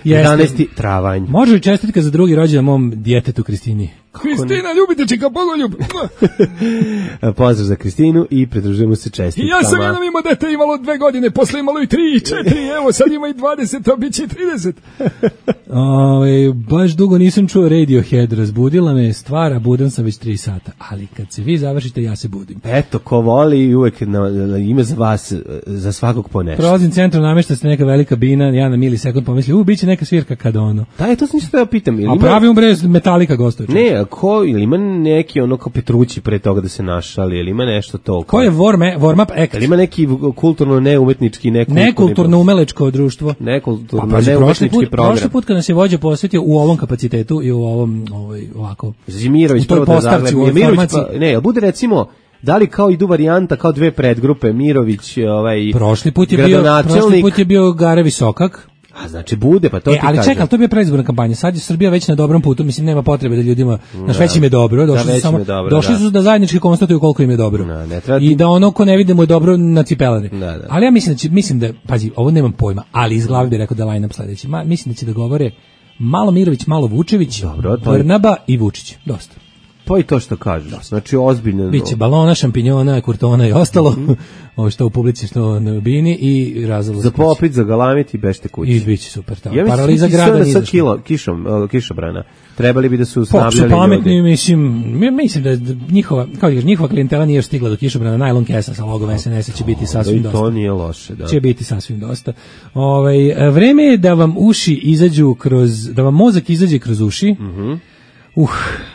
11. travanj. Može li čestitka za drugi rođendan mom djetetu Kristini? Kristina, ljubite čika Bogoljub. Pozdrav za Kristinu i pridružujemo se čestitkama. I ja sam jednom imao dete, imalo 2 godine, posle imalo i 3, 4, evo sad ima i 20, a bit će 30. Baš dugo nisam čuo Radiohead, razbudila me stvara, budan sam već 3 sata, ali kad se vi završite, ja se budim. Eto, ko voli, uvek ima za vas, za svakog po nešto. Prolazim centrom, namešta se neka velika bina, ja na milisekund pomislim, bit će neka svirka kad ono. Da, to sam ništa da pitam. A pravi Metallica gostuje. Ne, ili ima neki ono kao Petrući pre toga da se našali, ili ima nešto to? Ko je warm-up act? Ili ima neki kulturno neumetnički nekulturno umelečko društvo? Nekulturno neumetnički program. Prošli put kad nas je vođa posvetio u ovom kapacitetu i u ovom ovako. Mirović prvo da zagleda. Mirović ne, bude recimo da li kao idu varijanta kao 2 predgrupe Mirović, Prošli put je bio Gare Visokak. A znači bude, pa to ti ali čekaj, to bi je predizborna kampanja. Sad je Srbija već na dobrom putu, mislim nema potrebe da ljudima, već im je dobro, došli su da zajednički konstatuju koliko im je dobro. I da ono ko ne vidi mu je dobro na cipelari. Ali ja mislim da, pazi, ovo nemam pojma, ali iz glave bih rekao da line-up sledeći. Mislim da će da govore malo Mirović, malo Vučević, Brnaba i Vučić. Dosta. To i to što kažu. Znači ozbiljno. Biće balona, šampinjona, kurtona i ostalo. Ovo što u publici, što na bini i razalo. Za popit, za galamit i bešte kući. I biće super. Ja paraliza grada nije zašto. Kišobrana. Trebali bi da su snabljali ljudi. Pametni, mislim da njihova klijentela nije stigla do Kišobrana. Najlon kesa sa logom SNS će biti sasvim dosta. To nije loše, da. Će biti sasvim dosta. Vreme je da vam uši izađu da vam mozak izađe kroz uši.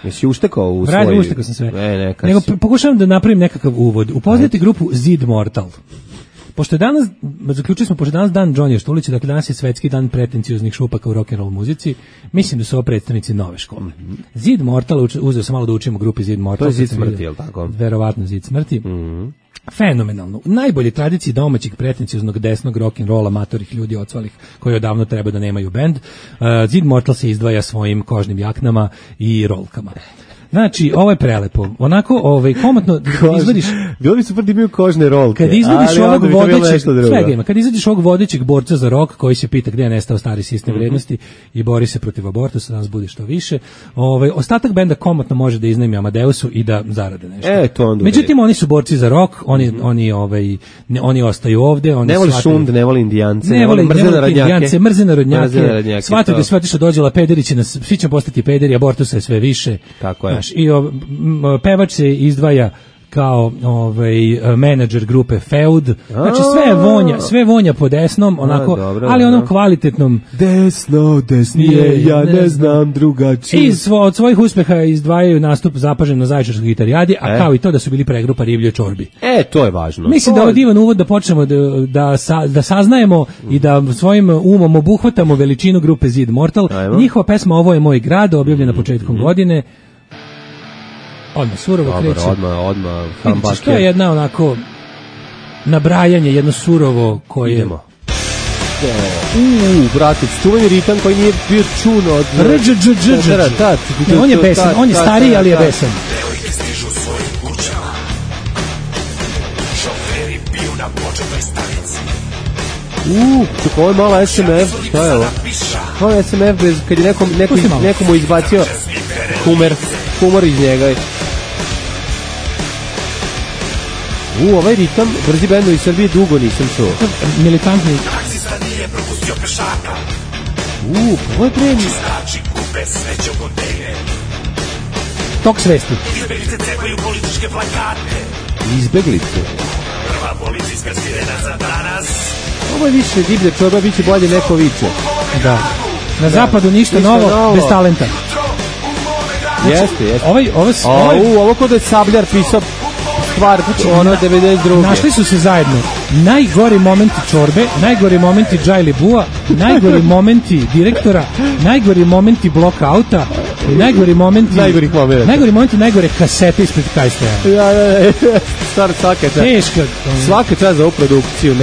Jesi uštekao u svoj... Uštekao sam sve. Nego pokušavam da napravim nekakav uvod. Upoznajte grupu Zid Mortal. Pošto je danas, zaključili smo, pošto je danas dan Johnny Štulića, dakle danas je svetski dan pretencioznih šupaka u rock'n'roll muzici, mislim da su ovo predstavnici nove škole. Zid Mortal, uzeo sam malo da učim u grupi Zid Mortal. To je Zid smrti, je li tako? Verovatno Zid smrti. Fenomenalno. U najbolje tradiciji domaćeg pretencioznog desnog rock'n'rolla matorih ljudi odsvalih koji odavno treba da nemaju bend. Zid Mortal se izdvaja svojim kožnim jaknama i rolkama. Znači, ovo je prelepo. Onako, komotno izvadiš... Bilo bi super da imaju kožne rolke. Kad izvadiš kad izađeš ovog vodećeg borca za rock koji se pita gdje je nestao stari sistem vrijednosti i bori se protiv abortusa, danas bude što više. Ostatak benda komotno može da iznajmi Amadeusu i da zarade nešto. Međutim, oni su borci za rock, oni ostaju ovde. Ne voli šund, ne voli indijance, ne voli indijance, mrze narodnjake. Shvataju da se otišao dođela pederići, svi će postati pederi, abortusa je sve više. Tako je. I pevač se izdvaja kao menadžer grupe Feud. Znači sve vonja po desnom, onako, ali onom kvalitetnom. Desno, desnije, ja ne znam drugačije. Od svojih uspeha izdvajaju nastup zapažen na Zaječarskoj gitarijadi, a kao i to da su bili pregrupa Riblje čorbi. To je važno. Mislim da je divan uvod da počnemo da saznajemo i da svojim umom obuhvatamo veličinu grupe Zid Mortal. Njihova pesma Ovo je moj grad, objavljena početkom godine. Odmah surovo kreće. Odmah. Vidiš, to je jedna onako nabrajanje, jedno surovo koje... Idemo. Bratić, čuveni ritam koji nije bio čun od... On je besan, on je stariji, ali je besan. Devojke stižu svojim kućama, šoferi piju na početnoj stanici. Čekaj, ovo je mala SMF, šta je ovo? Ovo je SMF, kad je nekomu izbacio humor iz njega. Ovaj ritam, brzi bendovi iz Srbije dugo nisam čuo. Militantni. Taksista nije propustio pešaka. Ovo je premij. Čistači kupe smeće u kontejner. Tok svesti. Izbeglice cepaju političke plakate. Izbeglice? Prva policijska sirena za danas. Ovo je više divlja čorba, bit će bolje neko viče. Da. Na zapadu ništa novo, bez talenta. Jeste. Ovo kod je Sabljar pisao stvar, ono 92. Našli su se zajedno. Najgori momenti čorbe, najgori momenti Džajli Bua, najgori momenti direktora, najgori momenti bloka auta, najgori momenti najgore kasete ispred Kajstaja. Stvar svaka čast. Teška. Svaka čast za ovu produkciju.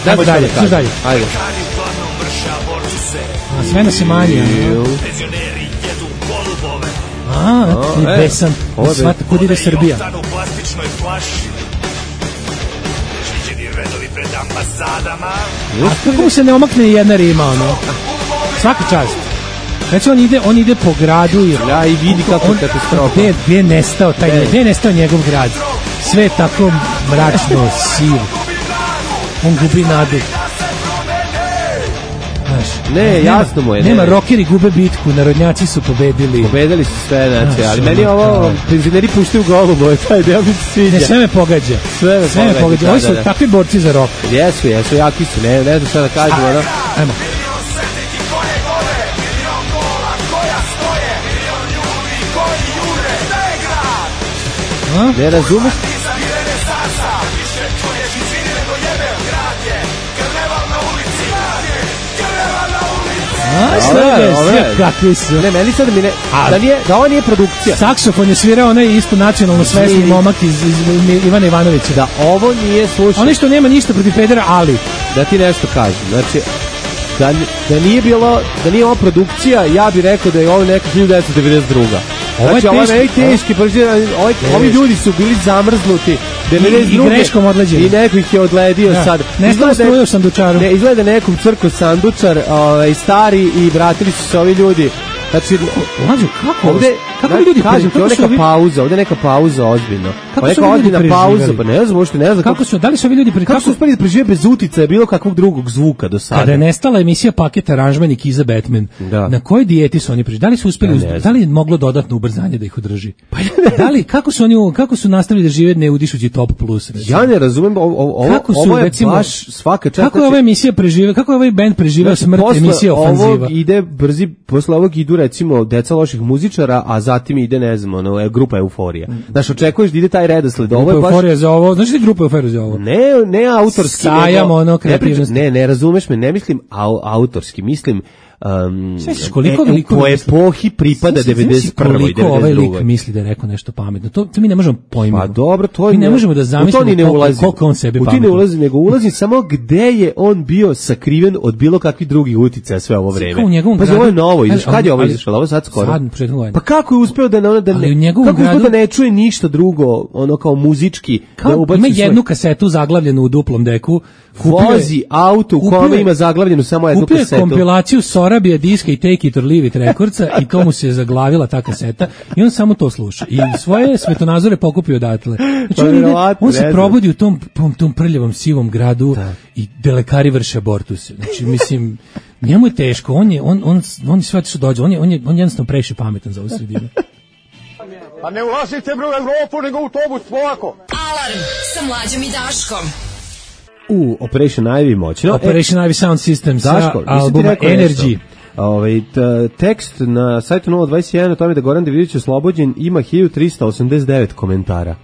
Ajmo dalje. Ajde. Sve nas je manje. Besan. Svata kud ide Srbija. U plastičnoj flaši. Šviđeni redovi pred ambasadama. A kako mu se ne omakne jedna rima, ono? Svaka čast. Znači on ide po gradu i vidi kako je katastrofa. Gdje je nestao njegov grad? Sve je tako mračno, sivo. On gubi nadu. Ne, jasno mu je. Nema, rokeri gube bitku, narodnjaci su pobedili. Pobedili su sve, znači, ali meni ovo, penzioneri puštaju golubove, taj deo mi se sviđa. Ne, sve me pogađa. Ovi su takvi borci za rok. Jesu, jaki su, ne znam šta da kažem, ono. Ajmo. Ne razumeš? Kakvi su. Ne, meni sad mi ne... Da ovo nije produkcija. Saksofon je svirao onaj isto nacionalno svesni momak iz Ivana Ivanovića. Da ovo nije slušao. Oni što nema ništa protiv pedera, ali... Da ti nešto kažem, znači... Da nije ovo produkcija, ja bih rekao da je ovo neka 1992. Znači, ovo je teški, ovi ljudi su bili zamrznuti. I greškom odleđeni. I neko ih je odledio sad. Nestalo struje u sandučaru. Ne, izgleda nekog crko sandučar, stari, i vratili su se ovi ljudi. Znači, kako ljudi ovdje neka pauza ozbiljno. Kako su ljudi preživjeli? Pa ne znam. Da li su ovi ljudi kako su uspeli da prežive bez uticaja bilo kakvog drugog zvuka do sada? Kada je nestala emisija Paket aranžman i Kiza Batman, na kojoj dijeti su oni preživjeli? Da li su uspeli, da li je moglo dodatno ubrzanje da ih održi? Kako su nastavili da žive ne udišući Top Plus? Ja ne razumem, ovo je baš svaka čast. Kako je ova emisija preživela, kako je ovaj band preživeo smrt emisije Ofanziva? Posle ovog idu recimo Deca loših muzičara, a zatim ide, ne znam, grupa Euforija. Znači, očekuješ da ide taj redosled. Grupa Euforija za ovo, znači grupa Euforija za ovo? Ne autorski. Sajam kreativnosti. Ne razumeš me, ne mislim autorski, mislim koliko epohi pripada 91. Koliko ovaj lik misli da je rekao nešto pametno. To mi ne možemo pojmiti. Pa dobro, to mi ne možemo da zamislimo koliko on sebi pametno. U ti ne ulazi, nego ulazi samo gde je on bio sakriven od bilo kakvih drugih uticaja sve ovo vreme. Pa ovo je novo, kad je ovo izašlo? Ovo sad skoro. Pa kako je uspeo da ne čuje ništa drugo, ono kao muzički? Ima jednu kasetu zaglavljenu u duplom deku. Vozi auto u kome ima zaglavljenu samo jednu kasetu. Kupio je kompilaciju Sorabija diska i Take It or Leave It rekordca i to mu se zaglavila ta kaseta i on samo to sluša. I svoje svetonazore pokupio odatle. Znači on se probudi u tom prljavom sivom gradu i lekari vrše abortuse. Znači mislim, njemu je teško, on sve što dođe, on je jednostavno previše pametan za ovu sredinu. Pa ne ulazite bre u Evropu, nego u autobus, polako. Alarm sa Mlađom i Daškom. Operation Ivy moćno. Operation Ivy Sound System sa albuma Energy. Tekst na sajtu 021 o tome da Goran Davidović oslobođen ima 1389 komentara.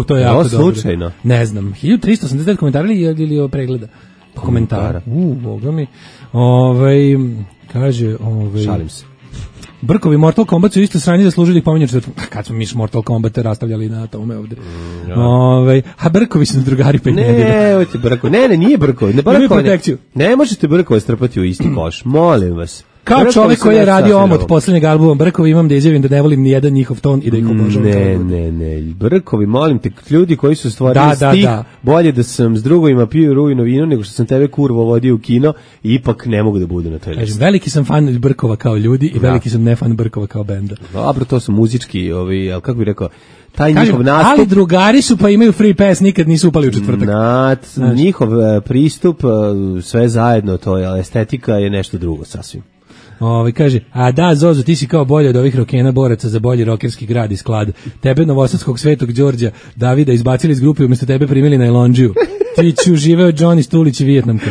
To je jako dobro. Slučajno? Ne znam. 1389 komentara ili pregleda? Komentara. Boga mi. Kaže... Šalim se. Brkovi Mortal Kombat su isto sranje zaslužili ih pominjati četvrtkom. Kad smo mi Mortal Kombat rastavljali na tome ovde. A Brkovi su drugari pa ne, hoće Brkovi. Ne, nije Brkovi. Ne možete Brkove strpati u isti koš. Molim vas. Kao Brkovi čovjek koji je radio omot poslednjeg albuma Brkovi, imam da izjavim da ne volim ni jedan njihov ton i da ih obožavam. Ne. Brkovi, molim te, ljudi koji su stvorili stih, bolje da sam s drugovima pio rujno vino nego što sam tebe kurvo vodio u kino i ipak ne mogu da budu na toj listi. Veliki sam fan Brkova kao ljudi i veliki sam ne fan Brkova kao benda. Dobro, to su muzički, ali kako bih rekao, taj njihov nastup... Ali drugari su pa imaju free pass, nikad nisu upali u četvrtak. Njihov pristup, sve zajedno, to je estetika je nešto drugo sasvim. Kaže, Zozo, ti si kao bolje od ovih rokena boraca za bolji rokerski grad i sklad. Tebe novosadskog Svetog Đorđa Davida izbacili iz grupe, umjesto tebe primili na Elondžiju. Ti ću živeo Johnny Stulić i Vijetnamka.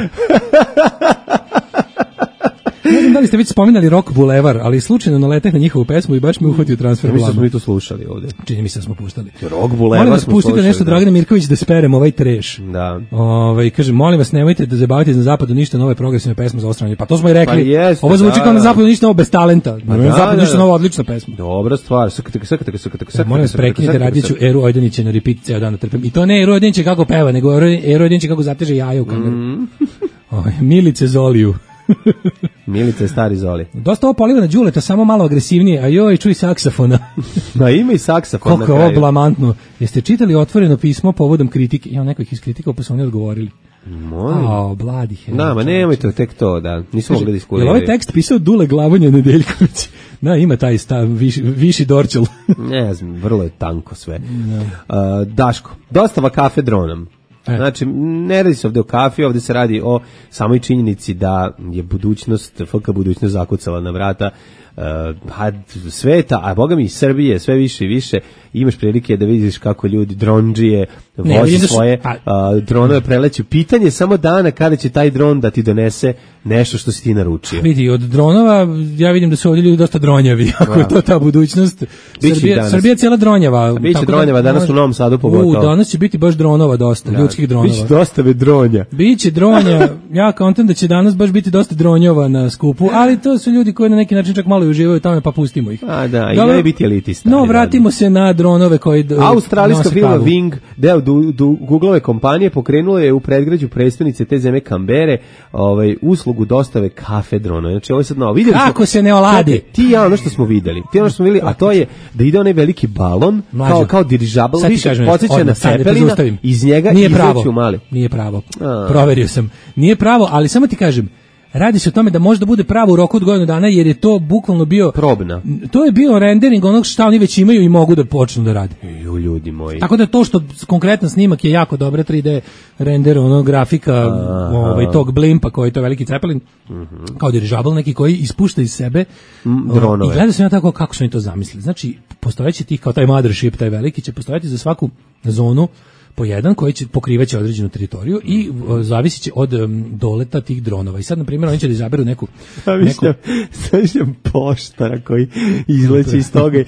Ne znam da li ste već spominali Rock Boulevard, ali slučajno naleteh na njihovu pesmu i baš me uhvatio transfer blama. Mi smo mi to slušali ovdje. Čini mi se da smo puštali. Rock Boulevard molim vas, pustite nešto Dragana Mirković da speremo ovaj treš. Da. Kaže, molim vas, nemojte da zabavite na zapadu ništa nove progresivne pesme za ostranje. Pa to smo i rekli. Pa jest, ovo zvuči kao na zapadu ništa novo bez talenta. Na zapadu ništa novo odlična pesma. Dobra stvar. Molim vas, prekinite Radiću Eru Ojdanića na repeat ceo dan da trpim. I to ne Eru Ojdanića kako peva, nego Eru Ojdanića kako zateže jaja u kameru. Milice Zoliju. Milice stari Zoli. Dosta ovo poliva na Đuleta, samo malo agresivnije, a joj, čuj saksafona. Ma ima i saksafon. Koliko je ovo blamantno. Jeste čitali otvoreno pismo povodom kritike? Ja, neko ih iskritikao, pa su oni odgovorili. Molim. Bladi he. Ma nemojte tek to, da. Nismo mogli diskutirati. Je ovaj tekst pisao Dule Glavonja Nedeljković? Ima taj stav, viši dorčel. Ne znam, vrlo je tanko sve. Daško, dostava kafe dronom. Znači, ne radi se ovdje o kafi, ovdje se radi o samoj činjenici da je FK budućnost zakucala na vrata sveta, a boga mi i Srbije sve više i više. Imaš prilike da vidiš kako ljudi dronđije vozi svoje dronove preleću. Pitanje je samo dana kada će taj dron da ti donese nešto što si ti naručio. Vidi, od dronova ja vidim da su ovdje ljudi dosta dronjavi, ako je to ta budućnost. Srbija je cijela dronjava. Biće dronjava, danas u Novom Sadu pogotovo. Danas će biti baš dronova dosta, ljudskih dronova. Biće dostave dronja. Biće dronja, ja kontam da će danas baš biti dosta dronjova na skupu, ali to su ljudi koji na neki način čak malo i uživaju tamo, pa pustimo ih. I ne biti elitista. No, vratimo se na dronove koji australijska firma Wing, deo Googleove kompanije, pokrenulo je u predgrađu prestonice te zemlje Kambere uslugu dostave kafe drona. Znači ovo je sad novo. Kako se ne oladi? Ti ja ono što smo videli. A to je da ide onaj veliki balon kao dirižabl, više podsjeća na Cepelina, iz njega izleću mali. Nije pravo. Proverio sam. Nije pravo, ali samo ti kažem, radi se o tome da može da bude pravo u roku od godinu dana, jer je to bukvalno bio probna. To je bio rendering onog što oni već imaju i mogu da počnu da rade. Ljudi moji. Tako da to što konkretan snimak je jako dobra 3D render grafika tog blimpa koji je to veliki Cepelin, kao dirižabl neki koji ispušta iz sebe dronove. I gleda se na tako kako su oni to zamislili. Znači, postojeći tih kao taj mothership, taj veliki će postojati za svaku zonu po jedan koji će pokrivaće određenu teritoriju i zavisit će od doleta tih dronova. I sad, na primjer, oni će da izaberu neku... Sviđam poštara koji izleće iz toga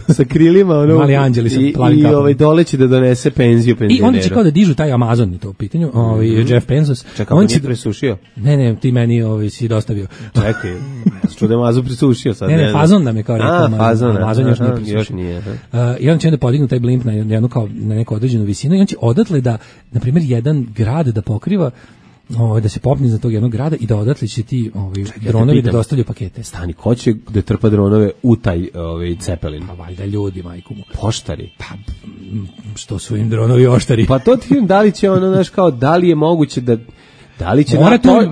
sa krilima mali anđeli sa plavim kapom. I doleće da donese penziju penzioneru. I oni će kao da dižu taj Amazon, to u pitanju, Jeff Bezos. Čekaj, on nije presušio? Ne, ti meni si dostavio. Čekaj, što da Amazon presušio sad. Ne, Fazon nam je kao rekao. Amazon još nije presušio. I on će onda podignu taj blimp na neku određenu visinu i on će odatle da, na primjer, jedan grad da pokriva, da se popne za tog jednog grada i da odatle će ti dronovi da dostavljaju pakete. Stani, ko će da trpa dronove u taj Cepelin? Pa valjda ljudi, majku mu. Poštari? Pa, što su im dronovi oštari? Pa to ti da li će ono, znaš, kao, da li je moguće da Da li će,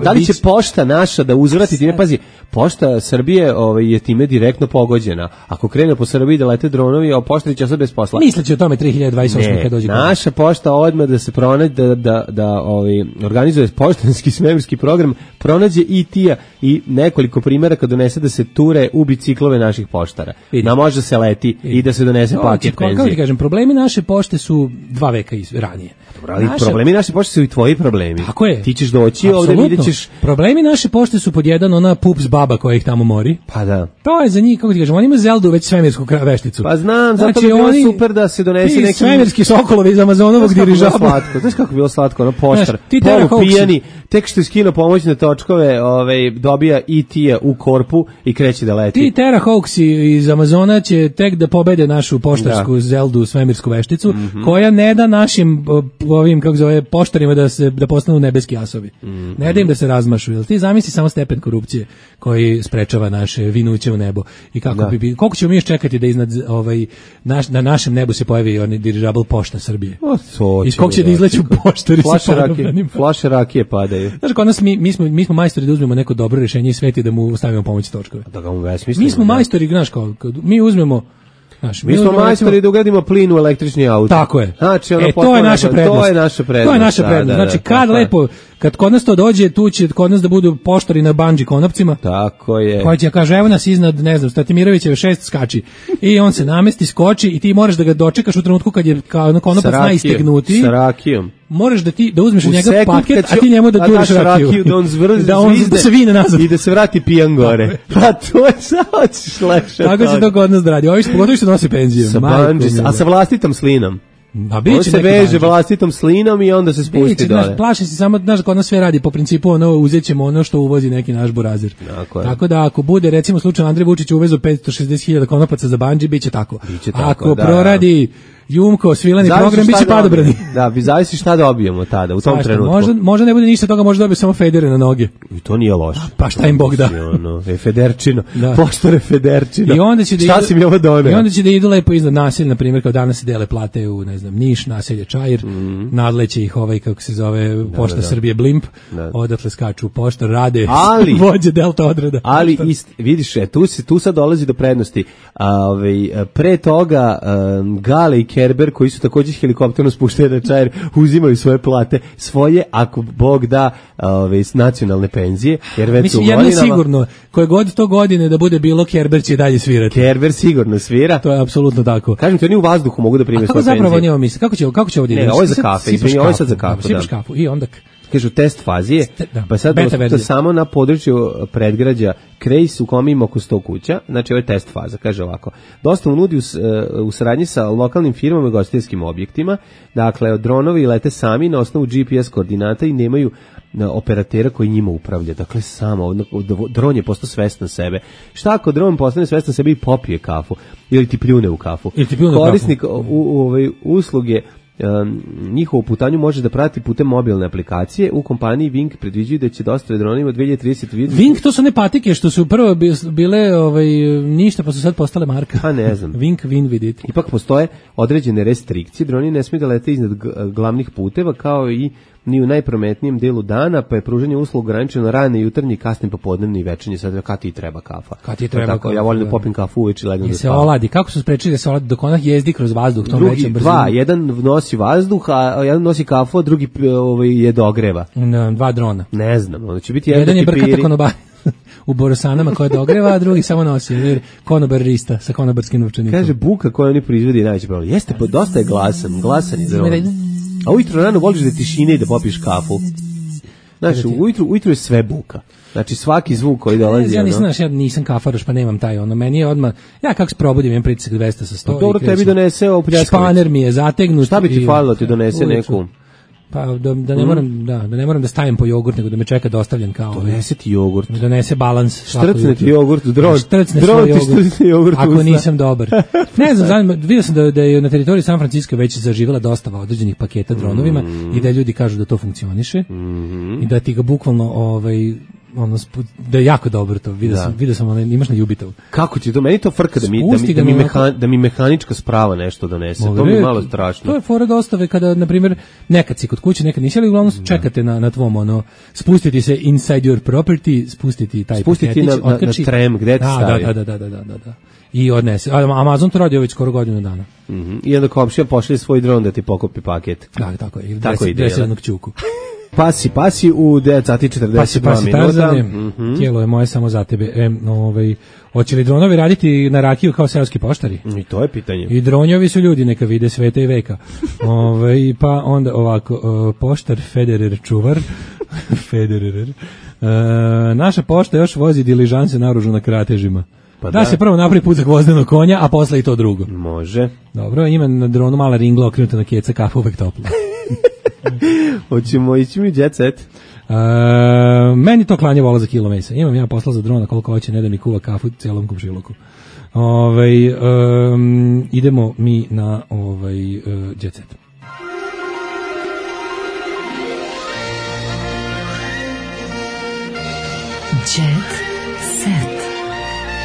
da li će pošta naša da uzvrati time? Pazi, pošta Srbije je time direktno pogođena. Ako krene po Srbiji da lete dronovi, a pošta će sad bez posla. Misleći o tome 2028 kad dođe. Naša pošta odmah da se pronađe da organizuje poštanski svemirski program, pronađe IT-a i nekoliko primjera kad donese da se ture u biciklove naših poštara. Da može se leti i da se donese paket penzije. Kako ti kažem, problemi naše pošte su 2 veka ranije. Ali problemi naše pošte su i tvoji problemi. Tako je. Ti ćeš doći ovde, vidjet ćeš. Problemi naše pošte su pod jedan ona pups baba koja ih tamo mori. Pa da. To je za njih, kako ti kažem, oni imaju Zeldu već svemirsku vešticu. Pa znam, zato bi bilo super da se donese neki svemirski sokolovi iz Amazonovog dirižabla. Znaš kako bilo slatko, ono poštar, polupijani, tek što je skinuo pomoćne točkove, dobija IT-a u korpu i kreće da leti. Ti Terra Hawksi iz Amazona će tek da pobede našu poštarsku Zeldu svemirsku vešticu, koja ne da našim ovim, kako zove, poštarima da postanu nebeski asovi. Ne da im da se razmašu. Jel ti zamisli samo stepen korupcije koji sprečava naše vinuće u nebo. I kako koliko ćemo mi još čekati da iznad na našem nebu se pojavi onaj dirižabl Pošta Srbije. I koliko će da izleću poštari sa parobranim. Flaše rakije padaju. Znaš, kod nas mi smo majstori da uzmemo neko dobro rješenje i sveti da mu stavimo pomoć točkove. Da ga mu besmislimo. Mi smo majstori, znaš, mi uzmemo. Mi smo majstori da ugradimo plin u električni auto. Tako je. Znači, to je naša prednost. To je naša prednost. To je naša prednost. Znači, kad kod nas to dođe, tu će kod nas da budu poštari na bandži konopcima. Tako je. Koji će kaže, evo nas iznad, ne znam, Statimirovićeve 6 skači. I on se namesti, skoči i ti moraš da ga dočekaš u trenutku kad je konopac najistegnutiji. Sa rakijom. Moraš da uzmeš od njega paket, a ti njemu da turiš rakiju. Da on se vine nazad. I da se vrati pijan gore. Pa to je sad lepše. Tako će to kod nas da radi. Ovi pogotovo što nosi penziju. A sa vlastitom slinom. On se veže vlastitom slinom i onda se spusti dole. Plaši se samo, znaš, kod nas sve radi po principu uzećemo ono što uvozi neki naš burazir. Tako da ako bude, recimo slučajno Andrej Vučić uvezu 560.000 konopaca za bandži, biće tako. Ako proradi Jumko, svilani program, biće padobrani. Da, vi zavisi šta dobijemo tada, u tom trenutku. Možda ne bude ništa toga, možda dobije samo federe na noge. I to nije loše. Pa šta im Bog da. Federčino, poštore Federčino. Šta si mi ovo doneo? I onda će da idu lepo iznad naselja, na primjer, kao danas se dele plate u, ne znam, Niš, naselje Čair, nadleće ih kako se zove, Pošta Srbije Blimp, odatle skaču u poštar, rade vođe Delta odreda. Ali, vidiš, tu sad dolazi do prednosti. Pre toga Gale i Kerber, koji su također helikopterno spušteni na Čair, uzimaju svoje plate, svoje, ako Bog da, nacionalne penzije, jer već mislim, jedno je sigurno, koje god to godine da bude bilo, Kerber će dalje svirati. Kerber sigurno svira. To je apsolutno tako. Kažem ti, oni u vazduhu mogu da prime svoje penzije. A kako zapravo njima misli? Kako će ovdje? Ne, ovo je za kafe. Ovo je sad za kafu. Sipaš kafu i onda... Kažu, test fazije, pa sad to samo na području predgrađa Krejs u kome ima oko 100 kuća, znači ovo je test faza, kaže ovako. Dostavu nudi u saradnji sa lokalnim firmama i gostiteljskim objektima, dakle, dronovi lete sami na osnovu GPS koordinata i nemaju operatera koji njima upravlja, dakle samo, dron je postao svestan sebe. Šta ako dron postane svestan sebe i popije kafu, ili ti pljune u kafu? Korisnik usluge njihovu putanju može da prati putem mobilne aplikacije. U kompaniji Wing predviđaju da će dostave dronima 2030 vidjeti. Wing, to su ne patike što su prvo bile ništa, pa su sad postale marka. Pa ne znam. Wing vidite. Ipak postoje određene restrikcije. Droni ne smiju da lete iznad glavnih puteva, kao i ni u najprometnijem delu dana, pa je pružanje usluga ograničeno na rane, jutarnji, kasni, popodnevni i večernji. Sad kad ti treba kafa. Ja volim da popim kafu uveče i legnem da spavam. Se oladi. Kako su sprečili da se oladi dok ona jezdi kroz vazduh tom većem brzinu? Jedan nosi vazduh, a jedan nosi kafu, a drugi je dogreva. Dva drona. Ne znam, onda će biti jedan je brkata konobar u Borosanama koja dogreva, a drugi samo nosi konobarista sa konobarskim novčanikom. Kaže, buka koju oni proizvodi je najveći problem. Jeste, pa dosta je glasan je dron. A ujutro rano voliš da tišine i da popiješ kafu. Znači, ujutro je sve buka. Znači, svaki zvuk koji dolazi... Ja nisam kafaroš, pa nemam taj meni je odmah... Ja kako se probudim, imam pritisak 200 sa 100. Dobro, tebi donese ovo pljaskavić. Španer mi je zategnut. Šta bi ti falilo ti donese neku... Pa da ne moram da stavim po jogurt, nego da me čeka dostavljen kao... Donese ti jogurt. Donese balans. Štrcne ti jogurt, dron ti jogurt ako nisam dobar. Ne znam, vidio sam da je na teritoriji San Francisco već zaživjela dostava određenih paketa dronovima i da ljudi kažu da to funkcioniše i da ti ga bukvalno da je jako dobro to. Vidio sam imaš na Jubitovu. Kako ti to? Meni to frka da mi mehanička sprava nešto donese. To mi je malo strašno. To je fora dostave kada, na primjer, nekad si kod kuće, nekad nisi, ali uglavnom čekate na tvom, spustiti se inside your property, spustiti taj paketić, na trem, gde ti stavi. Da. I odnese. Amazon to radi već skoro godinu dana. I onda komšija pošalje svoj dron da ti pokupi paket. Da, tako je. Ili tako ide jednog ćuku. Pasi u 9 sati 42 minuta. Tijelo je moje samo za tebe. Hoće li dronovi raditi na rakiju kao seoski poštari? I to je pitanje. I dronjovi su ljudi, neka vide sveta i veka. Pa onda ovako, poštar Federer čuvar. Federer. Naša pošta još vozi diližanse naoružu na kratežima. Pa da se prvo napravi put za gvozdenog konja, a posle i to drugo. Može. Dobro, ima na dronu mala ringla okrenuta na keca, kafa uvek topla. Hoćemo ići mi jet set. Meni to klanje vola za kilo mesa. Imam ja posla za drona koliko hoće, ne da mi kuva kafu celom komšiluku. Idemo mi na jet set. Jet set.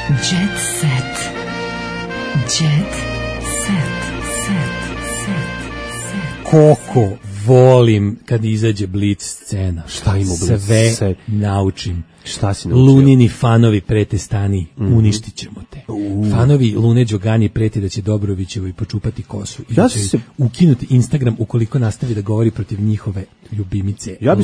Jet set. Jet set. Koliko volim kad izađe Blic scena. Šta ima Blic? Sve naučim. Šta si naučio? Lunini fanovi prete stani, uništit ćemo te. Fanovi Lune Đogani preti da će Dobrovićevoj počupati kosu i da će ukinuti Instagram ukoliko nastavi da govori protiv njihove ljubimice. Ja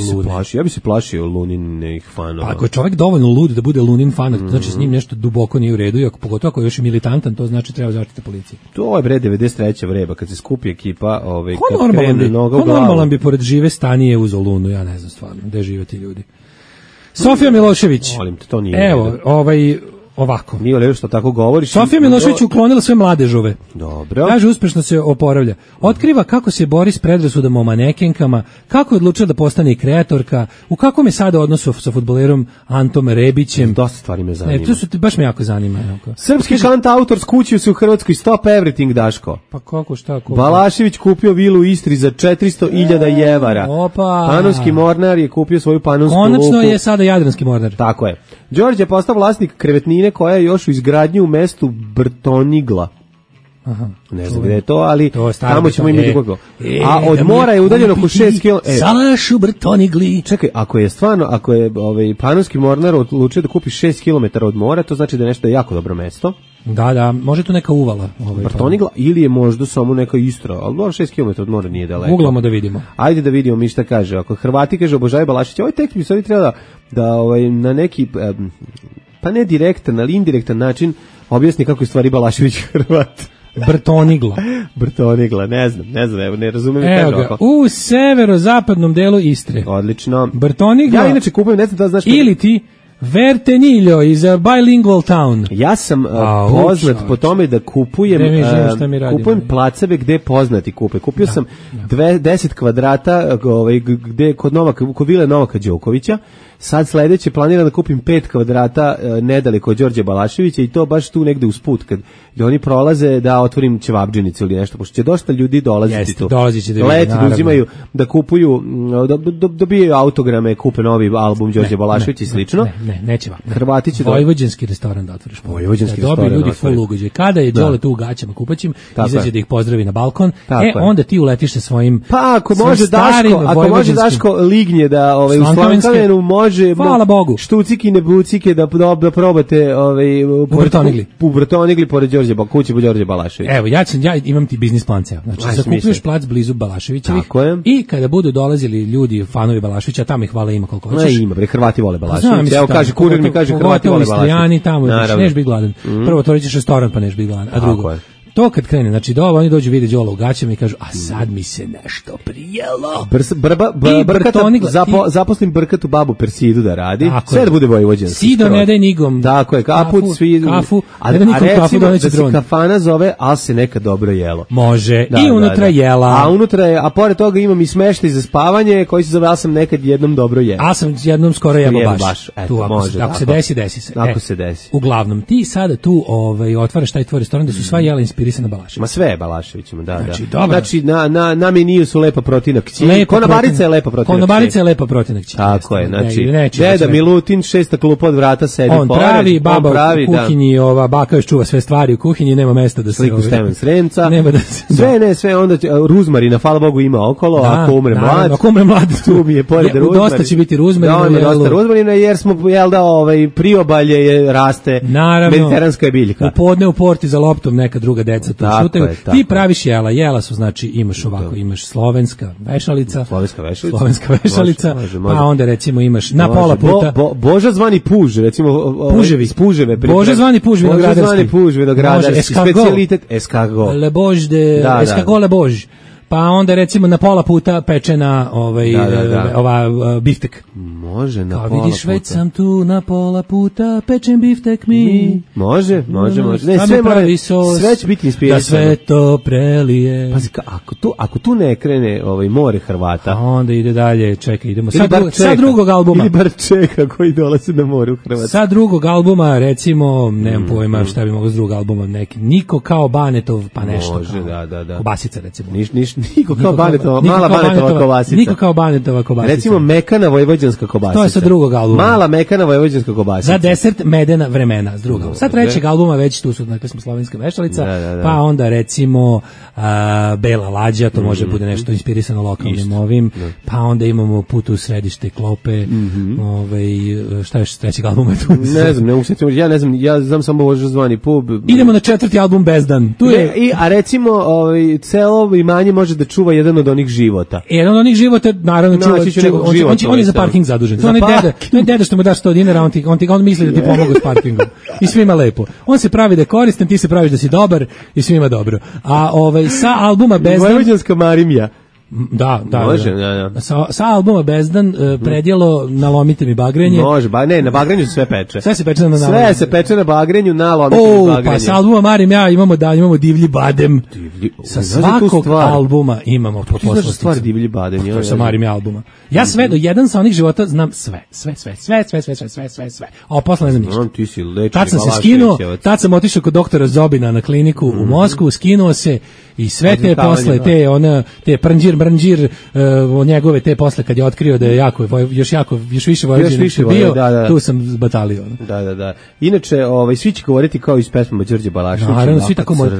bi se plašio Luninih fanova. Ako je čovjek dovoljno lud da bude Lunin fan, znači s njim nešto duboko nije u redu, i pogotovo ako je još i militantan, to znači treba zaštiti policije. To je 93. vreba, kad se skupi ekipa, kad krene noga u glavu. Normalan bi pored žive stanije uzeo Lunu, ja ne znam stvarno, gde žive ti ljudi. Sofija Milošević. Molim te, to nije. Evo, ovako. Nije lepo što tako govoriš. Sofija Milošević uklonila sve mladežove. Dobro. Kaže, uspešno se oporavlja. Otkriva kako se bori s predrasudama o manekenkama, kako je odlučila da postane i kreatorka, u kakvom je sada odnosu sa fudbalerom Antom Rebićem. Dosta stvari me zanima. Baš me jako zanima. Srpski kantautor skućio se u Hrvatskoj, stop everything, Daško. Pa kako, šta? Balašević kupio vilu u Istri za 400.000 evara. Opa. Panonski mornar je kupio svoju panonsku luku. Konačno je sada Jadranski mornar. Tako je. Đorđe je postao vlasnik krevetnine koja je još u izgradnji u mestu Brtonigla. Aha, ne znam gde je to, ali tamo ćemo imati koliko. A od mora je udaljeno oko 6 km. Salaš u Brtonigli. Čekaj, ako je Panonski mornar odlučio da kupi 6 km od mora, to znači da je nešto jako dobro mesto. Da, može tu neka uvala. Brtonigla ili je možda samo neka Istra, ali 6 km od mora nije daleko. Uglamo da vidimo. Ajde da vidimo mi šta kaže. Ako Hrvati kaže obožavaju Balašića, ovaj tekst bi stvari treba da na neki, pa ne direktan, ali indirektan način objasni kako je stvari Balašević Hrvat. Brtonigla, ne znam, ne razumijem. Evo ga, u severozapadnom delu Istre. Odlično. Brtonigla. Ja inače kupujem, ne znam da znaš. Ili ti Vertenillo is a bilingual town. Ja sam poznat po tome da kupujem placeve gde poznati kupe. Kupio sam 10 kvadrata gde kod vile Novaka Đokovića. Sad sledeće planiram da kupim 5 kvadrata nedaleko od Đorđe Balaševića i to baš tu negde usput kad oni prolaze da otvorim ćevabdžinicu ili nešto, pošto će dosta ljudi dolaziti tu. Leti da uzimaju, da kupuju, dobijaju autograme, kupe novi album Đorđe Balaševića i slično. Neće vam. Hrvati će Vojvođanski restoran da otvoriš. Vojvođanski restoran. Dobiju ljudi full ugođaj. Kada je Đole tu u gaćama kupaćim, izađe da ih pozdravi na balkon, onda ti uletiš sa svojim. Pa ako može Daško lignje da u Slankavenu može hvala Bogu. Štucikine bucike da probate u Brtonigli pored Đorđe kuće Đorđe Balaševića. Evo, ja imam ti biznis plan ceo. Znači, zakupuješ plac blizu Balaševićevih i kada budu dolazili ljudi, fanovi Balaševića, tamo ih hvala ima koliko hoćeš. Ima, Hrvati vole Balaševića. Evo kaže kurir mi kaže Hrvati vole Balaševića. Tamo neš biti gladan. Prvo otvorit ćeš restoran pa neš biti gladan, a drugo to kad krene, znači oni dođu vide Đola u gaćama i kažu, a sad mi se nešto prijelo. Zaposlim Brkatu babu Persidu da radi, sve da bude vojvođanski. Sido ne daj nigom. Tako je, kafu, a recimo da se kafana zove, ali se nekad dobro jelo. Može, i unutra jela. A pored toga imam i smeštaj za spavanje, koji se zove, ali sam nekad jednom dobro jelo. A sam jednom skoro jelo baš. Ako se desi se. Ako se desi. Uglavnom, ti sada tu otvaraš taj tvoj restoran da su sva jela inspirisana inspirisana Balaševićem. Ma sve je Balaševićima, da. Znači, da. dobro. Znači na meniju su lepa protinak kći. Konobarica je lepa protinak kći. Konobarica je lepa protinak kći. Tako je, znači, Deda sve. Milutin, 6 klupa od vrata sedi on pored. Pravi, baba on pravi, u kuhinji, ova baka još čuva sve stvari u kuhinji, nema mesta da se... Sliku Stevan Sremca. Nema da se... Sve, onda ruzmarina, hvala Bogu, ima okolo, ako umre mlad. Ako umre mlad, tu mi je pored ruzmarina. Dosta će biti ruzmarina. Da, dosta ruzmarina, jer smo, jel da, priobalje je raste, mediteranska je biljka. U podne u porti za loptom neka druga deca tu šutaju. Ti praviš jela su, znači, imaš ovako, imaš slovenska vešalica, pa onda recimo imaš na pola puta Boža zvani puž, recimo puževe. Boža zvani puž vinogradarski specijalitet escargot. Le Bož de escargot le Bož. Pa onda recimo na pola puta pečena ova biftek. Može na pola puta. Vidiš, već sam tu na pola puta, pečem biftek mi. Može. Ne, sve će biti inspirisano. Da sve to prelije. Pazi, ako tu ne krene more Hrvata. A onda ide dalje, čekaj, idemo. Sa drugog albuma. Ili bar čeka koji dolaze na more u Hrvata. Sa drugog albuma, recimo, nemam pojma šta bi moglo s drugog albuma, neki Niko kao Banetov, pa nešto. Može, da. Kobasica, recimo. Niko kao Banetova, mala Banetova kobasica. Niko kao Banetova kobasica. Recimo mekana vojvođanska kobasica. To je sa drugog albuma. Mala mekana vojvođanska kobasica. Za desert medena vremena s drugog. Sa trećeg albuma već tu su, dakle smo slovenska vešalica, pa onda recimo Bela lađa, to može bude nešto inspirisano lokalnim ovim, pa onda imamo Put u središte klope, šta još s trećeg albuma tu? Ne znam, ja znam samo Boža zvani pub. Idemo na 4. album Bezdan. Tu je a recimo celo imanje može da čuva jedan od onih života. Jedan od onih života, naravno, on je za parking zadužen. To je deda što mu daš 100 dinara, on misli da ti pomogu s parkingom. I svima lepo. On se pravi da je koristan, ti se praviš da si dobar i svima dobro. A sa albuma Bezdan... Vojvođanska Marimija. Da. Može. Sa albuma Bezdan predjelo nalomite mi bagrenje. Može, na bagrenju se sve peče. Sve se peče na Sve se peče na bagrenju, nalomite mi bagrenje. Pa sa albuma Marim imamo divlji badem. Sa svakog albuma imamo po poslasticu. Znaš stvar divlji badem? To je sa Marim albuma. Ja sve do jedan sa onih života znam sve. A posle ne znam ništa. Tad sam se skinuo, tad sam otišao kod doktora Zobina na kliniku u Moskvu, skinuo se i sve te posle, te Brnđir, njegove te posle kad je otkrio da je još više Vojvođan bio, tu sam zbatalio. Da. Inače, svi će govoriti kao iz pesmama Đorđe Balaševića. Naravno, svi tako mogu.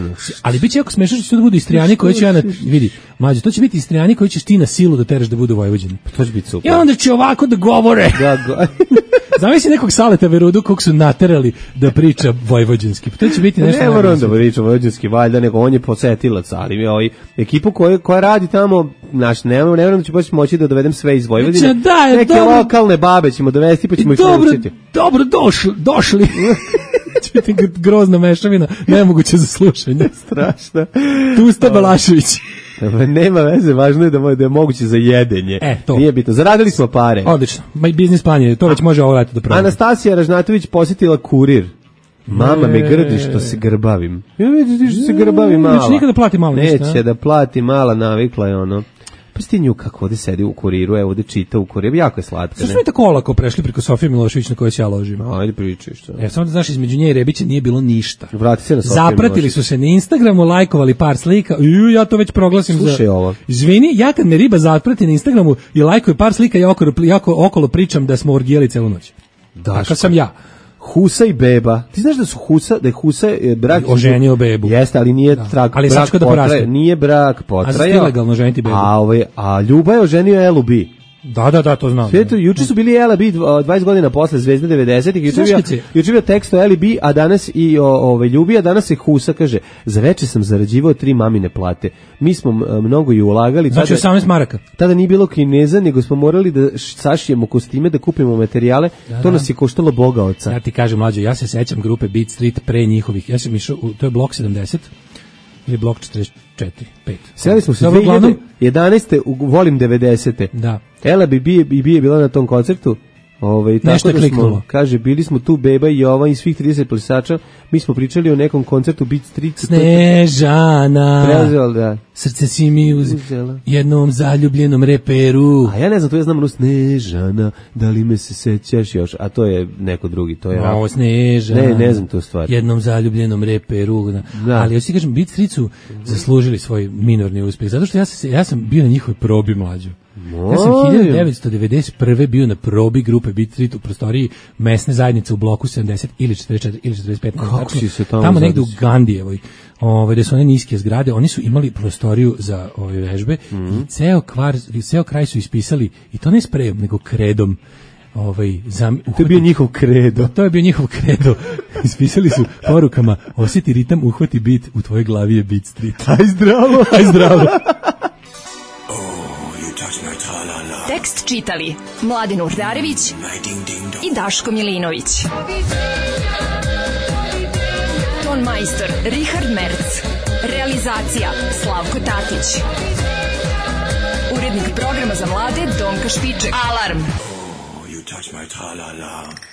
Ali biće jako smešno što će to budu Istrijani koji će vidi, mlađe, to će biti Istrijani koji ćeš ti na silu da teraš da budu Vojvođani. To će biti super. I onda će ovako da govore. Zamisli nekog Saleta Verudu kog su naterali da priča vojvođanski. To će biti nešto. Ne moram da priča vojvođanski, valjda, nego on je posetilac, ali ekipu koja radi tamo, ne moram da ću moći da dovedem sve iz Vojvodine. Neke lokalne babe ćemo dovesti pa ćemo ih naučiti. Dobro, došli. Grozna mešavina, nemoguće za slušanje. Strašno. Tusta Balašević. Nema veze, važno je da je moguće za jedenje. Nije bitno. Zaradili smo pare. Odlično. Business plan je, to već može ovo leto da pravi. Anastasija Ražnatović posjetila Kurir. Mama me grdi što se grbavim. Ja vidiš što se grbavi mala. Neće nikada plati malo ništa. Neće da plati mala, navikla je ono. Pa sti nju kako ovdje sedi u Kuriru, evo ovdje čita u Kuriru, jako je slatka. Što smo mi tako olako prešli preko Sofije Milošević na kojoj se ja ložim? Ajde pričaj što. Samo da znaš, između nje i Rebića nije bilo ništa. Vrati se na Sofiju Zapratili su se na Instagramu, lajkovali par slika, ja to već proglasim. Slušaj ovo. Izvini, ja kad me riba zaprati na Instagramu i lajkuje par slika, ja okolo pričam da smo orgijali celu noć. Tako sam ja. Husa i beba. Ti znaš da je Husa brak oženio bebu. Jeste, ali nije brak potraja. Nije brak potraja. A ilegalno ženiti bebu. A Ljuba je oženio Elu B. Da, to znam. Juče su bili Ela B 20 godina posle Zvezde 90-ih. Juče bio tekst o Eli B, a danas i o Ljubi, a danas je Husa, kaže, za veče sam zarađivao 3 mamine plate. Mi smo mnogo i ulagali. Znači 18 maraka. Tada nije bilo Kineza, nego smo morali da sašijemo kostime, da kupimo materijale. To nas je koštalo Boga oca. Ja ti kažem, mlađo, ja se sećam grupe Beat Street pre njihovih. Ja sam išao, to je blok 70 ili blok 44, 5. Seli smo se 2011. Volim 90. Da. Ela bi je bila na tom koncertu. Tako da smo, kaže, bili smo tu Beba i Jovan i svih 30 plisača, mi smo pričali o nekom koncertu Beat Street. Snežana, Prezel, da. Srce si mi uzela jednom zaljubljenom reperu. A ja ne znam, to ja znam ono Snežana, da li me se sećaš još, a to je neko drugi, to je Ovo Snežana, ne znam tu stvar. Jednom zaljubljenom reperu, da. Ali ja si kažem, Beat Street su zaslužili svoj minorni uspjeh, zato što ja sam bio na njihovoj probi, mlađu. Ja sam 1991. bio na probi grupe Beat Street u prostoriji mesne zajednice u bloku 70 ili 44 ili 45. Kako si se tamo negde u Gandijevoj, gde su one niske zgrade, oni su imali prostoriju za ove vežbe i ceo kraj su ispisali, i to ne sprejom, nego kredom. To je bio njihov kredo. To je bio njihov kredo. Ispisali su porukama: osjeti ritam, uhvati bit, u tvojoj glavi je Beat Street. Aj zdravo. Aj zdravo. Tekst čitali Mladin Urdarević i Daško Milinović. Ton majstor Richard Merc. Realizacija Slavko Tatić. Urednik programa za mlade Donka Špiček. Alarm! You touch my tra-la-la.